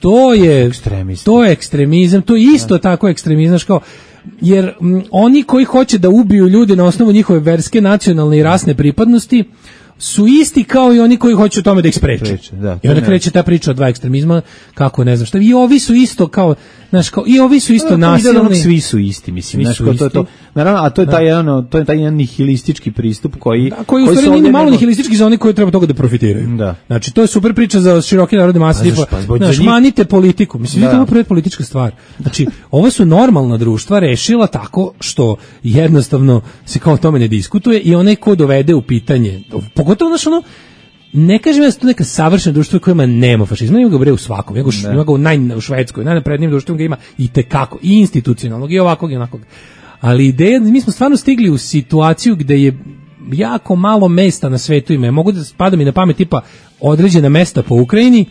to je ekstremisti. To je ekstremizam, to je isto da. tako ekstremizam, kao jer m, oni koji hoće da ubiju ljude na osnovu njihove verske, nacionalne i rasne pripadnosti su isti kao i oni koji hoće o tome da ih spreče. Da, I onda kreće ta priča o dva ekstremizma, kako ne znam šta. I ovi su isto kao, znaš, kao i ovi su isto no, nasilni. Svi su isti, mislim, znaš, kao to je to. Naravno, a to je taj jedan, to je taj jedan nihilistički pristup koji da, koji u stvari nije ni malo nihilistički za one koji treba toga da profitiraju. Da. Znači, to je super priča za široke narodne mase, tipa, pa, znaš, manite politiku. Mislim, da. to je prvo politička stvar. Znači, ovo su normalna društva rešila tako što jednostavno se kao o tome ne diskutuje i onaj ko dovede u pitanje, pogotovo znaš ono, ne kažem ja da su to neka savršena društva kojima nema fašizma, ima ga bre u svakom, ima ga, ima ga u, naj, u Švedskoj, najnaprednijim društvom ga ima i tekako, i institucionalnog, i ovakvog, i onakvog. Ali ideja, mi smo stvarno stigli u situaciju gde je jako malo mesta na svetu ima. Mogu da spada mi na pamet tipa određena mesta po Ukrajini,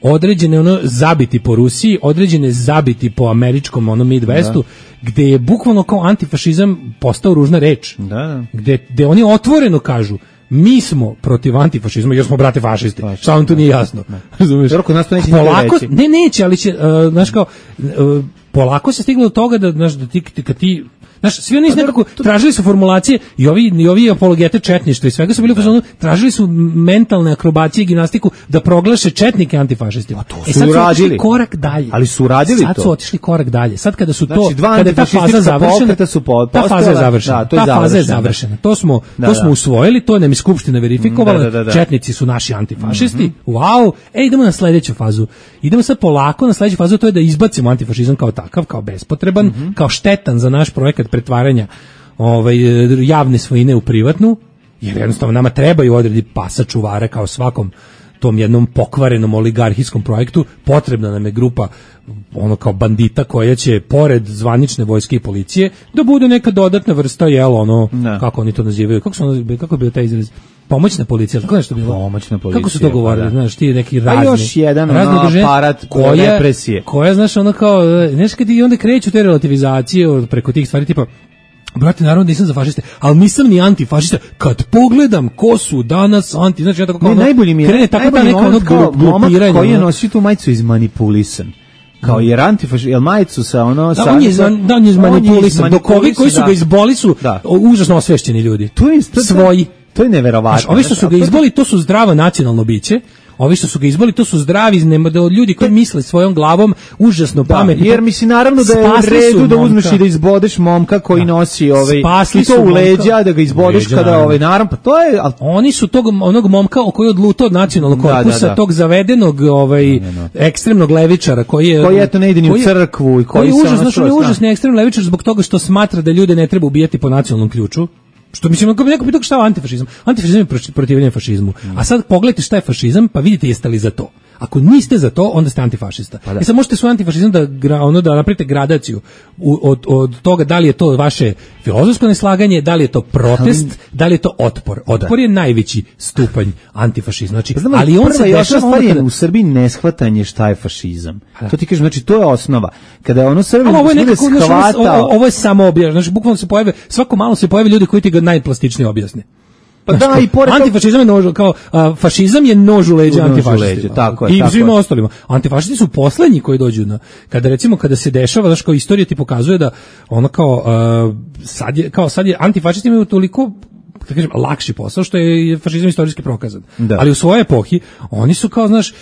određene ono zabiti po Rusiji, određene zabiti po američkom ono Midwestu, da. gde je bukvalno kao antifašizam postao ružna reč. Da, da. Gde, gde oni otvoreno kažu mi smo protiv antifašizma jer smo brate fašisti. Šta vam tu nije jasno? Razumeš? Polako, ne neće, ali će, uh, znaš kao, uh, polako se stiglo do toga da, znaš, da ti, kad ti, znaš, svi oni nekako tražili su formulacije i ovi, i ovi apologete četništva i svega su bili u fazonu, tražili su mentalne akrobacije i gimnastiku da proglaše četnike antifašistima. To e sad su su otišli korak dalje. Ali su radili sad to. Sad su otišli korak dalje. Sad kada su znači, to, kada je ta faza završena, su po, ta faza je završena. Da, to je ta faza je završena. To smo, da, to smo da. usvojili, to nam je skupština verifikovala. Da, da, da. Četnici su naši antifašisti. Mm-hmm. Wow. E, idemo na sledeću fazu. Idemo sad polako na sledeću fazu, to je da izbacimo antifašizam kao takav, kao bespotreban, mm-hmm. kao štetan za naš projekat pretvaranja ovaj, javne svojine u privatnu, jer jednostavno nama trebaju odredi pasa čuvara kao svakom tom jednom pokvarenom oligarhijskom projektu, potrebna nam je grupa ono kao bandita koja će pored zvanične vojske i policije da bude neka dodatna vrsta, jel, ono, ne. kako oni to nazivaju, kako su ono, kako je bio taj izraz? Pomoćna policija, tako nešto bilo. Pomoćna policija. Kako su to govorili, pa, znaš, ti neki razni. A još jedan ono, aparat koja, represije. Koja, znaš, ono kao, znaš, kad i onda kreću te relativizacije preko tih stvari, tipa, brate, naravno nisam za fašiste, ali nisam ni antifašista. Kad pogledam ko su danas anti, znači ja tako kao ne, ono, najbolji mi je, krene tako da neka ono glupiranje. Koji je nosio tu majicu izmanipulisan. Kao jer antifašist, jel majicu sa ono... Da, sa, on je, zman, da, on je izmanipulisan. Dok ovi koji su ga izboli su da. užasno osvešćeni ljudi. To je, to, svoji. To je neverovatno. Znaš, ovi što su ga izboli, to su zdravo nacionalno biće. Ovi što su ga izboli, to su zdravi od ljudi koji misle svojom glavom, užasno da, pametni. Jer misli naravno da je u redu da uzmeš i da izbodeš momka koji da. nosi ovaj i to u leđa, da ga izbodeš leđa, kada ovaj naravno, pa to je... Al... Oni su tog onog momka koji je odlutao od nacionalnog korpusa, da, da, da. tog zavedenog ovaj, da, da, da. ekstremnog levičara koji je... Koji eto ne ide ni u crkvu i koji, koji je užasno, znači on je užasni ekstremni levičar zbog toga što smatra da ljude ne treba ubijati po nacionalnom ključu. Što mislim, ako bi neko pitao šta je antifašizam? Antifašizam je protivljenje fašizmu. A sad pogledajte šta je fašizam, pa vidite jeste li za to. Ako niste za to, onda ste antifašista. Pa da. I sad možete svoj antifašizam da, ono, da napravite gradaciju u, od, od toga da li je to vaše filozofsko neslaganje, da li je to protest, ali, da li je to otpor. Otpor da. je najveći stupanj antifašizma. Znači, pa znam, ali on se dešava onda kada... u Srbiji neshvatanje šta je fašizam. Da. To ti kažem, znači to je osnova. Kada je ono Srbi ovo je nekako, shvata... ovo, ovo je samo objašnjeno. Znači, bukvalno se pojave, svako malo se pojave ljudi koji ti ga najplastičnije objasne. Pa da, da, i pored antifašizam je nož, kao a, fašizam je nož u leđa antifašistima. Tako je, i tako svima je. ostalima. Antifašisti su poslednji koji dođu na kada recimo kada se dešava, znači kao istorija ti pokazuje da ono kao a, sad je kao sad je antifašisti imaju toliko da kažem lakši posao što je fašizam istorijski prokazan. Da. Ali u svojoj epohi oni su kao znaš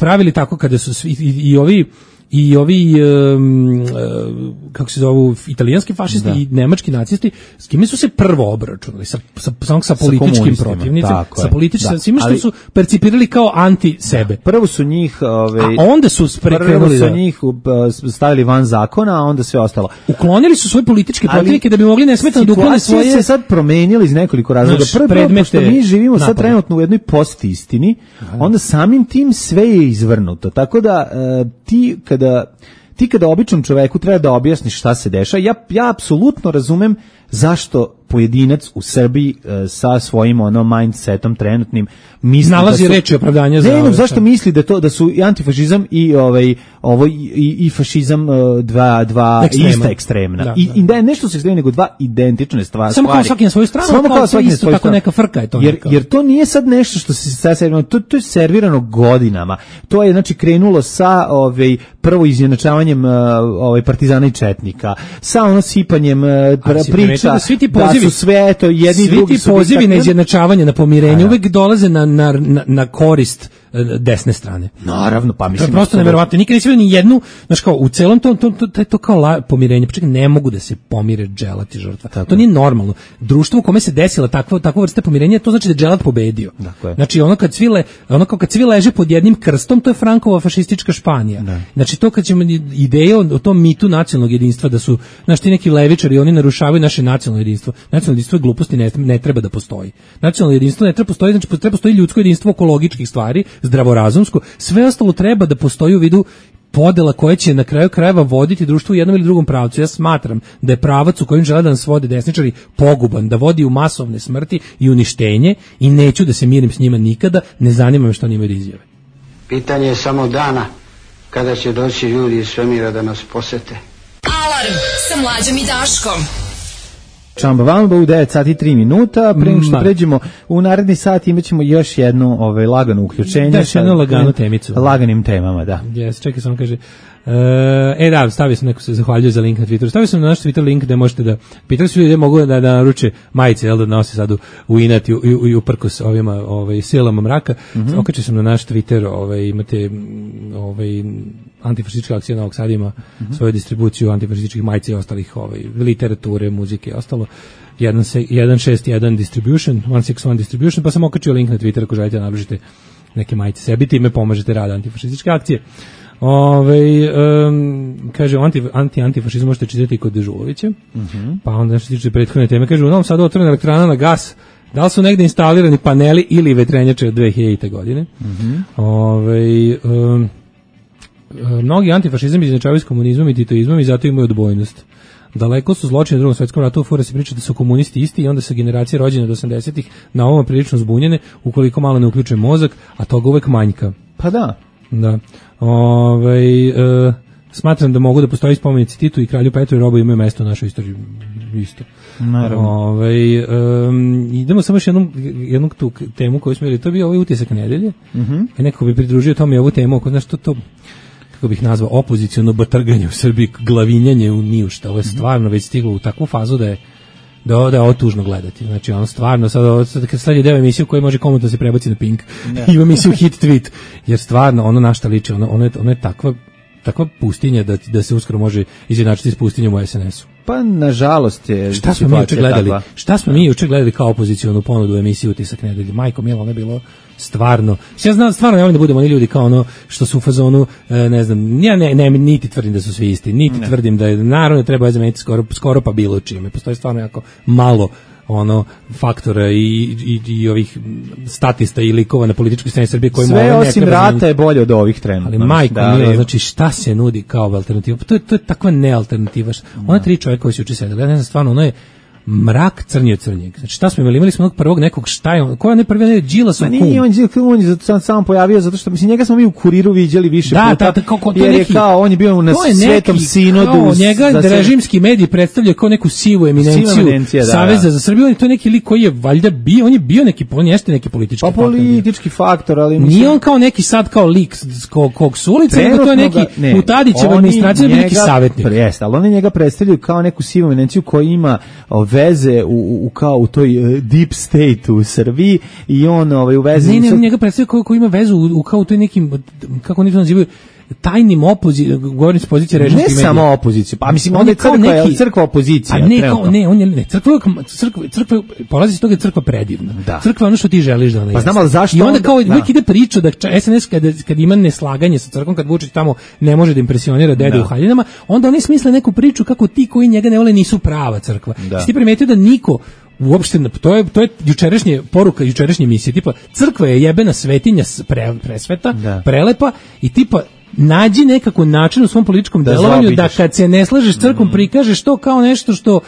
pravili tako kada su svi, i, i ovi i ovi um, kako se zovu italijanski fašisti da. i nemački nacisti s kime su se prvo obračunali sa sa sa, sa političkim protivnicima, sa političkim svima što ali, su percipirali kao anti sebe. Da, prvo su njih ove, a onda su prekrenuli su da. njih stavili van zakona, a onda sve ostalo. Uklonili su svoje političke protivnike da bi mogli nesmetano da uklone svoje. Se sad promenili iz nekoliko razloga. Prvo predmete, mi živimo sad trenutno u jednoj postistini, onda samim tim sve je izvrnuto. Tako da uh, ti kada ti kada običnom čoveku treba da objasniš šta se dešava, ja ja apsolutno razumem zašto pojedinac u Srbiji e, sa svojim ono mindsetom trenutnim misli nalazi da su, reči opravdanja za ne, no, zašto misli da to da su i antifašizam i ovaj ovo i, i fašizam uh, dva dva Ekstrema. ista ekstremna da, I, da. i da je nešto se ekstremno nego dva identične stvari. Samo kao svaki na svoju stranu, samo kao svaki na svoju stranu. Neka frka je to. Jer neka. jer to nije sad nešto što se sad servirano, to to je servirano godinama. To je znači krenulo sa ovaj prvo izjednačavanjem uh, ovaj partizana i četnika, sa ono sipanjem uh, priča da svi ti pozivi da su sve to jedni svi drugi ti pozivi na izjednačavanje, na pomirenje uvek dolaze na, na, na, na korist desne strane. Naravno, pa mislim. To je prosto neverovatno. Nikad nisi vidio ni jednu, znaš kao u celom tom to to to, to kao la, pomirenje. Pa čekaj, ne mogu da se pomire dželat i žrtva. Tako. To nije normalno. Društvo u kome se desila takva takva vrsta pomirenja, to znači da je dželat pobedio. Dakle. Znači ono kad cvile, ono kao kad svi leže pod jednim krstom, to je Frankova fašistička Španija. Ne. Znači to kad ćemo ideje o, o tom mitu nacionalnog jedinstva da su znači ti neki levičari, oni narušavaju naše nacionalno jedinstvo. Nacionalno jedinstvo je gluposti, ne, ne treba da postoji. Nacionalno jedinstvo ne treba postoji, znači treba postoji ljudsko jedinstvo oko logičkih stvari, zdravorazumsko, sve ostalo treba da postoji u vidu podela koje će na kraju krajeva voditi društvo u jednom ili drugom pravcu. Ja smatram da je pravac u kojem žele da nas vode desničari poguban, da vodi u masovne smrti i uništenje i neću da se mirim s njima nikada, ne zanima me što oni imaju da izjave. Pitanje je samo dana kada će doći ljudi iz svemira da nas posete. Alarm sa Mlađom i Daškom. Čamba Vamba u devet sati i tri minuta, pre nego što pređemo u naredni sat imaćemo još jedno ovaj, lagano uključenje. Da, još jednu laganu temicu. Laganim temama, da. Yes, čekaj, samo kaže, e da, stavio sam neko se zahvaljuje za link na Twitteru. Stavio sam na naš Twitter link da možete da pitali su ljudi mogu da da naruče majice, jel da nose sad u, u inat i, i, i uprkos ovima ovaj silama mraka. Mm -hmm. Okačio sam na naš Twitter, ovaj imate ovaj antifašistička akcija Novog Sada ima mm -hmm. svoju distribuciju antifašističkih majica i ostalih ovaj literature, muzike i ostalo. jedan šest jedan distribution, jedan šest jedan distribution, pa sam okačio link na Twitter ako želite da nabržite neke majice sebi, time pomožete rad antifašističke akcije. Ove, um, kaže, anti, anti, antifašizam možete čitati kod Dežulovića, mm-hmm. pa onda nešto tiče prethodne teme, kaže, u Novom Sadu otvorena elektrana na gas, da li su negde instalirani paneli ili vetrenjače od dve hiljadite. godine. Mm-hmm. Ove, um, mnogi antifašizam izjednačavaju s komunizmom i titoizmom i zato imaju odbojnost. Daleko su zločini u Drugom svetskom ratu, u fora se priča da su komunisti isti i onda su generacije rođene od osamdesetih na ovom prilično zbunjene, ukoliko malo ne uključuje mozak, a toga uvek manjka. Pa da. Da. Ove, e, smatram da mogu da postoji spomenici Titu i kralju Petru i Robu imaju mesto u našoj istoriji isto. Naravno. Ove, e, idemo samo još jednu, jednu tu temu koju smo imali, to je bio ovaj utisak nedelje. Mm-hmm. I neko bi pridružio tome ovu temu, ako znaš to, to kako bih nazvao, opoziciono batrganje u Srbiji, glavinjanje u nijušta. Ovo je stvarno već stiglo u takvu fazu da je da ovo, da je ovo tužno gledati. Znači, ono stvarno, sad, sad kad sledi deo emisiju koji može komotno se prebaci na Pink, ima emisiju Hit Tweet, jer stvarno, ono na šta liči, ono, ono, je, ono je takva, takva pustinja da, da se uskoro može izjednačiti s pustinjom u es en esu. Pa, nažalost je... Šta smo mi juče gledali? Takva. Šta smo mi juče gledali kao opozicionu ponudu u emisiju Utisak nedelje? Majko Milo, ono je bilo stvarno. Ja znam, stvarno ne volim da budemo oni ljudi kao ono što su u fazonu, ne znam, ja ne, ne, niti tvrdim da su svi isti, niti ne. tvrdim da je, naravno treba zameniti skoro, skoro pa bilo čime. Postoji stvarno jako malo ono faktora i, i, i ovih statista i likova na političkoj sceni Srbije koji sve osim rata je bolje od ovih trenutno. Ali majko da, mila, znači šta se nudi kao alternativa? To je, to je takva nealternativa. Ona tri čovjeka koji su juče sedeli, ja ne znam stvarno, ono je mrak crnje crnjeg. Znači šta smo imali? Imali smo onog prvog nekog šta je on? Ko je ne prvi? Ne, Đilasov kum. Nije, on, on je sam, sam pojavio zato što, mislim, njega smo mi u Kuriru viđali više da, puta. Da, da, kao, kao, jer neki, je kao, on je bio na Svetom neki, sinodu. Kao, njega za režimski mediji predstavljaju kao neku sivu eminenciju da, Saveza da. za Srbiju. On je to neki lik koji je valjda bio, on je bio neki, on jeste neki politički pa, faktor. politički faktor, ali mislim... Nije on kao neki sad kao lik kog, kog su ulice, nego to je neki ne, u Tadićevoj administraciji neki savjetnik. Jeste, ali oni njega predstavljaju kao neku sivu eminenciju koja ima veze u U, u kao u toj uh, deep state u Srbiji i on ovaj u vezi ne, ne, sad... njega predstavlja ko, ko ima vezu u, u kao u toj nekim, kako oni to nazivaju, tajnim opozicijom, govorim s pozicije režimskih medija. Ne samo opoziciju, pa mislim onda je crkva, neki, crkva opozicija. A ne, kao, ne, on je, ne, crkva, crkva, crkva, polazi iz toga je crkva predivna. Da. Crkva je ono što ti želiš da ona pa znam, ali zašto I onda kao, da. uvijek ide priča da es en es kada, kad ima neslaganje sa crkvom, kad Vučić tamo ne može da impresionira dede da. u haljinama, onda oni smisle neku priču kako ti koji njega ne vole nisu prava crkva. Da. Si ti primetio da niko uopšte, to je, to je jučerašnje poruka, jučerašnje emisije, tipa crkva je jebena svetinja pre, presveta, da. prelepa i tipa nađi nekako način u svom političkom da delovanju da kad se ne slažeš s crkvom mm. prikažeš to kao nešto što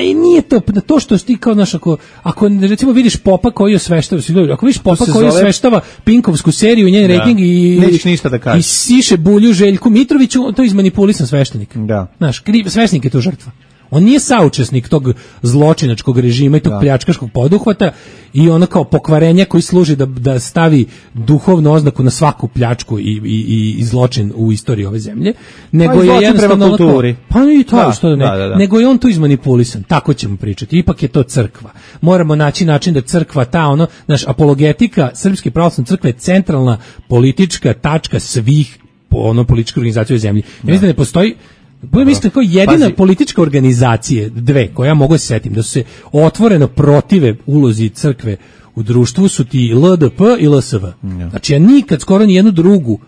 i nije to to što ti kao naš ako ako recimo vidiš popa koji osveštava ako vidiš popa koji osveštava Pinkovsku seriju i njen da. rating i nećeš ništa da kažeš i siše bulju Željku Mitroviću, to je izmanipulisan sveštenik. Da. Znaš, kriv sveštenik je to žrtva. On nije saučesnik tog zločinačkog režima i tog da. pljačkaškog poduhvata i ono kao pokvarenja koji služi da, da stavi duhovnu oznaku na svaku pljačku i, i, i zločin u istoriji ove zemlje. Nego pa je jednostavno prema kulturi. Pa i to da, što da ne. Da, da, da. Nego je on tu izmanipulisan. Tako ćemo pričati. Ipak je to crkva. Moramo naći način da crkva ta ono, naš apologetika Srpske pravoslavne crkve je centralna politička tačka svih ono političkih organizacija u zemlji. Ja mislim da ne postoji Bude mislim kao jedina Pazi. politička organizacije, dve, koje ja mogu se setim, da su se otvoreno protive ulozi crkve u društvu su ti L D P i L S V. Ja. Znači ja nikad skoro ni jednu drugu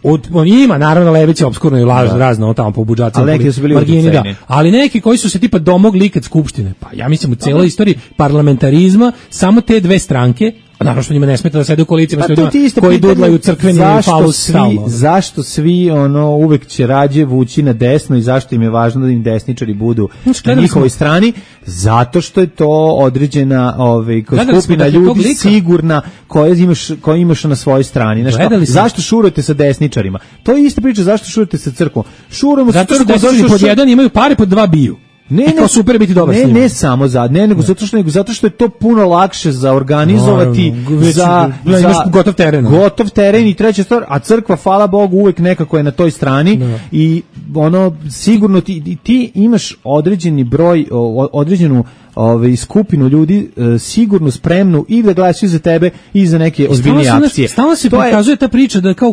od, on ima naravno levice opskurno i lažno razno tamo po budžacima, ali neki su bili margini, da, ali neki koji su se tipa domogli kad skupštine. Pa ja mislim u celoj istoriji parlamentarizma samo te dve stranke. Naravno što njima ne smeta da sede u koalicijama pa s ljudima koji dudlaju crkveni falus stalno. Zašto svi ono uvek će rađe vući na desno i zašto im je važno da im desničari budu na njihovoj strani? Zato što je to određena ovaj, skupina ljudi sigurna koja imaš, koja imaš na svojoj strani. Znači, zašto šurujete sa desničarima? To je ista priča, zašto šurujete sa crkvom? Šurujemo sa crkvom zato što pod jedan imaju pare, pod dva biju. Ne, ne, super biti dobar ne, ne samo za, ne, nego ne. zato što nego zato što je to puno lakše za organizovati, no, već, za, već, za gotov teren. Gotov teren i treća stvar, a crkva hvala Bogu uvek nekako je na toj strani no. i ono sigurno ti, ti imaš određeni broj, određenu ovaj skupinu ljudi e, sigurno spremnu i da glasaju za tebe i za neke ozbiljnije akcije. Stalno se prikazuje je... ta priča da kao u,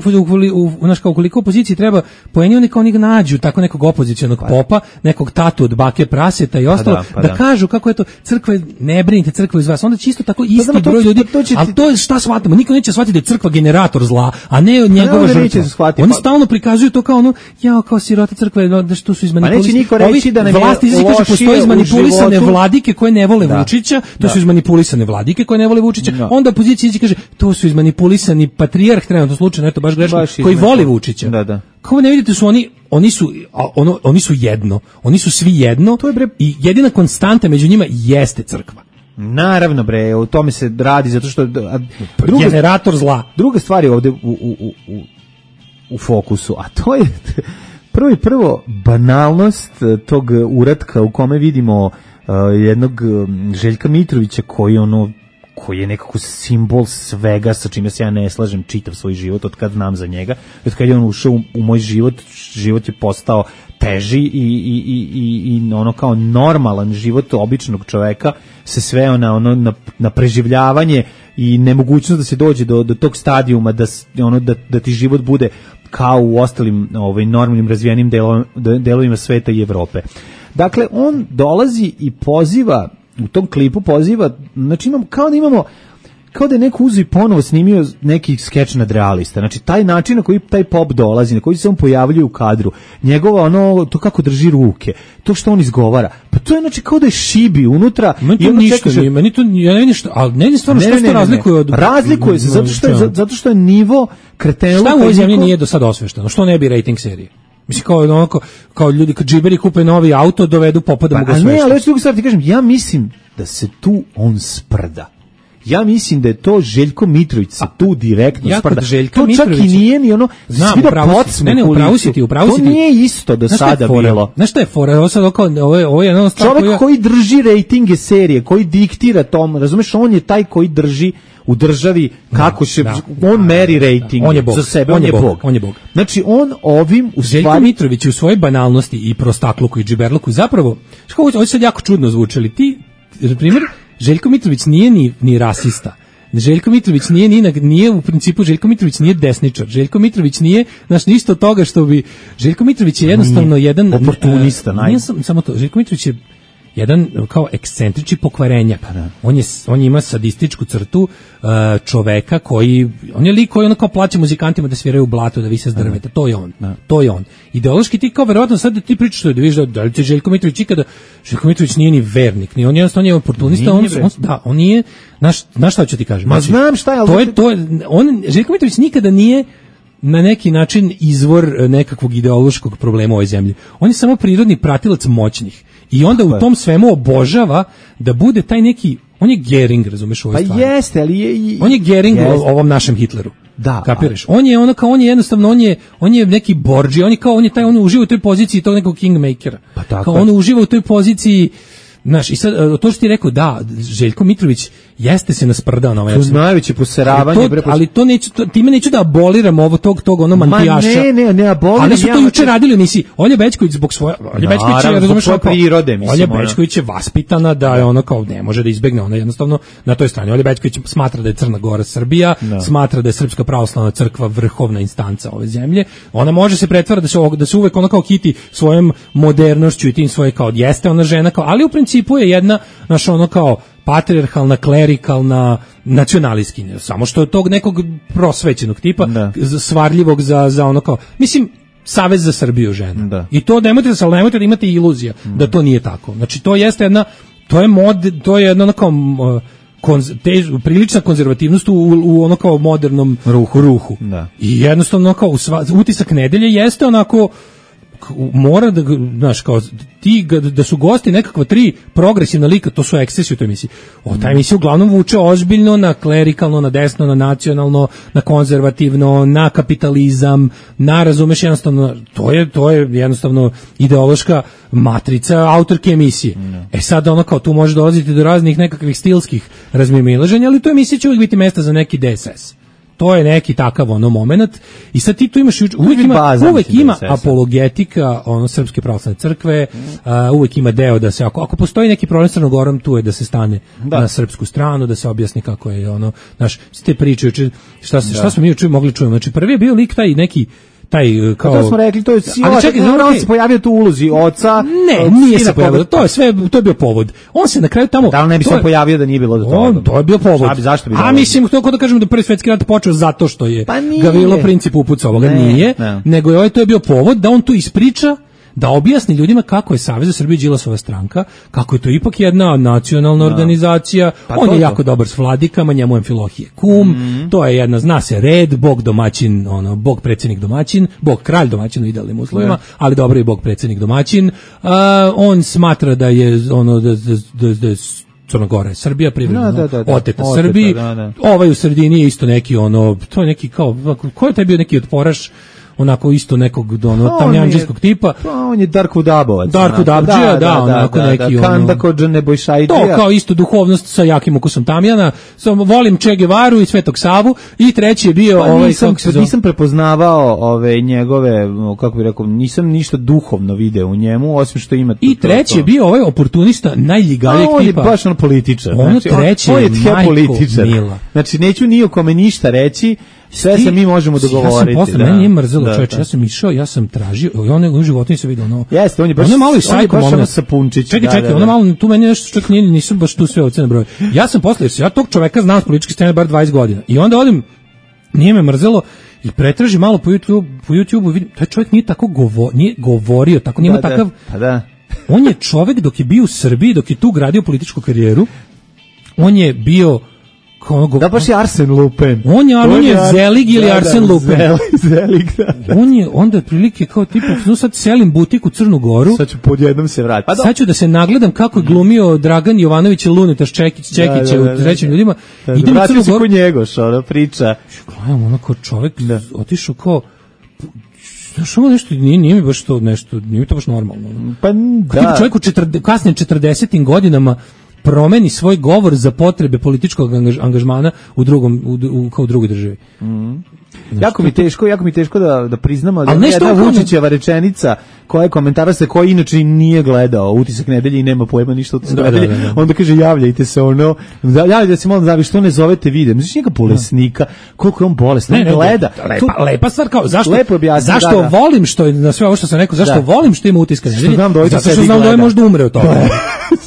u naš kao koliko opoziciji treba poeni oni kao oni nađu tako nekog opozicionog pa. popa, nekog tatu od bake praseta i ostalo pa da, pa da. da kažu kako je to crkva, ne brinite crkva iz vas. Onda čisto tako isti pa da, broj to, ljudi. To, to će... Ali to je šta shvatamo? Niko neće shvatiti da je crkva generator zla, a ne njegova žrtva. Oni pa... stalno prikazuju to kao ono ja kao sirota crkve da što su izmanipulisane. Pa neće niko reći da nam vlasti kaže postoji izmanipulisane vladike koje ne vole da, Vučića, to da. su izmanipulisane vladike koje ne vole Vučića, da. onda opozicija ići kaže, to su izmanipulisani patrijarh, trenutno slučajno, eto baš grešno, baš koji voli Vučića. Da, da. Kao ne vidite su oni, oni su, ono, oni su jedno, oni su svi jedno to je bre... i jedina konstanta među njima jeste crkva. Naravno bre, o tome se radi zato što... A, druga, generator zla. Druga stvar je ovde u, u, u, u fokusu, a to je prvo i prvo banalnost tog uratka u kome vidimo Uh, jednog um, Željka Mitrovića koji ono koji je nekako simbol svega sa čime se ja ne slažem čitav svoj život od kad znam za njega, od kad je on ušao u, u moj život, život je postao teži i, i, i, i, i ono kao normalan život običnog čoveka se sveo na, ono, na, na preživljavanje i nemogućnost da se dođe do, do tog stadijuma da, ono, da, da ti život bude kao u ostalim ovaj, normalnim razvijenim delovima, delovima sveta i Evrope. Dakle, on dolazi i poziva, u tom klipu poziva, znači imamo, kao da imamo, kao da je neko uzeo i ponovo snimio neki skeč nadrealista. Znači, taj način na koji taj pop dolazi, na koji se on pojavljuje u kadru, njegova ono, to kako drži ruke, to što on izgovara, pa to je znači kao da je šibi unutra. Meni to ništa čekaš... nije, meni to, ja ne vidim što, ali ne vidim stvarno ne, što ne, se to razlikuje od... Razlikuje se, zato što je, zato što je nivo kretenluka... Šta u ovoj zemlji nije do sad osvešteno? Što ne bi rating serije? Mislim, kao, ono, kao, kao ljudi, kad džiberi kupe novi auto, dovedu popa da pa, mogu osveštiti. A ne, ali još drugu stvar ti kažem, ja mislim da se tu on sprda. Ja mislim da je to Željko Mitrović se tu direktno ja sprda. Željka to čak Mitrović, i nije ni ono... Znam, upravo si, ne, ne, upravo si ti, upravo si ti. To nije isto do sada bilo. Znaš šta je fora? Ovo sad oko, ovo je, ovo je jedna stvar čovjek koja... koji drži rejtinge serije, koji diktira tom, razumeš, on je taj koji drži u državi kako će, da, on meri rejting za sebe, on je, on je bog. On je bog. Znači, on ovim u Željko stvari... Mitrović u svojoj banalnosti i prostakluku i džiberluku zapravo, što ovo sad jako čudno zvučali, ti, na primjer, Željko Mitrović nije ni, ni rasista. Željko Mitrović nije, nije, nije u principu Željko Mitrović nije desničar. Željko Mitrović nije, znaš, ništa od toga što bi... Željko Mitrović je jednostavno nije, jedan... Oportunista, naj... Nije sam, samo to. Željko Mitrović je jedan kao ekscentrični pokvarenjak. Pa da. On je on ima sadističku crtu uh, čoveka koji on je lik koji ono kao plaća muzikantima da sviraju u blatu, da vise s drveta. To je on. Da. To je on. Ideološki ti kao verovatno sad da ti pričaš da vidiš da, da li će Željko Mitrović ikada Željko Mitrović nije ni vernik, ni on jednostavno je oportunista, on, on da, on nije naš naš šta ću ti kažem. Ma znači, znam šta je, ali to je to je, on Željko Mitrović nikada nije na neki način izvor nekakvog ideološkog problema u ovoj zemlji. On je samo prirodni pratilac moćnih. I onda u tom svemu obožava da bude taj neki, on je Gering, razumeš, u ovoj stvari. Pa jeste, ali je... I, on je Gering u ovom našem Hitleru. Da. Kapiraš? On je ono kao, on je jednostavno, on je, on je neki Borđi, on je kao, on je taj, on uživa u toj poziciji tog nekog kingmakera. Pa tako. Kao on uživa u toj poziciji. Znaš, i sad, to što ti rekao, da, Željko Mitrović jeste se nasprdao na ovaj način. To najveće poseravanje. Ali to, ali to neću, to, time neću da aboliram ovo tog, tog ono mantijaša. Ma ne, ne, ne aboliram. Ali su to ja, juče radili u emisiji. Olja Bećković zbog svoje, Olja Bećković je, razumeš, svoje prirode, mislim. Olja Bećković je vaspitana da je ono kao, ne može da izbegne, ona jednostavno na toj strani. Olja Bećković smatra da je Crna Gora Srbija, da. Smatra da je Srpska pravoslavna crkva vrhovna instanca ove zemlje. Ona može se pretvarati da se, da se uvek ona kao kiti svojom modernošću i tim svoje kao, jeste ona žena kao, ali u principu je jedna, znaš, ono kao patrijarhalna, klerikalna, nacionalistkinja, samo što je tog nekog prosvećenog tipa, da. Svarljivog za, za ono kao, mislim, Savez za Srbiju žena. Da. I to nemojte da se, ali nemojte da imate iluzija mm. da to nije tako. Znači, to jeste jedna, to je mod, to je jedna ono kao, konz, te, prilična konzervativnost u, u ono kao modernom ruhu. ruhu. Da. I jednostavno kao, sva, utisak nedelje jeste onako, mora da, znaš, kao ti, da su gosti nekakva tri progresivna lika, to su ekscesi u toj emisiji. O, ta emisija uglavnom vuče ozbiljno na klerikalno, na desno, na nacionalno, na konzervativno, na kapitalizam, na, razumeš, jednostavno, to je, to je jednostavno ideološka matrica autorke emisije. Mm. E sad ono kao tu može dolaziti do raznih nekakvih stilskih razmimoilaženja, ali u toj emisiji će uvijek biti mesta za neki D S S. To je neki takav ono moment i sad ti tu imaš uvijek ima, uvijek ima apologetika ono Srpske pravoslavne crkve, mm. uh, uvijek ima deo da se ako, ako postoji neki problem s Crnom Gorom, tu je da se stane da. na srpsku stranu, da se objasni kako je ono, znaš, ste priče šta se, šta smo mi juče mogli čuti. Znači prvi je bio lik taj neki taj kao to smo rekli, to je ali čekaj, znači on se pojavio tu u ulozi oca. Ne, nije se pojavio. To je sve, to je bio povod. On se na kraju tamo da li ne bi se pojavio da nije bilo do toga. On, to je bio povod. Šta bi, zašto bi? A mislim to kao da kažemo da prvi svetski rat počeo zato što je pa Gavrilo Princip upucao ovoga, nije, ne. Nego je ovaj to je bio povod da on tu ispriča, da objasni ljudima kako je Savez za Srbiju Đilasova stranka, kako je to ipak jedna nacionalna no. organizacija, pa on je to. jako dobar s vladikama, njemu je Amfilohije kum, mm-hmm. to je jedna, zna se red, bog domaćin, ono, bog predsjednik domaćin, bog kralj domaćin u idealnim uslovima, yeah. ali dobro i bog predsjednik domaćin, uh, on smatra da je ono, da, da, da, da je Crna Gora je Srbija, privredno da, da, da, oteta Srbiji, da, da. Ovaj u sredini je isto neki ono, to je neki kao, ko je taj bio neki otporaš, onako isto nekog ono tamjanđijskog tipa. Pa on je Darko Dabovac. Darko Dabdžija, da, da, da, onako da, neki da, Kanda Kodža Nebojšajdija. To kao isto duhovnost sa jakim ukusom tamjana. Samo volim Che Guevaru i Svetog Savu i treći je bio pa ovaj nisam, nisam prepoznavao ove njegove, kako bih rekao, nisam ništa duhovno video u njemu, osim što ima. I treći je bio ovaj oportunista najljigalijeg tipa. On je baš on političar. Ono znači, treći on je Majko političar. Mila. Znači neću ni o kome ništa reći. Sve se mi možemo dogovoriti. Ja sam posle, da. meni nije mrzelo, Da, čoveče, da. ja sam išao, ja sam tražio, i on u životu se vidio, ono... Jeste, on je baš, ono je malo i on je sajko baš ono moment. sapunčić. Čekaj, da, čekaj, da, ono da. malo, tu meni nešto čak nije, nisu baš tu sve ovce na broju. Ja sam posle, jer se ja tog čoveka znam s političke scene bar dvadeset godina. I onda odim, nije me mrzelo, i pretraži malo po YouTube, po YouTubeu i vidim, taj čovjek nije tako govo, nije govorio, tako nije Da, imao da, takav... pa da. On je čovjek dok je bio u Srbiji, dok je tu gradio političku karijeru, on je bio kao ono, Da, baš je Arsen Lupin. On je, on je Zelig ili da, Arsen da, Lupin. Zelig, Zelig, da, da. On je onda otprilike kao tipa, no sad selim butik u Crnu Goru. Sad ću podjednom se vratiti. Pa Sad ću da se nagledam kako je glumio Dragan Jovanović i Lunetaš Čekić, Čekića da, da, da, u trećim da. ljudima. Da, Idem u vratio Crnu se Goru. ko Njegoš, ona priča. Gledam, ono kao čovjek otišao kao... Znaš, ovo nešto, nije, nije mi baš to nešto, nije mi to baš normalno. Pa Kako da. čovjek u četrde, kasnim četrdesetim godinama promeni svoj govor za potrebe političkog angaž, angažmana u drugom u, u, kao u drugoj državi. Mm. Jako mi teško, jako mi teško da da priznamo da Ali je nešto jedna on- Vučićeva rečenica koja je komentara se koji inače nije gledao Utisak nedelje i nema pojma ništa o Utisku Da, da, nedelje. da, da. Onda kaže javljajte se ono, da, javljajte se malo da vi što ne zovete vide. Misliš njega bolesnika, koliko je on bolestan, Ne, ne, gleda. lepa, To- lepa stvar kao zašto Lepo objasni, zašto da, da. volim što je na sve ovo što sam rekao, zašto Da. volim što ima Utiska nedelje. znam da ovaj to Zato što sedi znam da ovaj gleda. možda umre od toga.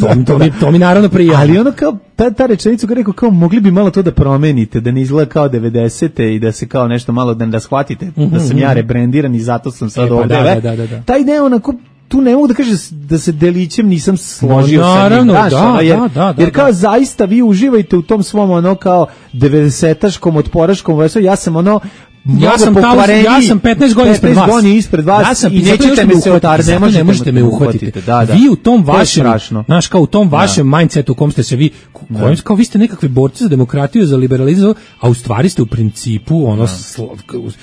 to, mi- to, mi, to mi naravno prija. Ali ono kao ta, ta rečenica koja rekao kao mogli bi malo to da promenite, da ne izgleda kao devedesete i da se kao nešto malo da, da shvatite da sam ja rebrendiran i zato sam sad E, pa ovde. da, ve. da, da, da. Taj ne onako tu ne mogu da kažem da se delićem nisam složio Ma, sa njim. naravno, znaš, da, ono, jer, da, da, da, jer kao da. zaista vi uživajte u tom svom ono kao devedesetaškom otporaškom vesu, ja sam ono Ja mnogo sam, tamo, pokvareniji, ja sam petnaest godina ispred vas. godina ispred vas ja sam, i zato nećete što me se uhvatite, otar, zato ne možete me uhvatiti. Da, da. Vi u tom To je vašem, strašno. znaš, kao u tom vašem mindsetu u kom ste se vi, kojim, kao vi ste nekakvi borci za demokratiju, za liberalizam, a u stvari ste u principu, ono, sla,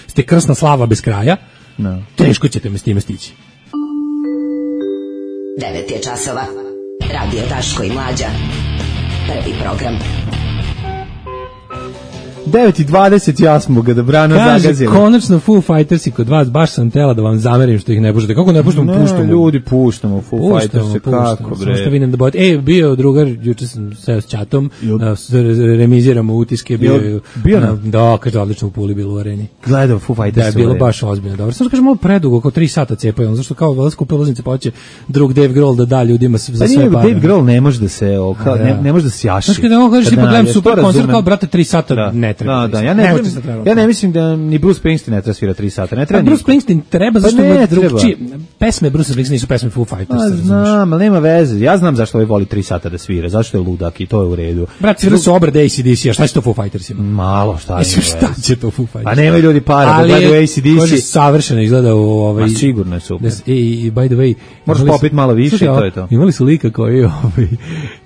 ste krsna slava bez kraja, Da. teško ćete me s time stići. devet je časova. Radio Daško i Mlađa. Prvi program. devet i dvadeset ja smo ga da brano Kaže, zagazili. konačno Foo Fighters i kod vas, baš sam tela da vam zamerim što ih ne puštate. Kako ne puštamo, Ne, puštamo. ljudi, puštamo Foo Puštamo, Fighters, puštamo, kako samo što bre. vidim da bod. E, bio drugar, juče sam seo s čatom, Jel- da s- re- remiziramo utiske, bio, Jel- je- bio na- na- da, kaže, odlično u Puli bilo u areni. Gledao Foo Fighters. Da je bilo baš ozbiljno dobro. Samo što kaže malo predugo, oko tri sata cepaju, ono, zašto kao valjda skupe ulaznice, pa hoće drug Dave Grohl da da ljudima s- za Pa sve nije, pare. Dave Grohl ne može da se, o, kao, A, da. ne, ne može da se jaši. Znaš kada on kažeš, Kad tipa gledam nađeš, super to koncert, razumem. kao, brate, tri sata Da. ne treba. Da, tri da, sata. ja Ne ne, možete se trebati. ja ne mislim da ni Bruce Springsteen ne treba svira tri sata. Ne treba Pa Bruce niko. Springsteen treba, Pa zašto ne je treba. drugčije. Pesme Bruce Springsteen nisu pesme Foo Fighters. Pa znam, ali nema veze. Ja znam zašto ovaj voli tri sata da svira. Zašto je ludak i to je u redu. Brat, svirali su obrade A C D C, a šta će to Foo Fightersima? Malo, šta Mislim, ima šta veze. će to Foo Fighters? A nemaju ljudi para da gledaju A C D Kaže, C. savršeno izgleda u ovaj... Ma sigurno je super. Da s- I, i by the way... Moraš imali su- popit malo više Slušaj, i to a, je to. Imali su lika koji, ovaj,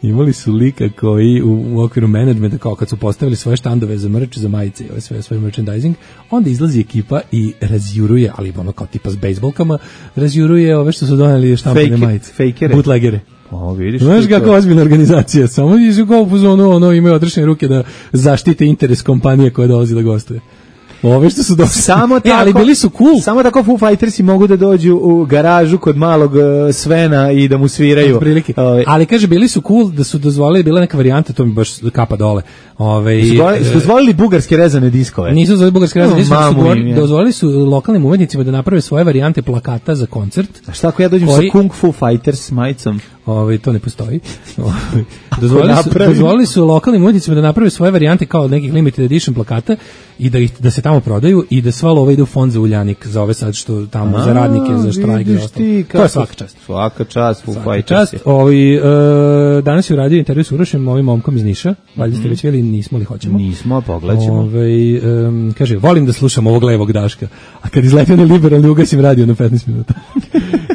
imali su lika koji u, u okviru menadžmenta, kao kad su postavili svoje štandove za merch, za majice i ovaj, sve, svoj merchandising, onda izlazi ekipa i razjuruje, ali ono kao tipa s bejsbolkama, razjuruje ove što su doneli štampane Fake- majice. fejkere. Bootlegere. O, vidiš. Znaš ti to. kako ozbiljna organizacija, samo su kao u fazonu, ono, imaju odrešene ruke da zaštite interes kompanije koja dolazi da gostuje. Ove što su došli. Samo tako, e, ali bili su cool. Samo tako Foo Fightersi mogu da dođu u garažu kod malog uh, Svena i da mu sviraju. Otprilike. Ovaj, Ali kaže, bili su cool da su dozvolili, bila neka varijanta, to mi baš kapa dole. Ove, su dozvolili- su dozvolili bugarske rezane diskove. Nisu dozvolili bugarske razine, O, nisu, su mamu dozvolili, im je. dozvolili su lokalnim umetnicima da naprave svoje varijante plakata za koncert. A šta ako ja dođem koji- sa Kung Fu Fighters majicom? Ovaj to ne postoji. Ovaj, dozvolili su, napravim- dozvolili su lokalnim umetnicima da naprave svoje varijante kao nekih limited edition plakata i da ih da se tamo prodaju i da sva lova ide u fond za Uljanik, za ove sad što tamo za radnike, za štrajk i vidiš ostalo. ti To je kako- svaka čast. Svaka čast Foo Svaka Fighters. čast. Ovaj e, danas je uradio intervju s Urošem, ovim momkom iz Niša. Valjda ste već vidjeli, nismo li hoćemo. Nismo, pogledat ćemo. Ovaj em, kaže, volim da slušam ovog levog Daška, a kad izleti onaj liberalni ugasim radio na petnaest minuta.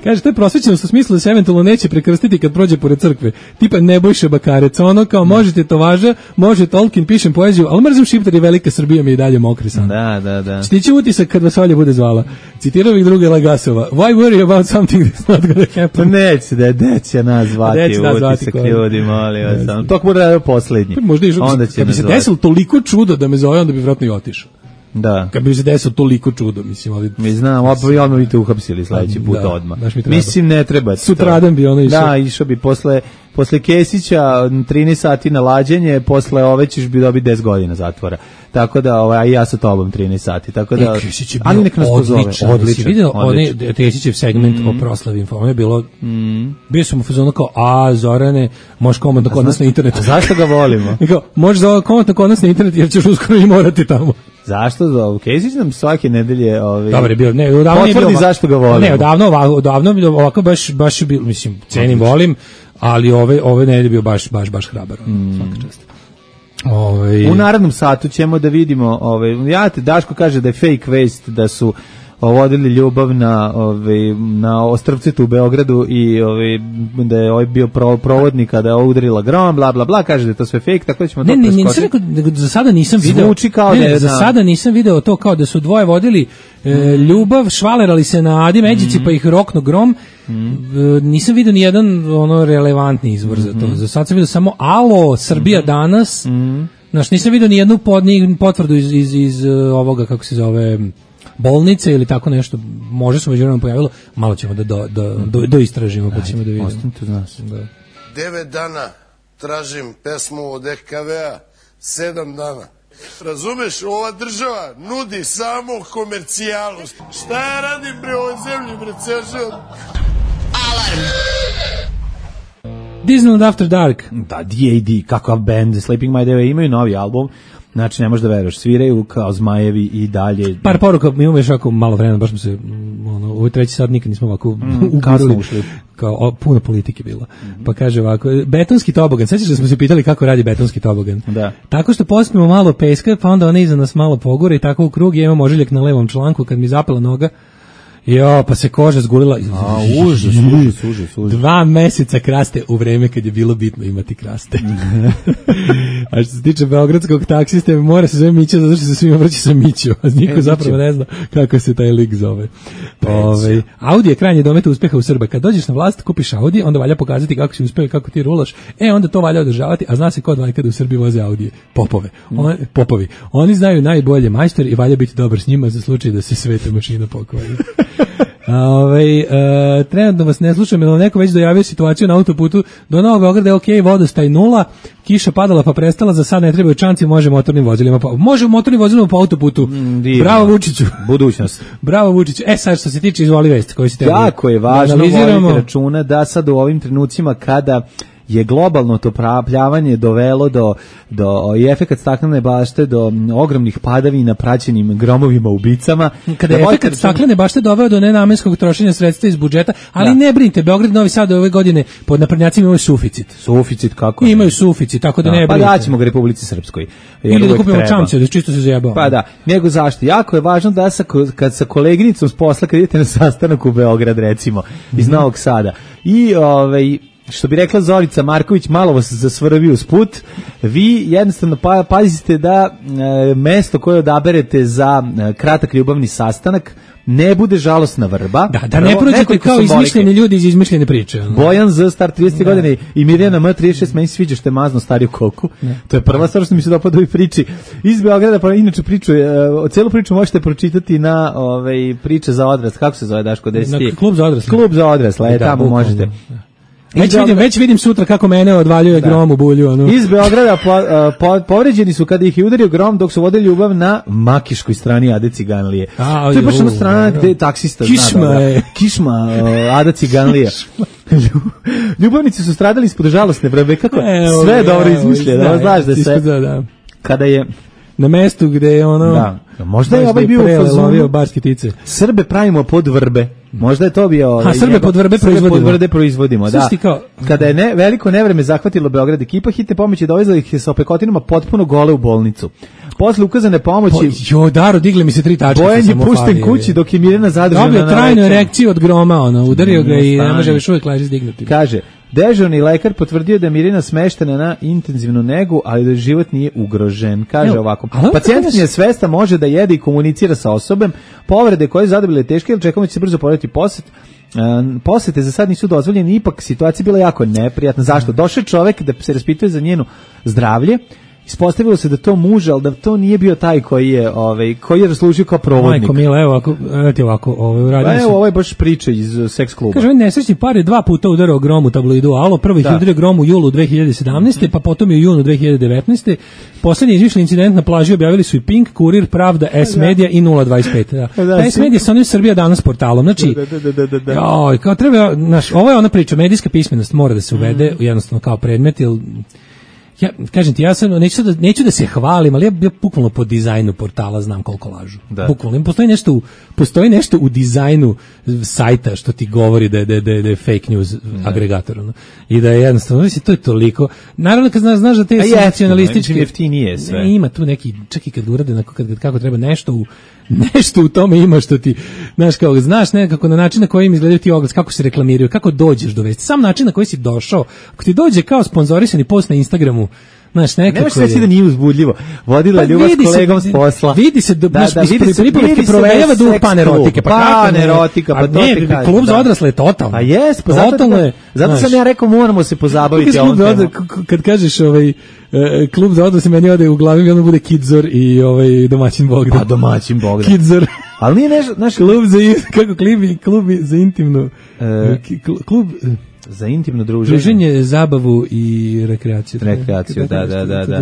Kaže, to je prosvećenost u smislu da se eventualno neće prekrstiti kad prođe pored crkve. Tipa Nebojša Bakarec, ono kao možete to važa, može Tolkien, pišem poeziju, ali mrzim šiptari, velika Srbija mi je i dalje mokri san. Da, da, da. Stiće utisak kad vas Olja bude zvala. Citirao bih druge Lagasova. Why worry about something that's not gonna Pa happen? neće da je deća nas zvati, Deće nas zvati, utisak ko je. ljudi, molim vas. samo. To bude radio poslednji. Možda i Onda će kad bi nas se zvati. desilo toliko čudo da me zove, onda bi vjerojatno i otišao. Da. Kad bi se desilo toliko čudo, mislim, ali... Mi znam, opet odmah bi te uhapsili sledeći put da, odmah. Mi mislim, ne treba. Sutradan bi ono išao. Da, išao bi posle, posle Kesića trinaest sati na lađenje, posle ove ćeš bi dobiti deset godina zatvora. Tako da, ovaj, ja sa tobom trinaest sati. Tako da, e, Kesić je bio ali nek nas pozove. Odličan. Si vidio onaj Kesićev segment mm. o proslavi Infome je bilo, mm. bio sam u fazonu kao, a Zorane, možeš komandno kod nas na internetu. A zašto ga volimo? Kao, možeš komandno kod nas na internetu jer ćeš uskoro i morati tamo. Zašto? Kesić nam svake nedelje ovaj Dobar je bio, ne, odavno potvrdi bio, zašto ga volimo. Ne, odavno, odavno bio ovako baš baš je bio, mislim, cenim, volim, ali ove ove nedelje bio baš baš baš hrabar, mm. svaka čast. Ove... U narednom satu ćemo da vidimo, ovaj ja te Daško kaže da je fake vest da su vodili ljubav na ovaj na ostrvcitu u Beogradu i ovaj da je ovaj bio provodnik kada je udarila grom, bla bla bla, kaže da je to sve fake, tako da ćemo ne, to preskočiti. Ne, nisam rekao, za sada nisam video. Zvuči kao ne, da je za na... sada nisam video to kao da su dvoje vodili e, ljubav, švalerali se na Adi Međici mm. pa ih rokno grom. Mm. E, nisam video ni jedan ono relevantni izvor mm. za to. Za sad sam video samo Alo, Srbija mm. danas. Mm. Znaš, nisam video ni jednu pod, ni potvrdu iz, iz, iz ovoga, kako se zove, bolnice ili tako nešto. Može se međuvremeno pojavilo. Malo ćemo da do, do, do, do istražimo, pa ćemo da vidimo. Ostanite uz nas. Da. Devet dana tražim pesmu od E K V-a, sedam dana. Razumeš, ova država nudi samo komercijalu. Šta ja radim bre ovoj zemlji, bre, ceo život? Alarm! Disneyland After Dark. Da, D A D, kakav band, Sleeping My Day, imaju novi album. Znači, ne možeš da veruješ, sviraju kao zmajevi i dalje. Par poruka, mi imamo još jako malo vremena, baš smo se, ono, u ovoj treći sad nikad nismo ovako mm, ugurali, ušli. Kao, o, puno politike bilo. Mm-hmm. Pa kaže ovako, betonski tobogan, sećaš da smo se pitali kako radi betonski tobogan? Da. Tako što pospimo malo peska, pa onda ona iza nas malo pogore i tako u krug, ja imam ožiljak na levom članku, kad mi zapela noga, jo, pa se koža zgulila. A, užas, užas, užas, užas. Dva meseca kraste u vreme kad je bilo bitno imati kraste. A što se tiče beogradskog taksiste, mora se zove Mićo, zato što se svima vrći sa Mićo, a niko e, zapravo ne zna kako se taj lik zove. Ove, Audi je krajnje domet uspeha u Srba. Kad dođeš na vlast, kupiš Audi, onda valja pokazati kako si uspeo i kako ti rulaš. E, onda to valja održavati, a zna se kod valja kada u Srbiji voze Audije. Popove. On, popovi. Oni znaju najbolje majstori i valja biti dobar s njima za slučaj da se sveta mašina pokvari. Ove, e, trenutno vas ne slušam, jer vam neko već dojavio situaciju na autoputu do Novog Beograda je ok, vodostaj nula, kiša padala pa prestala, za sad ne trebaju čanci, može motornim vozilima, pa, može motornim vozilima po autoputu. Mm, Bravo Vučiću. Budućnost. Bravo Vučiću. E sad što se tiče izvoli vest koji ste jako je važno voditi računa da sad u ovim trenucima kada je globalno to plavljavanje dovelo do, do i efekat staklene bašte, do ogromnih padavina praćenim gromovima ubicama. Kada je efekat staklene bašte doveo do nenamenskog trošenja sredstva iz budžeta, ali da. Ne brinite, Beograd i Novi Sad ove godine pod naprednjacima imaju suficit. Suficit, kako? Imaju suficit, tako da, da ne brinite. Pa daćemo ga Republici Srpskoj. Ili da kupimo čamce, da čisto se zajebamo. Pa da, nego zašto? Jako je važno da sa, kad sa koleginicom s posla, kad idete na sastanak u Beograd, recimo, iz mm-hmm. Novog Sada, i ovaj što bi rekla Zorica Marković, malo vas zasvrvi uz put, vi jednostavno pa, pazite da e, mesto koje odaberete za e, kratak ljubavni sastanak ne bude žalosna vrba. Da, da ne prođete kao izmišljeni ljudi iz izmišljene priče. Ono. Bojan Z, star trideset godine i Mirjana M, trideset šest, meni sviđa što je mazno stariju koku. Ne. To je prva stvar što mi se dopada u ovoj priči. Iz Beograda, pa inače priču, e, celu priču možete pročitati na ovaj, priče za odrasle. Kako se zove, Daško? Na klub za odrasle. Klub za odrasle, e, tamo možete. Već vidim, već vidim sutra kako mene odvaljuje da. Grom u bulju. Ono. Iz Beograda po, po, povređeni su kada ih je udario grom dok su vodili ljubav na makiškoj strani Ade Ciganlije. A, to je baš ona strana gde je taksista Kišma zna. Je. Kišma uh, Ada Ciganlije. Ljubavnici su stradali ispod žalosne vrbe. Kako? Evo, sve je dobro izmišljeno. Znaš da se... Da, da. Kada je... Na mestu gde je ono... Da. Možda je ovaj bio u fazonu barske tice. Srbe pravimo pod vrbe. Možda je to bio... A Srbe pod vrbe proizvodimo. Pod vrbe proizvodimo, da. Kao... Kada je ne, veliko nevreme zahvatilo Beograd, ekipa hitne pomoći dovezla ih sa opekotinama potpuno gole u bolnicu. Posle ukazane pomoći... Po, jo, Daro, digle mi se tri tačke. Bojan je pušten kući dok je Mirjana zadržana. Dobio trajnu erekciju od groma, ono, udario ga i ne može još uvijek leži zdignuti. Kaže, dežurni lekar potvrdio da je Mirjana smeštena na intenzivnu negu, ali da život nije ugrožen. Kaže Evo, ovako, pacijent je svesta, može da jede i komunicira sa osobom, povrede koje zadobile teške, ili čekamo će se brzo porediti posjet. Um, posete za sad nisu dozvoljene, ipak situacija bila jako neprijatna. Zašto? Došao je čovek da se raspituje za njenu zdravlje Ispostavilo se da to muž, ali da to nije bio taj koji je, ovaj, koji je raslužio kao provodnik. Majko mila, evo ovako, evo ti ovako, ovaj, uradio se. Evo, ovo je baš priča iz seks kluba. Kaže, ovaj nesrećni par je dva puta udarao grom u tabloidu Alo, prvo ih je udario grom u julu dve hiljade sedamnaeste. pa potom je u junu dve hiljade devetnaeste. Poslednji izmišljeni incident na plaži objavili su i Pink, Kurir, Pravda, S-Media i nula dvadeset pet. Da. Da, S-Media sa onim Srbija danas portalom. Znači, da, da, da, da, da. Joj, kao treba, naš, ovo je ona priča, medijska pismenost mora da se uvede, mm. jednostavno kao predmet, jer ja, kažem ti, ja sam, neću da, neću da se hvalim, ali ja, ja bukvalno po dizajnu portala znam koliko lažu. Da. Bukvalno, postoji nešto, u, postoji nešto u dizajnu sajta što ti govori da je, da je, da je fake news da. agregator. No? I da je jednostavno, mislim, to je toliko. Naravno, kad znaš, znaš da te senzacionalističke... jeftinije sve. Ne, ima tu neki, čak i kad urade, kad, kad, kako treba nešto u nešto u tome ima što ti, znaš, kao, znaš nekako na način na koji im izgledaju ti oglas, kako se reklamiraju, kako dođeš do vesti, sam način na koji si došao, ako ti dođe kao sponzorisani post na Instagramu, znaš, nekako nemaš reći da nije uzbudljivo. Vodila pa ljubav s kolegom s posla. Vidi se, da, da, da, vidi se, vidi se provejava duh panerotika. Pa panerotika, pa to ti kažem. Klub za odrasle je totalno. A jes, pa zato, je, zato sam ja rekao moramo se pozabaviti ovom temom. Kad kažeš ovaj klub za odrasle, meni ode u glavi i onda bude Kidzor i ovaj domaćin Bogdan. Pa domaćin Bogdan. Kidzor. Ali nije nešto, naš klub za kako klibi, klub za intimno klub za intimno druženje. Druženje, zabavu i rekreaciju. Rekreaciju, da, da, da. da.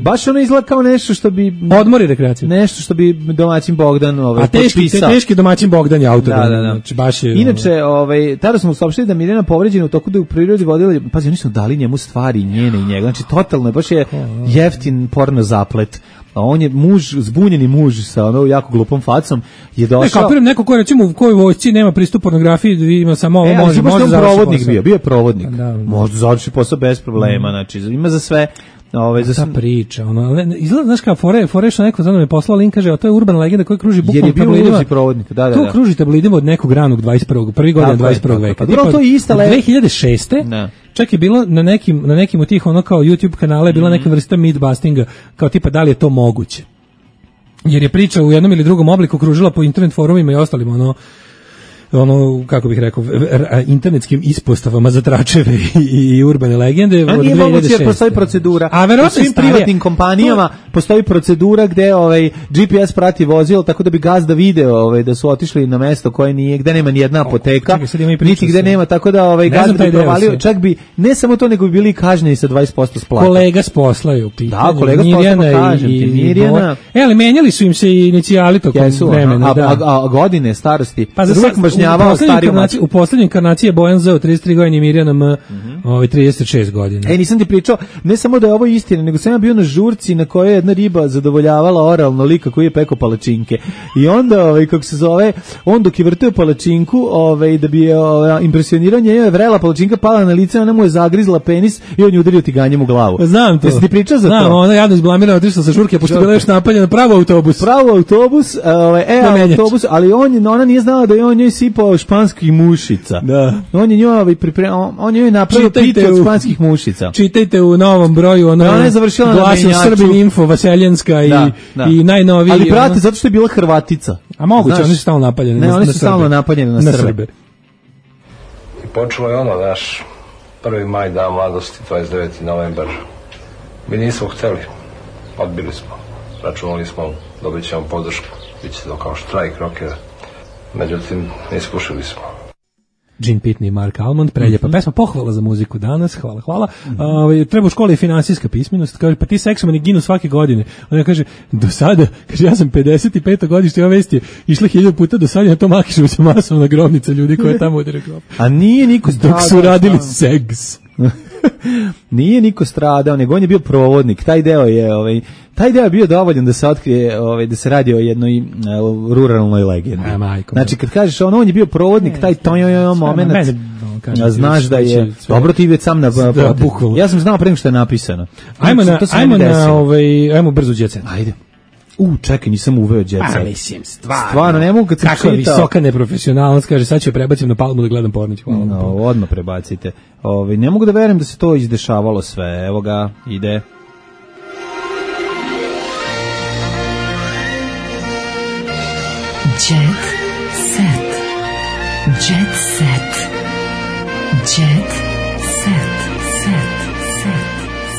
Baš ono izgleda kao nešto što bi... Odmor i rekreaciju. Nešto što bi domaćin Bogdan ovaj, A teški, potpisao. A teški domaćin Bogdan je autor. Da, da, da. Znači, baš je, inače, ovaj, tada smo saopštili da Mirjana povređena u toku da u prirodi vodila... Pazi, oni su dali njemu stvari njene i njega. Znači, totalno je, baš je jeftin porno zaplet. A on je muž, zbunjeni muž sa ono jako glupom facom je došao. Ne, kapiram, neko ko recimo u kojoj vojsci nema pristup pornografiji, ima samo ovo, e, može, može završi provodnik posao. bio, bio je provodnik. Da, da. Može završi posao bez problema, mm. znači ima za sve. Ove, za ta priča, ono, izgleda, znaš kao, fore, fore što neko za mnom je poslao link, kaže, a to je urbana legenda koja kruži bukvalno tabloidima. Provodnik, da, da, to da. kruži tabloidima od nekog ranog dvadeset prvog prvi godina dvadeset prvog veka. Dobro, to je ista legenda. dve hiljade šeste. Da. Čak je bilo na nekim, na nekim od tih, ono kao YouTube kanala je bila neka vrsta mythbustinga, kao tipa da li je to moguće. Jer je priča u jednom ili drugom obliku kružila po internet forumima i ostalim, ono, ono, kako bih rekao, internetskim ispostavama za tračeve i, i urbane legende. A nije moguće jer postoji procedura. A verovatno u svim starije, privatnim kompanijama to... postoji procedura gde ovaj, G P S prati vozilo tako da bi gazda video ovaj, da su otišli na mesto koje nije, gde nema ni jedna apoteka, o, čekaj, niti gde nema, tako da ovaj, gazda bi provalio, čak bi, ne samo to, nego bi bili kažnjeni sa dvadeset posto splata. Kolega s posla je u pitanju. Da, kolega s posla, kažem ti, Mirjana. E, ali menjali su im se i inicijali tokom Jesu, vremena. A, da. a, a, a godine starosti, pa za U poslednjoj inkarnaciji je Bojan Z trideset tri godine i Mirjana M mm -hmm. ovaj, trideset šest godina. E, nisam ti pričao, ne samo da je ovo istina, nego sam ja bio na žurci na kojoj je jedna riba zadovoljavala oralno lika koji je peko palačinke. I onda, ovaj, kako se zove, on dok je vrtio palačinku, ovaj, da bi je ovaj, impresionirao nje, je vrela palačinka, pala na lice, ona mu je zagrizla penis i on je udario tiganjem u glavu. Znam to. Jesi ti pričao za Znam, to? Znam, ona javno izblamirana, otišla sa žurke, pošto je bila još napaljena, pravo autobus. Pravo autobus, ovaj, e, autobus, ali on, ona nije znala da je on njoj sipao španskih mušica. Da. On je njoj pripremao, on je napravio pitu od španskih mušica. Čitajte u novom broju, ono. Ona je završila na menjaču. Srbin Info, Vaseljanska i, da, da. i najnoviji. Ali brate, ono, zato što je bila Hrvatica. A moguće, oni su stalno napaljeni ne, na, oni su na stalno napaljeni na, na Srbe. Srbe. I počelo je ono, naš prvi maj, dan mladosti, dvadeset deveti novembar. Mi nismo hteli, odbili smo. Računali smo, dobit ćemo podršku, bit će to kao štrajk rokera. Međutim, ne iskušili smo. Gene Pitney i Mark Almond, preljepa mm-hmm. pesma, pohvala za muziku danas, hvala, hvala. Mm-hmm. Uh, treba u školi finansijska pismenost, kaže, pa ti seksomani ginu svake godine. Ona kaže, do sada, kaže, ja sam pedeset pet godište, ova vest je išla hiljadu puta do sada, na to makišu se masovna grobnica ljudi koje tamo udere grob. A nije niko stradao. Dok su radili seks. Nije niko stradao, nego on je bio provodnik. Taj deo je, ovaj, taj deo je bio dovoljan da se otkrije, ovaj, da se radi o jednoj uh, ruralnoj legendi. A, majko, znači kad kažeš on, on je bio provodnik, taj tonjojo moment, a znaš da je dobro ti već sam na da, ja sam znao pre nego što je napisano. Ajmo na, ajmo na ovaj, ajmo brzo đecen. Ajde. U, čekaj, nisam uveo đecen. Pa mislim, stvarno. Stvarno, ne mogu kad sam čitao. Kako visoka neprofesionalnost, kaže, sad ću je prebacim na Palmu da gledam Pornić. Hvala. No, odmah prebacite. Ove, ne mogu da verujem da se to izdešavalo sve. Evo ga, ide. Jet set. Jet set. Jet set. Set. Set.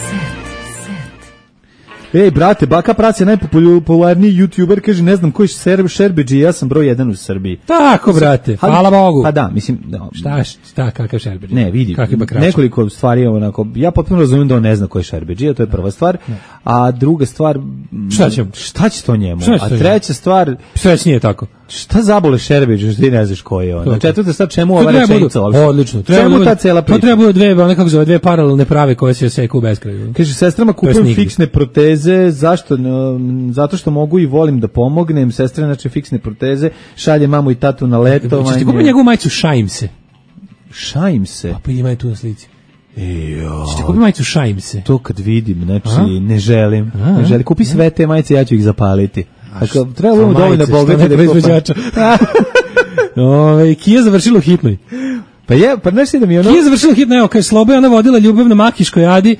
Set. Set. Ej, brate, Baka Prac je najpopularniji YouTuber, kaže, ne znam koji je Šerbeđi, ja sam broj jedan u Srbiji. Tako, brate, hvala Bogu. Pa da, mislim... Da, šta, šta, kakav Šerbeđi? Ne, vidi, nekoliko stvari je onako, ja potpuno razumijem da on ne zna koji je Šerbeđi, to je prva stvar, a druga stvar... Šta će, šta će to njemu? Šta će a to treća njemu? stvar... Sreć nije tako. Šta zabole Šerbeđi, što ti ne znaš koji je on? Na četvrta stvar, čemu ova rečenica? Odlično. Čemu ta cela priča? To treba dve, one kako zove, dve paralelne prave koje se seku u beskraju. Kaže, sestrama kupujem fiksne proteze, zašto? No, zato što mogu i volim da pomognem. Sestre, znači, fiksne proteze, šalje mamu i tatu na letovanje. Češ ti kupiti njegovu majicu Šajim se? Šajim se? Pa, pa ima je tu na slici. Ejo. Češ ti kupiti majicu Šajim se? To kad vidim, znači, a? ne želim. A? Ne želim. Kupi sve te majice, ja ću ih zapaliti. Ako treba budemo dovoljno bogati da proizvođača. Ove, Kija završila u hitnoj. Pa je, pa nešto da mi ono... Kija završila u hitnoj, evo, kaže, Sloba je ona vodila ljubav na Makiškoj Adi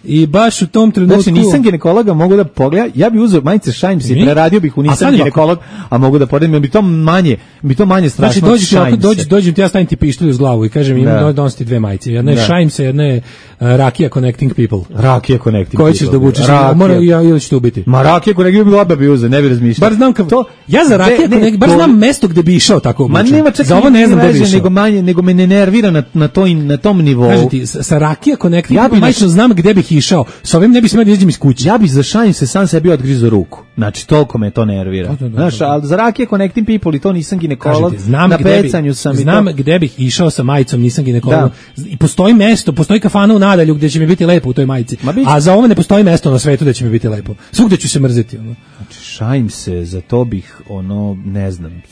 i baš u tom trenutku... Znači, nisam ginekologa, mogu da pogledam, ja bih uzeo majice Šajim se i preradio bih u nisam ginekolog, a mogu da pogledam, bi to manje, bi to manje strašno. Znači, dođi, ako dođi, dođem ti, ja stavim ti pištolj uz glavu i kažem, imam donositi dve majice. Jedna je Šajim se, jedna je Rakija Connecting People. Rakija Connecting People. Koji ćeš da obučeš? Mora ja ili ćeš te ubiti? Ma Rakija Connecting People oba bi uzeo, ne bi razmišljao. Bar znam kao to. Ja za Rakija Connecting, bar znam mesto gde bi išao tako obučen. Ma nema čak za ovo ne znam gde bi išao. Nego manje, nego me ne nervira na na toj na tom nivou. Kažem ti, sa Rakija Connecting People majčno znam gde bih išao. Sa ovim ne bi smeo da izađem iz kuće. Ja bih za Šajim se sam sebi odgrizao ruku. Znači toliko me to nervira. Znaš, al za Rakija Connecting People i to nisam ginekolog. Na pecanju sam i znam gde bih išao sa majicom, nisam ginekolog. I postoji mesto, postoji kafana u Nadalju gde će mi biti lepo u toj majici. A za ovo ne postoji mesto na svetu da će mi biti lepo. Svugde ću se mrzeti. Ono. Znači, Šajim se, za to bih, ono, ne znam,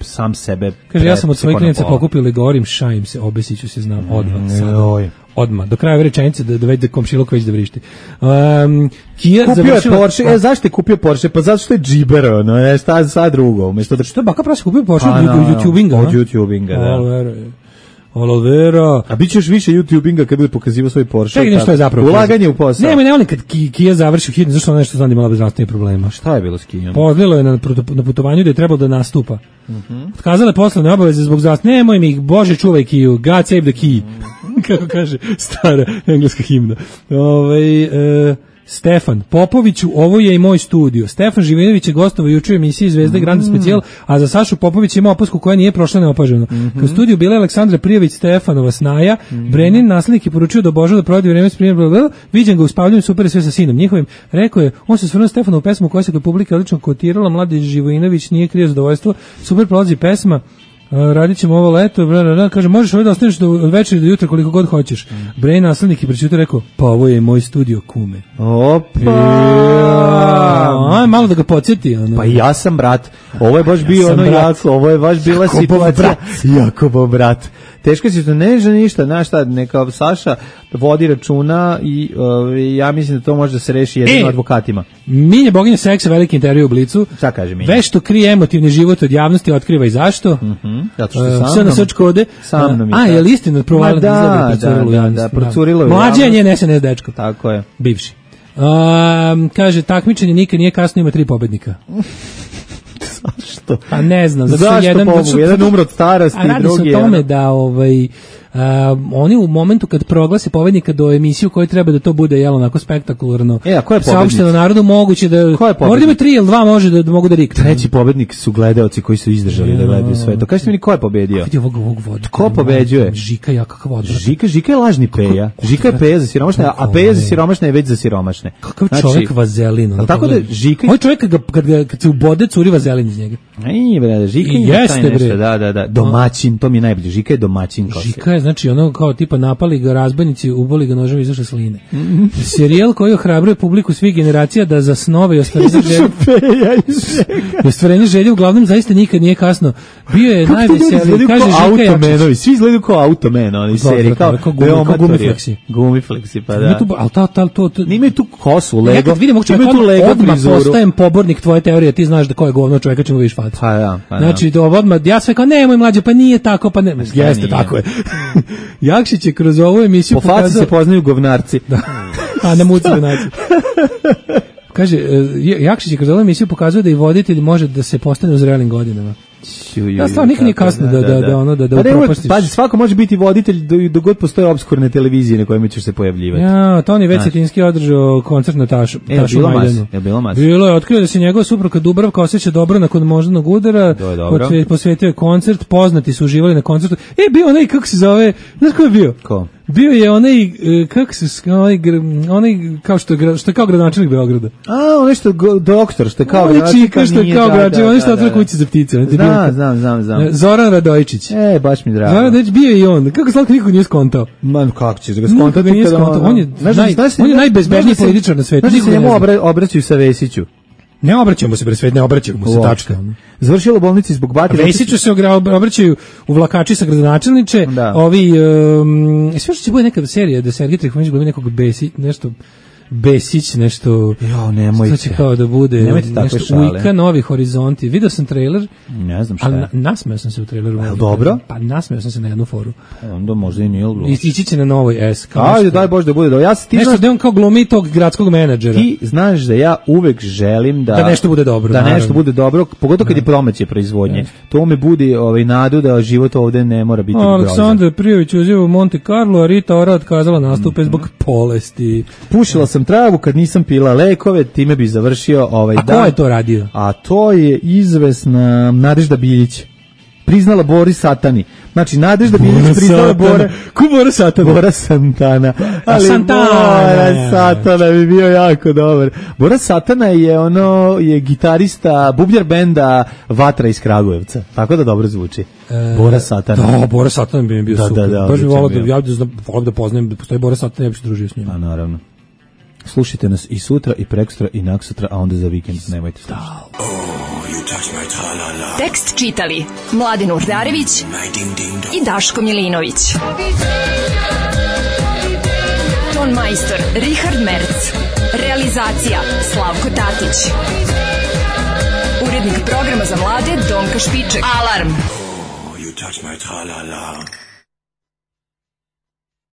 sam sebe... Kaže, ja sam od svojih klinica pokupio ili govorim, Šajim se, obesiću se, znam, odmah. Mm, odmah, do kraja ove rečenice da, da već da komšilok već da vrišti. Um, Kia kupio završila... je Porsche, e, zašto je kupio Porsche? Pa zato što je džiber, ono, je, šta sad drugo, umjesto da... Što je baka prasa kupio Porsche od YouTubinga? Od YouTubinga, da. Olivera. A bit ćeš više YouTubinga kad bude pokazivao svoj Porsche. Čekaj, nešto je zapravo. Ulaganje u posao. Ne, ne volim kad Kia završi hitno, zašto ona nešto zna da imala zdravstvenih problema. Šta je bilo s Kijom? Podlilo je na, na putovanju da je trebalo da nastupa. Uh-huh. Otkazala je poslovne obaveze zbog zdravstva. Nemoj mi ih, Bože, čuvaj Kiju. God save the key. Uh-huh. Kako kaže stara engleska himna. Ovaj e, Stefan Popoviću, ovo je i moj studio. Stefan Živinović je gostovao juče u emisiji Zvezda Grand Specijal, a za Sašu Popović ima opasku koja nije prošla neopaženo. Mm-hmm. Kad studiju bila Aleksandra Prijević, Stefanova snaja, mm-hmm. Brenin naslednik je poručio da Božo da provodi vreme s primjerom, viđen ga u spavljanju, super je sve sa sinom njihovim. Rekao je, on se svrnuo Stefanovu pesmu koja se kod publike odlično kotirala, Mladi Živojinović nije krije zadovoljstvo, super prolazi pesma. Radit ćemo ovo leto, bla, bla, bla. Kaže, možeš ovdje da ostaneš do večeri do jutra koliko god hoćeš. Mm. Brain naslednik i prećutao rekao, pa ovo je moj studio, kume. Opa! Aj, malo da ga podsjeti. Ono. Pa ja sam brat. Ovo je baš ja bio ono brat. Jako, ovo je baš bila Jakobov situacija. Brat. Jakobov brat. Teško si to ne ža ništa, znaš šta, neka Saša vodi računa i uh, ja mislim da to može da se reši jedino e, advokatima. Milje boginja seksa, veliki intervju u Blicu. Šta kaže Milje? Vešto krije emotivni život od javnosti, otkriva i zašto. Mhm. Zato što sam. Sve na srč kode. Sa mnom. A, je li istina provalila da, da, da, da, da, procurilo je. Mlađe je njen S N S dečko. Tako je. Bivši. Um, kaže, takmičenje nikad nije kasno, ima tri pobednika. Zašto? Pa ne znam. Zašto jedan, pobu? Jedan umro od starosti, a drugi je... A radi se o tome da ovaj, Uh, oni u momentu kad proglase pobednika do emisiju koji treba da to bude jel onako spektakularno. E, a ko je pobednik? Saopšteno narodu moguće da možda ima tri ili dva može da, da mogu da riknu. Treći pobednik su gledaoci koji su izdržali ja, da gledaju sve to. Kažite mi ko je pobedio? Vidi ovog ovog voda. Ko pobeđuje? Žika ja kakav odvrat. Žika, Žika je lažni Peja. Žika je Peja za siromašne, a Peja za siromašne je već za siromašne. Kakav znači, čovjek vazelin. Ono, tako da Žika ovaj čovjek kad, kad, kad, kad se ubode curi vazelin iz njega. Ej bre, Žika I je jeste bre. Da, da, da. Domaćin, to mi je najbolje. Žika je domaćin kao. Žika je znači ono kao tipa napali ga razbojnici, uboli ga nožem izašle sline. Mm-hmm. Serijal koji ohrabruje publiku svih generacija da za snove i ostvarenje želje. ostvarenje želje uglavnom zaista nikad nije kasno. Bio je najveseliji, kaže Žika Jakšić. Svi izgledaju kao Automan, oni seriji kao Gumifleksi. Gumifleksi, pa da. Al ta ta to nimaju tu kosu, Lego. Ja kad vidim čovjeka tu Lego frizuru, postajem pobornik tvoje teorije, ti znaš da ko je govno čovjeka čemu vidiš facu. Pa ja, pa znači do odmah ja sve kao nemoj mlađe, pa nije tako, pa ne. Jeste tako je. Jakšić je kroz ovu emisiju po faci se poznaju govnarci. Da. A na muci da naći. Kaže, Jakšić je kroz ovu emisiju pokazuje da i voditelj može da se postane u zrelim godinama. Ja stvarno nikad nije kasno da, da, da, ono, da, da upropastiš. Pazi, svako može biti voditelj dok god postoje obskurne televizije na kojima ćeš se pojavljivati. Ja, Toni već Cetinski održao koncert na Tašu, e, Tašu bilo Majdanu. Mas, je bilo mas. Bilo je, otkrio da se njegova supruga Dubravka osjeća dobro nakon moždanog udara, posvetio je koncert, poznati su uživali na koncertu. E, bio onaj, kako se zove, znaš ko je bio? Ko? Bio je onaj, kako se, onaj, onaj kao što je, što je kao gradonačelnik Beograda. A, onaj što je doktor, što je kao gradonačelnik. Onaj što je kao gradonačelnik, onaj što otvara kući za ptice. Znam, znam, znam, znam. Zoran Radojičić. E, baš mi drago. Zoran Radojičić bio i on. Kako slatko niko nije skontao? Man, kako ćeš ga skontati? On je, naj, on je najbezbežniji političar na svetu. Znaš da se njemu obraćaju sa Vesiću? Ne obraćamo se, bre, svet, ne obraćamo se, tačka. Završilo u bolnici zbog batine. Vesiću se obraćaju u vlakači sa gradonačelniče, ovi, um, sve što će bude neka serija da Sergej Trifunović glumi nekog Besi, nešto... Besić, nešto... Jo, nemojte. Što će kao da bude nešto šale. Ujka, Novi horizonti. Video sam trailer. Ne znam šta je. Ali nasmeo sam se u traileru. Je dobro? Pa nasmeo sam se na jednu foru. Onda možda i nije bilo. Ići će na Novoj S. Ajde, daj Bože da bude. Da, ja ti nešto da on kao glumi tog gradskog menadžera. Ti znaš da ja uvek želim da... Da nešto bude dobro. Da nešto bude dobro, pogotovo kad je promocije proizvodnje. To me budi ovaj, nadu da život ovde ne mora biti grozan. Aleksandar Prijović uzeo u Monte Carlo, a Rita Ora otkazala nastupe zbog bolesti. Pušila sam travu kad nisam pila lekove, time bi završio ovaj a dan. A ko je to radio? A to je izvesna Nadežda Biljić. Priznala Boris Satani. Znači, Nadežda Biljić priznala Bora... Ko Bora Satana? Bora Santana. Ali Santana. Bora Satana bi bio jako dobar. Bora Satana je ono, je gitarista bubnjar benda Vatra iz Kragujevca. Tako da dobro zvuči. E, Bora Satana. Da, Bora Satana bi mi bio da, super. Da, da, baš bi volao da, ja volim da poznajem da postoji Bora Satana, ja bi se družio s njim. A naravno. Slušajte nas i sutra, i prekosutra, i naksutra, a onda za vikend nemojte slušati. Tekst čitali Mladen Urdarević i Daško Milinović. Ton majstor Richard Merc. Realizacija Slavko Tatić. Urednik programa za mlade Donka Špiček. Alarm! Oh, you touch my tra-la-la.